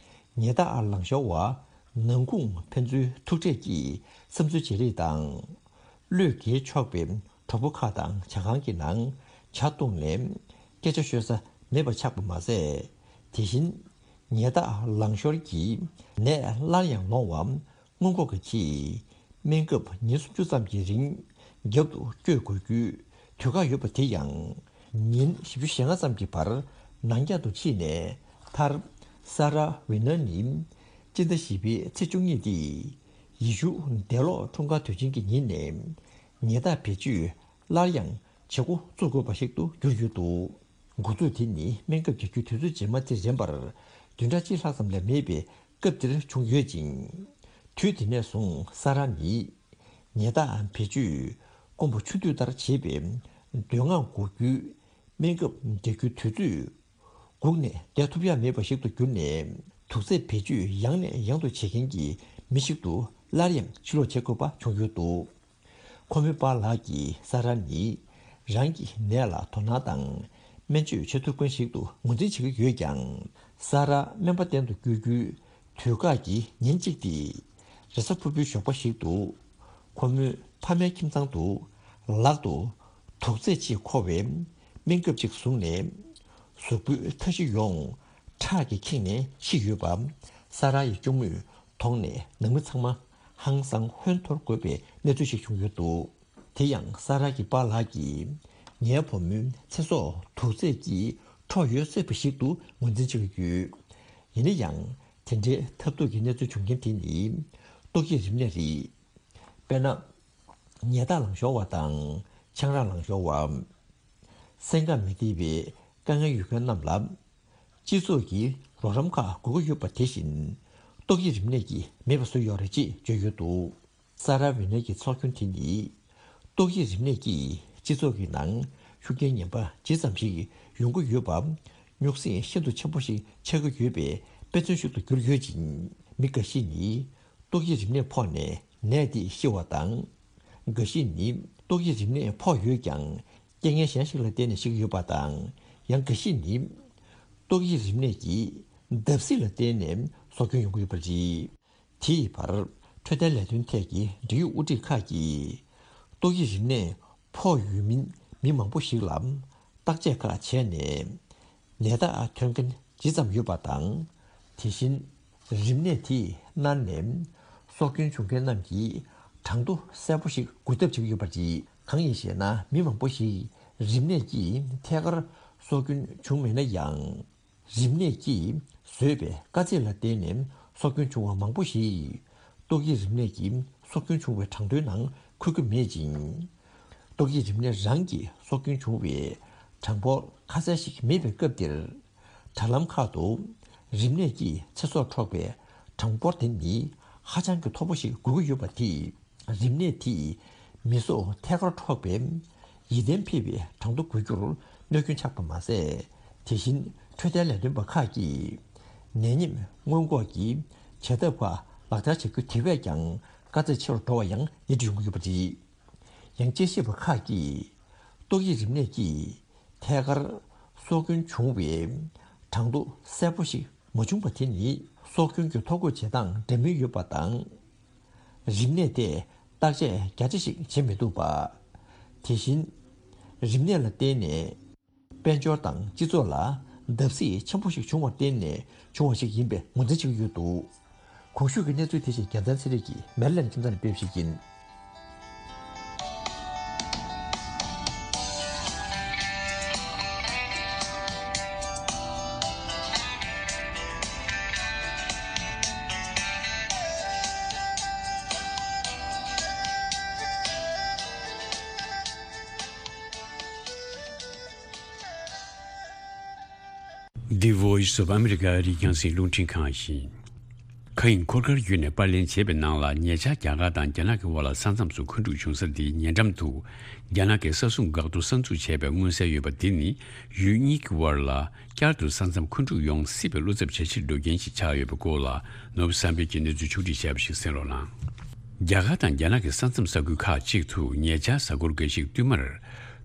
ཉལ་ཐ་ལང་ཤོར་བ་ནང་ཁུངས་ཕན་ཚུན་ཐུག་འཕྲད་ཀྱིས་བསམ་ཚུལ་བརྗེ་རེས་དང་། བློས་འགེལ་ཆོག་པའི་གྲོགས་པོ་ཁག་དང་ཇ་ཁང་གི་ནང་ཇ་བཏུང་ནས་སྐད་ཆ་ཤོད་ས་མེད་པ་ཆགས་པ་མ་ཟད། དེ་བཞིན་ཉལ་ཐ་ལང་ཤོར་གྱི་ནད་སླར་ཡང་ལོང་བ་སྔོན་འགོག་གི་ཆེད་སྨན་ཁབ་ཉིན་སུམ་ཅུ་ཙམ་གྱི་རིང་རྒྱབ་ཏུ་བསྐྱོད་དགོས་རྒྱུའི་དུས་བཀག་ཡོད་པ་དེ་ཡང་ཉིན་བཞི་བཅུ་ཞེ་ལྔ་ཙམ་གྱི་བར་ནང་འཁྱག་ཏུ་ཕྱིན་ནས་མཐར་ས་ར་ཝི་ནར་ནི་སྤྱི་ཟླ་བཞི་པའི་ཚེས་བཅུ་གཉིས་ཏེ་ཡེ་ཤུ་འདས་ལོག་འཁྲུངས་སྐར་དུས་ཆེན་གྱི་ཉིན་ནས་ཉལ་ཐ་བེད་སྤྱོད་སླར་ཡང་བྱེད་འགོ་བཙུགས་དགོས་པ་ཞིག་ཏུ་གྱུར་ཡོད་འདུག་འགོ་འཛུགས་དེ་ནི་སྨན་ཁབ་རྒྱག་རྒྱུའི་དུས་ཚོད་རྗེས་མ་དེ་རན་པར་བདུན་ཕྲག་གཅིག་ལྷག་ཙམ་ལས་མེད་པའི་སྐབས་འདིར་བྱུང་ཡོད་ཅིང་། དུས་དེ་ནས་བཟུང་ས་ར་ནི་ཉལ་ཐ་བེད་སྤྱོད་སྐོམ་པ་ཆུ་འདོད་ལྟར་བྱེད་པའི་མདོ་སྔགས་འགོག་རྒྱུའི་སྨན་ཁབ་རྒྱག་རྒྱུའི་དུས་ཚོད་སྒུག་ནས་བསྡད་ཐུབ་ཡ་མེད་པ་ཞིག་ཏུ་གྱུར་ནས་དུག་རྫས་བེད་སྤྱོད་ཡང་ནས་ཡང་དུ་བྱེད་མཁན་གྱི་མི་ཞིག་ཏུ་སླར་ཡང་ཕྱིར་ལོག་བྱེད་དགོས་པ་བྱུང་ཡོད་འདུག་ཁོ་མོའི་པཱ་ལགས་ཀྱིས་ས་ར་ནི་རང་གི་ནད་ལ་དོ་སྣང་དང་སྨན་བཅོས་བྱེད་ཐུབ་མཁན་ཞིག་ཏུ་ངོས་འཛིན་བྱེད་ཀྱི་ཡོད་ཀྱང་། ས་ར་སྨན་པ་གཏན་དུ་བསྐྱོད་རྒྱུའི་དུས་བཀག་གི་ཉིན་གཅིག་དེ་རེས་གཟའ་ཕུར་བུའི་ཞོགས་པ་ཞིག་ཏུ་ཁོ་མོའི་ཕ་མའི་ཁྱིམ་ཚང་དུ་ལག་ཏུ་དུག་རྫས་ཅིག་འཁོར་བའི་སྨན་ཁབ་ཅིག་བཟུང་ནས་གཟུགས་པོའི་མཐའ་བཞི་ཡོངས་ཁྲག་གིས་ཁེངས་ནས་ཤི་ཡོད་པ་ས་ར་ཡི་གཅུང་མོས་མཐོང་ནས་ནང་མི་ཚང་མ་ཧང་སང་ཧོན་འཐོར་དགོས་པའི་གནས་ཚུལ་ཞིག་བྱུང་ཡོད་འདུག་དེ་ཡང་ས་ར་གི་པཱ་ལགས་ཀྱིས་ངའི་བུ་མོའི་ཚེ་སྲོག་དུག་རྫས་ཀྱིས་འཕྲོག་ཡོད་སྲིད་པ་ཞིག་ཏུ་ངོས་འཛིན་བྱེད་ཀྱི་ཡོད། ཡིན་ན་ཡང་དེ་འདྲའི་ཐབས་སྡུག་གི་གནས་ཚུལ་བྱུང་རྐྱེན་དེ་ནི་ཏོག་དབྱིབས་རིམས་ནད་རེད། དཔེར་ན། ཉལ་ཐ་ལང་ཤོར་བ་དང་ཆང་རག་ལང་ཤོར་བ། སེམས་ཁམས་མི་བདེ་བའི་དཀའ་ངལ་ཡོད་མཁན་རྣམས་ལ། སྤྱི་ཚོགས་ཀྱི་རོགས་རམ་ཁག་དགོས་ཀྱི་ཡོད་པ་དེ་བཞིན། ཏོག་དབྱིབས་རིམས་ནད་ཀྱིས་མེད་པ་བཟོས་ཡོད་རེད་ཅེས་བརྗོད་ཡོད་འདུག་ས་ར་ཝི་ནེ་གི་ཚོགས་རྒྱན་དེ་ནི། ཏོག་དབྱིབས་རིམས་ནད་ཀྱིས་སྤྱི་ཚོགས་ཀྱི་ནང་ཤུགས་རྐྱེན་ངན་པ་ཇི་ཙམ་ཞིག་ཡོང་གི་ཡོད་པ། རྙོག་ཟིང་ཤིན་ཏུ་ཆེན་པོ་ཞིག་ཆགས་ཀྱི་ཡོད་པའི་དཔེ་མཚོན་ཞིག་ཏུ་གྱུར་ཡོད་ཅིང་། མི་འགའ་ཞིག་ནི། ཏོག་དབྱིབས་རིམས་ནད་ཕོག་ནས་ནད་དེས་ཤི་བ་དང་། འགའ་ཞིག་ནི་ཏོག་དབྱིབས་རིམས་ནད་ཕོག་ཡོད་ཀྱང་རྐྱེན་ངན་གཞན་ཞིག་ལ་བརྟེན་ནས་ཤི་གི་ཡོད་པ་དང་། ཡང་འགའ་ཞིག་ནི་ཏོག་དབྱིབས་རིམས་ནད་ཀྱི་བརྡབ་གསིག་ལ་བརྟེན་ནས་སྲོག་སྐྱོན་ཡོང་གི་ཡོད་པ་རེད། དེ་ཡི་བར་འཕྲོད་བསྟེན་ལས་དོན་ཐད་ཀྱི་འབྲེལ་ཡོད་དབུ་ཁྲིད་ཁག་གིས་ཏོག་དབྱིབས་རིམས་ནད་ཕོག་ཡོད་མིན་མི་མང་པོ་ཞིག་ལ་བརྟག་དཔྱད་ཁག་བྱས་ནས། ནད་རྟགས་ཐོན་མཁན་ཇི་ཙམ་ཡོད་པ་དང་། དེ་བཞིན་རིམས་ནད་དེས་མནར་ནས་སྲོག་སྐྱོན་བྱུང་མཁན་རྣམས་ཀྱི་གྲངས་ཐོ་གསལ་པོ་ཞིག་འགོད་ཐབས་བྱེད་ཀྱི་ཡོད་པ་རེད། གང་ཡིན་ཞེ་ན། མི་མང་པོ་ཞིག་རིམས་ནད་ཀྱིས་ཐད་ཀར་སྲོག་སྐྱོན་བྱུང་མེད་ན་ཡང་། རིམས་ནད་ཀྱིས་བཟོས་པའི་དཀའ་ཚེགས་ལ་བརྟེན་ནས་སྲོག་སྐྱོན་བྱུང་བ་མང་པོ་ཞིག་ཏོག་དབྱིབས་རིམས་ནད་ཀྱིས་སྲོག་སྐྱོན་བྱུང་བའི་གྲངས་ཐོའི་ནང་འཁོད་ཀྱི་མེད་ཅིང་། ཏོག་དབྱིབས་རིམས་ནད་རང་གིས་སྲོག་སྐྱོན་བྱུང་བའི་གྲངས་འབོར་ཁ་གསལ་ཞིག་མེད་པའི་སྐབས་འདིར། དྲ་ལམ་ཁག་ཏུ་རིམས་ནད་ཀྱིས་ཚེ་སྲོག་འཕྲོག་པའི་གྲངས་འབོར་དེ་ནི་ཧ་ཅང་གི་མཐོ་པོ་ཞིག་དགོས་ཀྱི་ཡོད་པ་དེས། རིམས་ནད་དེས་མི་སྲོག་ཐད་ཀར་འཕྲོག་པའི་ཡིད་བརྟན་འཕེར་བའི་གྲངས་ཐོ་འགོད་རྒྱུར་གནོད་སྐྱོན་ཆགས་པ་མ་ཟད། དེ་བཞིན་འཕྲོད་བསྟེན་ལས་དོན་པ་ཁག་གིས་ནད་ཉེན་སྔོན་འགོག་གི་བྱ་ཐབས་ཁག་ལག་བསྟར་བྱ་རྒྱུ་དེ་བས་ཀྱང་དཀའ་ཚེགས་ཆེ་རུ་འགྲོ་བ་ཡང་ཡིད་དུ་འོང་གི་ཡོད་པ་རེད། ཡང་དཔྱད་ཞིབ་པ་ཁག་གིས་ཏོག་དབྱིབས་རིམས་ནད་ཀྱིས་ཐད་ཀར་སྲོག་སྐྱོན་བྱུང་བའི་གྲངས་ཐོ་གསལ་པོ་ཞིག་མ་བྱུང་བ་དེ་ནི་སྲོག་སྐྱོན་གྱི་ཐོ་འགོད་བྱེད་སྟངས་འདྲ་མིན་ཡོད་པ་དང་། རིམས་ནད་དེ་བརྟག་དཔྱད་རྒྱ་ཆེ་ཞིག་བྱེད་མི་ཐུབ་པ། དེ་བཞིན་རིམས་ནད་ལ་བརྟེན་ནས་དཔལ་འབྱོར་དང་སྤྱི་ཚོགས་ལ་བརྡབ་གསིག་ཆེན་པོ་ཞིག་བྱུང་བར་བརྟེན་ནས་བྱུང་བ་ཞིག་ཡིན་པའི་ངོས་འཛིན་བྱེད་ཀྱི་ཡོད་འདུག་གོང་ཞུས་ཀྱི་གནས་ཚུལ་དེ་བཞིན་རྒྱལ་མཚན་ཚེ་རིང་གིས་མེ་རི་ལེན་ཁྱིམ་ཚང་ནས་སྤེལ་བ་ཞིག་ཡིན། The Voice of America ཨ་རིའི་རྒྱང་སྲིང་རླུང་འཕྲིན་ཁང་ཡིན། མཁའ་དབྱིངས་འཁོར་སྐར་བརྒྱུད་ནས་པར་ལེན་བྱས་པའི་ནང་ལ། ཉེ་ཆར་རྒྱ་གར་དང་རྒྱ་ནག་གི་དབར་ལ་ས་མཚམས་སུ་མཁོ་འཁྲུག་བྱུང་ས་དེའི་ཉེ་འགྲམ་དུ། རྒྱ་ནག་གིས་ས་སྲུང་འགག་ཐོག་གསར་འཛུགས་བྱས་པའི་མངོན་གསལ་ཡོད་པ་དེ་ནི། ཡུལ་གཉིས་ཀྱི་དབར་ལ་བསྐྱར་དུ་ས་མཚམས་མཁོ་འཁྲུག་ཡོང་སྲིད་པའི་བློ་འཚབ་བྱ་ཕྱིར་འགྲོ་རྐྱེན་ཞིག་ཆགས་ཡོད་པའི་སྐོར་ལ། ནོར་བུ་བསམ་འཕེལ་གྱིས་གནས་ཚུལ་ཕྱོགས་སྒྲིག་བྱས་པ་ཞིག་གསན་རོགས་གནང་། རྒྱ་གར་དང་རྒྱ་ནག་གི་ས་མཚམས་ས་ཁུལ་ཁག་ཅིག་ཏུ་ཉེ་ཆར་གཟའ་འཁོར་འགའ་ཞིག་བསྟུད་མར་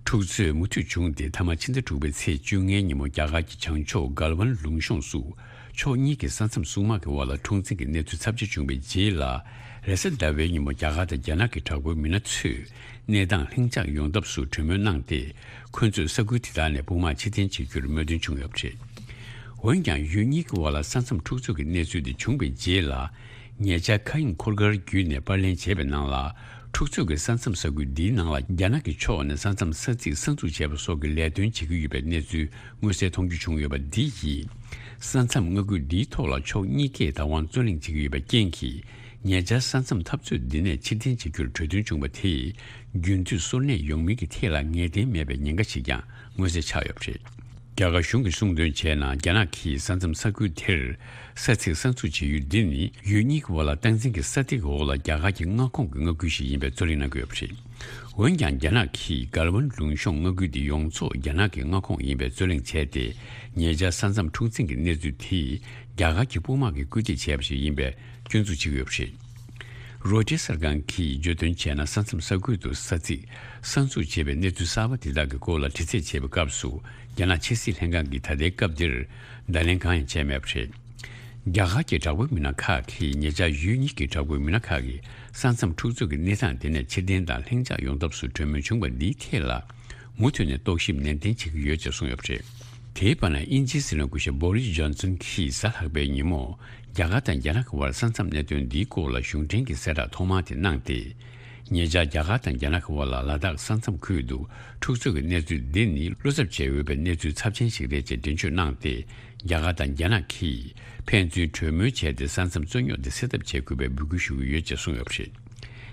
འཁྲུག་རྩོད་མུ་མཐུད་བྱུང་སྟེ། མཐའ་མ་ཕྱི་ཟླ་དྲུག་པའི་ཚེས་བཅོ་ལྔའི་ཉིན་མོ་རྒྱ་གར་གྱི་བྱང་ཕྱོགས་གལ་ཝན་ལུང་གཤོང་སུ། ཕྱོགས་གཉིས་ཀྱི་ས་མཚམས་སྲུང་དམག་གི་དབར་ལ་འཁྲུག་འཛིང་གི་གནས་ཚུལ་ཚབས་ཆེ་བྱུང་བའི་རྗེས་ལ། རེས་གཟའ་ཟླ་བའི་ཉིན་མོ་རྒྱ་གར་དང་རྒྱ་ནག་གི་དྲག་པོའི་མི་སྣ་ཚོས་གནས་སྟངས་ལྷིང་འཇགས་ཡོང་ཐབས་སུ་གྲོས་མོལ་གནང་སྟེ། ཁོ་ཚོས་ས་ཁུལ་དེ་དག་ནས་དཔུང་དམག་ཕྱིར་འཐེན་བྱེད་རྒྱུར་མོས་མཐུན་བྱུང་ཡོད་པ་རེད། འོན་ཀྱང་། ཡུལ་གཉིས་ཀྱི་དབར་ལ་ས་མཚམས་འཁྲུག་རྩོད་ཀྱི་གནས་ཚུལ་དེ་བྱུང་བའི་རྗེས་ལ། ཉེ་ཆར་མཁའ་དབྱིངས་འཁོར་སྐར་བརྒྱུད་ནས་པར་ལེན་བྱས་པའི་ནང་ལ། འཁྲུག་རྩོད་ཀྱི་ས་མཚམས་ས་ཁུལ་འདིའི་ནང་ལ། རྒྱ་ནག་གི་ཕྱོགས་ནས་ས་མཚམས་ས་ཚིགས་གསར་འཛུགས་བྱས་པ་སོགས་ཀྱི་ལས་དོན་བྱེད་ཀྱི་ཡོད་པའི་གནས་ཚུལ་མངོན་གསལ་མཐོང་རྒྱུ་བྱུང་ཡོད་པ་འདི་ཡིས། ས་མཚམས་མངའ་ཁུལ་འདིའི་ཐོག་ལ་ཕྱོགས་གཉིས་ཀས་བདག་དབང་རྩོད་གླེང་བྱེད་ཀྱི་ཡོད་པའི་རྐྱེན་གྱིས། ཉེ་ཆར་ས་མཚམས་འཐབ་རྩོད་འདི་ནས་ཕྱིར་འཐེན་བྱེད་རྒྱུར་གྲོས་མཐུན་བྱུང་བ་དེས། རྒྱུན་མཐུད་སོར་གནས་ཡོང་མིན་གྱི་ཐད་ལ་ངེས་གཏན་མེད་པའི་ཉེན་ཁ་ཞིག་ཀྱང་མངོན་གསལ་ཆགས་ཡོད་པ་རེད། རྒྱ་གར་གཞུང་གིས་གསུངས་དོན་བྱས་ན། རྒྱ་ནག་གིས་ས་མཚམས་ས་ཁུལ་དེར་ས་ཚིགས་གསར་འཛུགས་བྱེད་ཡུལ་འདི་ནི། ཡུལ་གཉིས་ཀྱི་དབར་ལ་སྟངས་འཛིན་གྱི་ས་ཐིག་འོག་ལ་རྒྱ་གར་གྱི་མངའ་ཁོངས་ཀྱི་མངའ་ཁུལ་ཞིག་ཡིན་པའི་རྩོད་གླེང་གནང་གི་ཡོད་པ་རེད། འོན་ཀྱང་། རྒྱ་ནག་གིས་གལ་ཝན་ལུང་གཤོང་མངའ་ཁུལ་དེ་ཡོངས་རྫོགས་རྒྱ་ནག་གི་མངའ་ཁོངས་ཡིན་པའི་རྩོད་གླེང་བྱས་ཏེ། ཉེ་ཆར་ས་མཚམས་འཁྲུག་འཛིང་གི་གནས་ཚུལ་དེས། རྒྱ་གར་གྱི་དཔུང་དམག་གིས་སྐུལ་འདེད་བྱས་པ་ཞིག་ཡིན་པའི་སྐྱོན་འཛུགས་བྱེད་ཀྱི་ཡོད་པ་རེད། རོའི་ཊར་གསར་ཁང་གིས་བརྗོད་དོན་བྱས་ན། ས་མཚམས་ས་ཁུལ་དུ་ས་ཚིགས་གསར་འཛུགས་བྱས་པའི་གནས་ཚུལ་གསར་པ་དེ་དག་གི་སྐོར་ལ་དྲི་རྩད་བྱས་པའི་སྐབས་སུ། རྒྱ་ནག་ཕྱི་སྲིད་ལྷན་ཁང་གིས་ད་ལྟའི་སྐབས་འདིར་བརྡ་ལན་གང་ཡང་བྱས་མེད་པ་རེད། རྒྱ་གར་གྱི་དྲག་པོའི་མི་སྣ་ཁག་གིས། ཉེ་ཆར་ཡུལ་གཉིས་ཀྱི་དྲག་པོའི་མི་སྣ་ཁག་གིས་ས་མཚམས་འཁྲུག་རྩོད་ཀྱི་གནས་སྟངས་དེ་ནས་ཕྱིར་འཐེན་དང་ལྷིང་འཇགས་ཡོང་ཐབས་སུ་གྲོས་མོལ་བྱུང་བ་འདིའི་ཐད་ལ། མུ་མཐུད་ནས་རྟོག་ཞིབ་ནན་ཏན་བྱེད་ཀྱི་ཡོད་ཅེས་གསུངས་ཡོད་པ་རེད། དེའི་བར་ན། དབྱིན་ཇིའི་སྲིད་བློན་སྐུ་ཞབས་བྷོ་རིས་ཇོན་སན་གྱིས་གཟའ་ལྷག་པའི་ཉིན་མོ། རྒྱ་གར་དང་རྒྱ་ནག་གི་དབར་ས་མཚམས་གནད་དོན་འདིའི་སྐོར་ལ་གཞུང་འབྲེལ་གྱི་གསལ་བསྒྲགས་ཐོག་མ་དེ་གནང་སྟེ། ཉེ་ཆར་རྒྱ་གར་དང་རྒྱ་ནག་གི་དབར་ལ་ལ་དྭགས་ས་མཚམས་ཁུལ་དུ་འཁྲུག་རྩོད་ཀྱི་གནས་ཚུལ་འདི་ནི། བློ་འཚབ་བྱེད་འོས་པའི་གནས་ཚུལ་ཚབས་ཆེན་ཞིག་རེད་ཅེས་འགྲེལ་བརྗོད་གནང་སྟེ། རྒྱ་གར་དང་རྒྱ་ནག་གིས་ཕན་ཚུན་གྲོས་མོལ་བྱས་ཏེ། ས་མཚམས་རྩོད་རྙོག་དེ་སེལ་ཐབས་བྱེད་དགོས་པའི་འབོད་སྐུལ་ཞུ་གི་ཡོད་ཅེས་གསུངས་ཡོད་པ་རེད།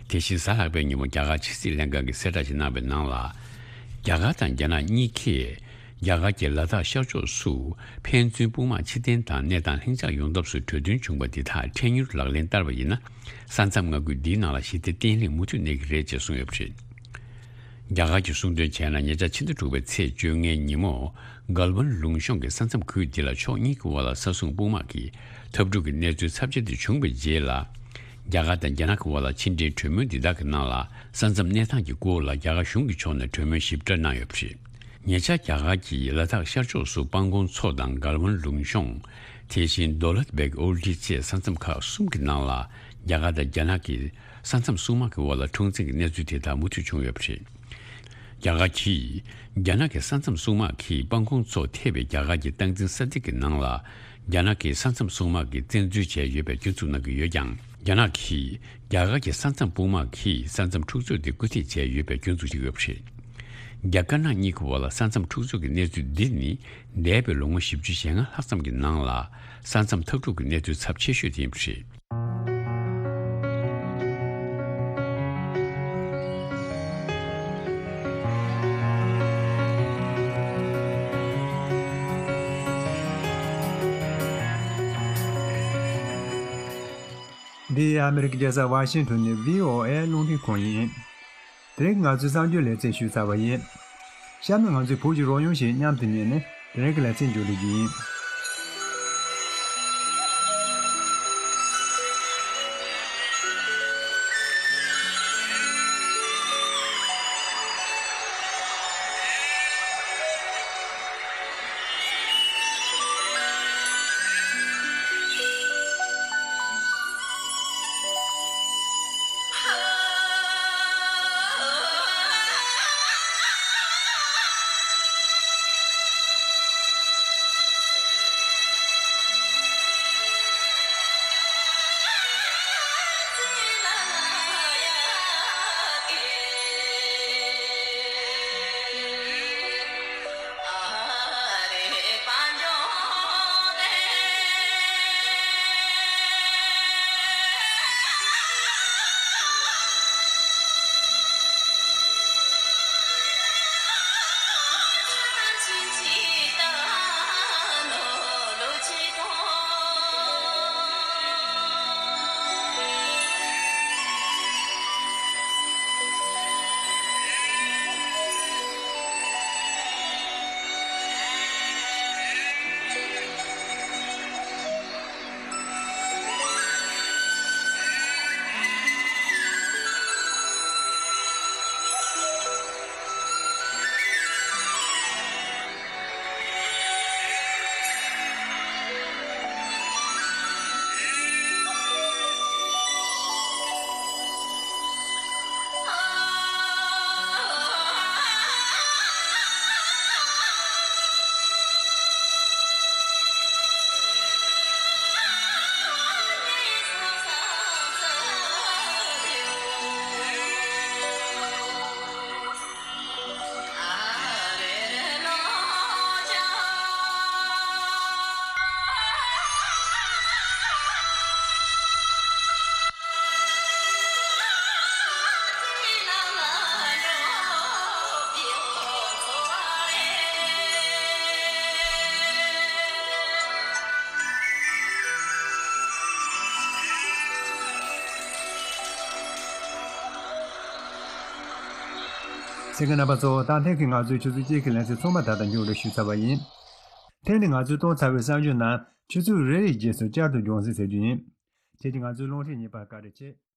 དེ་བཞིན། གཟའ་ལྷག་པའི་ཉིན་མོ། རྒྱ་གར་ཕྱི་སྲིད་ལྷན་ཁང་གིས་གསལ་བསྒྲགས་ཤིག་གནང་བའི་ནང་ལ། རྒྱ་གར་དང་རྒྱ་ནག་གཉིས་ཀས། རྒྱ་གར་གྱི་ལ་དྭགས་ཤར་ཕྱོགས་སུ་ཕན་ཚུན་དཔུང་དམག་ཕྱིར་འཐེན་དང་། གནས་སྟངས་ལྷིང་འཇགས་ཡོང་ཐབས་སུ་གྲོས་མཐུན་བྱུང་བ་འདི་དག་འཕྲལ་མྱུར་ལག་ལེན་བསྟར་བ་ཡིན་ན། ས་མཚམས་མངའ་ཁུལ་འདིའི་ནང་ལ་ཞི་བདེ་བརྟན་ལྷིང་མུ་མཐུད་གནས་ཀྱི་རེད་ཅེས་གསུངས་ཡོད་པ་རེད། རྒྱ་གར་གྱིས་གསུངས་དོན་བྱས་ན། ཉེ་ཆར་ཕྱི་ཟླ་དྲུག་པའི་ཚེས་བཅོ་ལྔའི་ཉིན་མོ། གལ་ཝན་ལུང་གཤོང་གི་ས་མཚམས་ཁུལ་འདི་ལ་ཕྱོགས་གཉིས་ཀྱི་དབར་ལ་ས་སྲུང་དཔུང་དམག་གི་འཐབ་འཁྲུག་གི་གནས་ཚུལ་ཚབས་ཆེ་དེ་བྱུང་བའི་རྗེས་ལ། རྒྱ་གར་དང་རྒྱ་ནག་གི་དབར་ལ་ཕྱི་འབྲེལ་གྲོས་མོལ་འདི་དག་གི་ནང་ལ། ས་མཚམས་གནས་སྟངས་ཀྱི་སྐོར་ལ་རྒྱ་གར་གཞུང་གི་ཕྱོགས་ནས་གྲོས་མོལ་ཞིབ་ཕྲ་གནང་ཡོད་པ་རེད། ཉེ་ཆར་རྒྱ་གར་གྱིས་ལ་དྭགས་ཤར་ཕྱོགས་སུ་སྤང་གོང་མཚོ་དང་གལ་ཝན་ལུང་གཤོང་། དེ་བཞིན་དོ་ལད་བེག་ཨོལ་ཏི་བཅས་ས་མཚམས་ཁག་གསུམ་གྱི་ནང་ལ། རྒྱ་གར་དང་རྒྱ་ནག་གི་ས་མཚམས་སྲུང་དམག་གི་དབར་ལ་འཁྲུག་འཛིང་གི་གནས་ཚུལ་དེ་དག་མུ་མཐུད་བྱུང་ཡོད་པ་རེད། རྒྱ་གར་གྱིས། རྒྱ་ནག་གི་ས་མཚམས་སྲུང་དམག་གིས་སྤང་གོང་མཚོ་ཐེ་བའི་རྒྱ་གར་གྱི་སྟངས་འཛིན་ས་ཐིག་གི་ནང་ལ། རྒྱ་ནག་གི་ས་མཚམས་སྲུང་དམག་གིས་བཙན་འཛུལ་བྱས་ཡོད་པའི་སྐྱོན་འཛུགས་གནང་གི་ཡོད་ཀྱང་། རྒྱ་ནག་གིས། རྒྱ་གར་གྱི་ས་མཚམས་དཔུང་དམག་གིས་ས་མཚམས་འཁྲུག་རྩོད་དེ་སྐུལ་འདེད་བྱས་ཡོད་པའི་སྐྱོན་འཛུགས་བྱས་ཡོད་པ་རེད། རྒྱ་དཀར་ནག་གཉིས་ཀྱི་དབར་ལ་ས་མཚམས་འཁྲུག་རྩོད་ཀྱི་གནས་ཚུལ་འདི་ནི། འདས་པའི་ལོ་ངོ་བཞི་བཅུ་ཞེ་ལྔ་ལྷག་ཙམ་གྱི་ནང་ལ། ས་མཚམས་འཐབ་འཁྲུག་གི་གནས་ཚུལ་ཚབས་ཆེ་ཤོས་དེ་ཡིན་པ་རེད། འདི་ཨ་མི་རི་ཀའི་རྒྱལ་ས་ཝ་ཤིང་ཊོན་ནས་བྷི་ཨོ་ཨེ་རླུང་འཕྲིན་ཁང་ཡིན། དེ་རིང་ང་ཚོའི་གསར་འགྱུར་ལེ་ཚན་ཞུས་ཚར་བ་ཡིན། གཤམ་ན་ང་ཚོའི་བོད་ཀྱི་རོལ་དབྱངས་ཤིག་མཉམ་དུ་ཉན་ནས་དེ་རིང་གི་ལེ་ཚན་མཇུག་སྒྲིལ་རྒྱུ་ཡིན། གསན་མཁན་རྣམ་པ་ཚོ། ད་ཐེངས་ཀྱི་ང་ཚོའི་ཆུ་ཚོད་གཅིག་གི་ལེ་ཚན་ཚང་མ་ད་ལྟ་མཇུག་སྒྲིལ་ཞུས་ཚར་བ་ཡིན། དེ་ནི་ང་ཚོས་བཏང་ཚར་བའི་གསར་འགྱུར་རྣམས་ཆུ་ཚོད་རེ་རེའི་རྗེས་སུ་བསྐྱར་དུ་རྒྱང་སྲིང་བྱེད་རྒྱུ་ཡིན། ཁྱེད་ཀྱིས་ང་ཚོའི་རླུང་འཕྲིན་གཉིས་པར་བཀའ་དྲིན་ཆེ།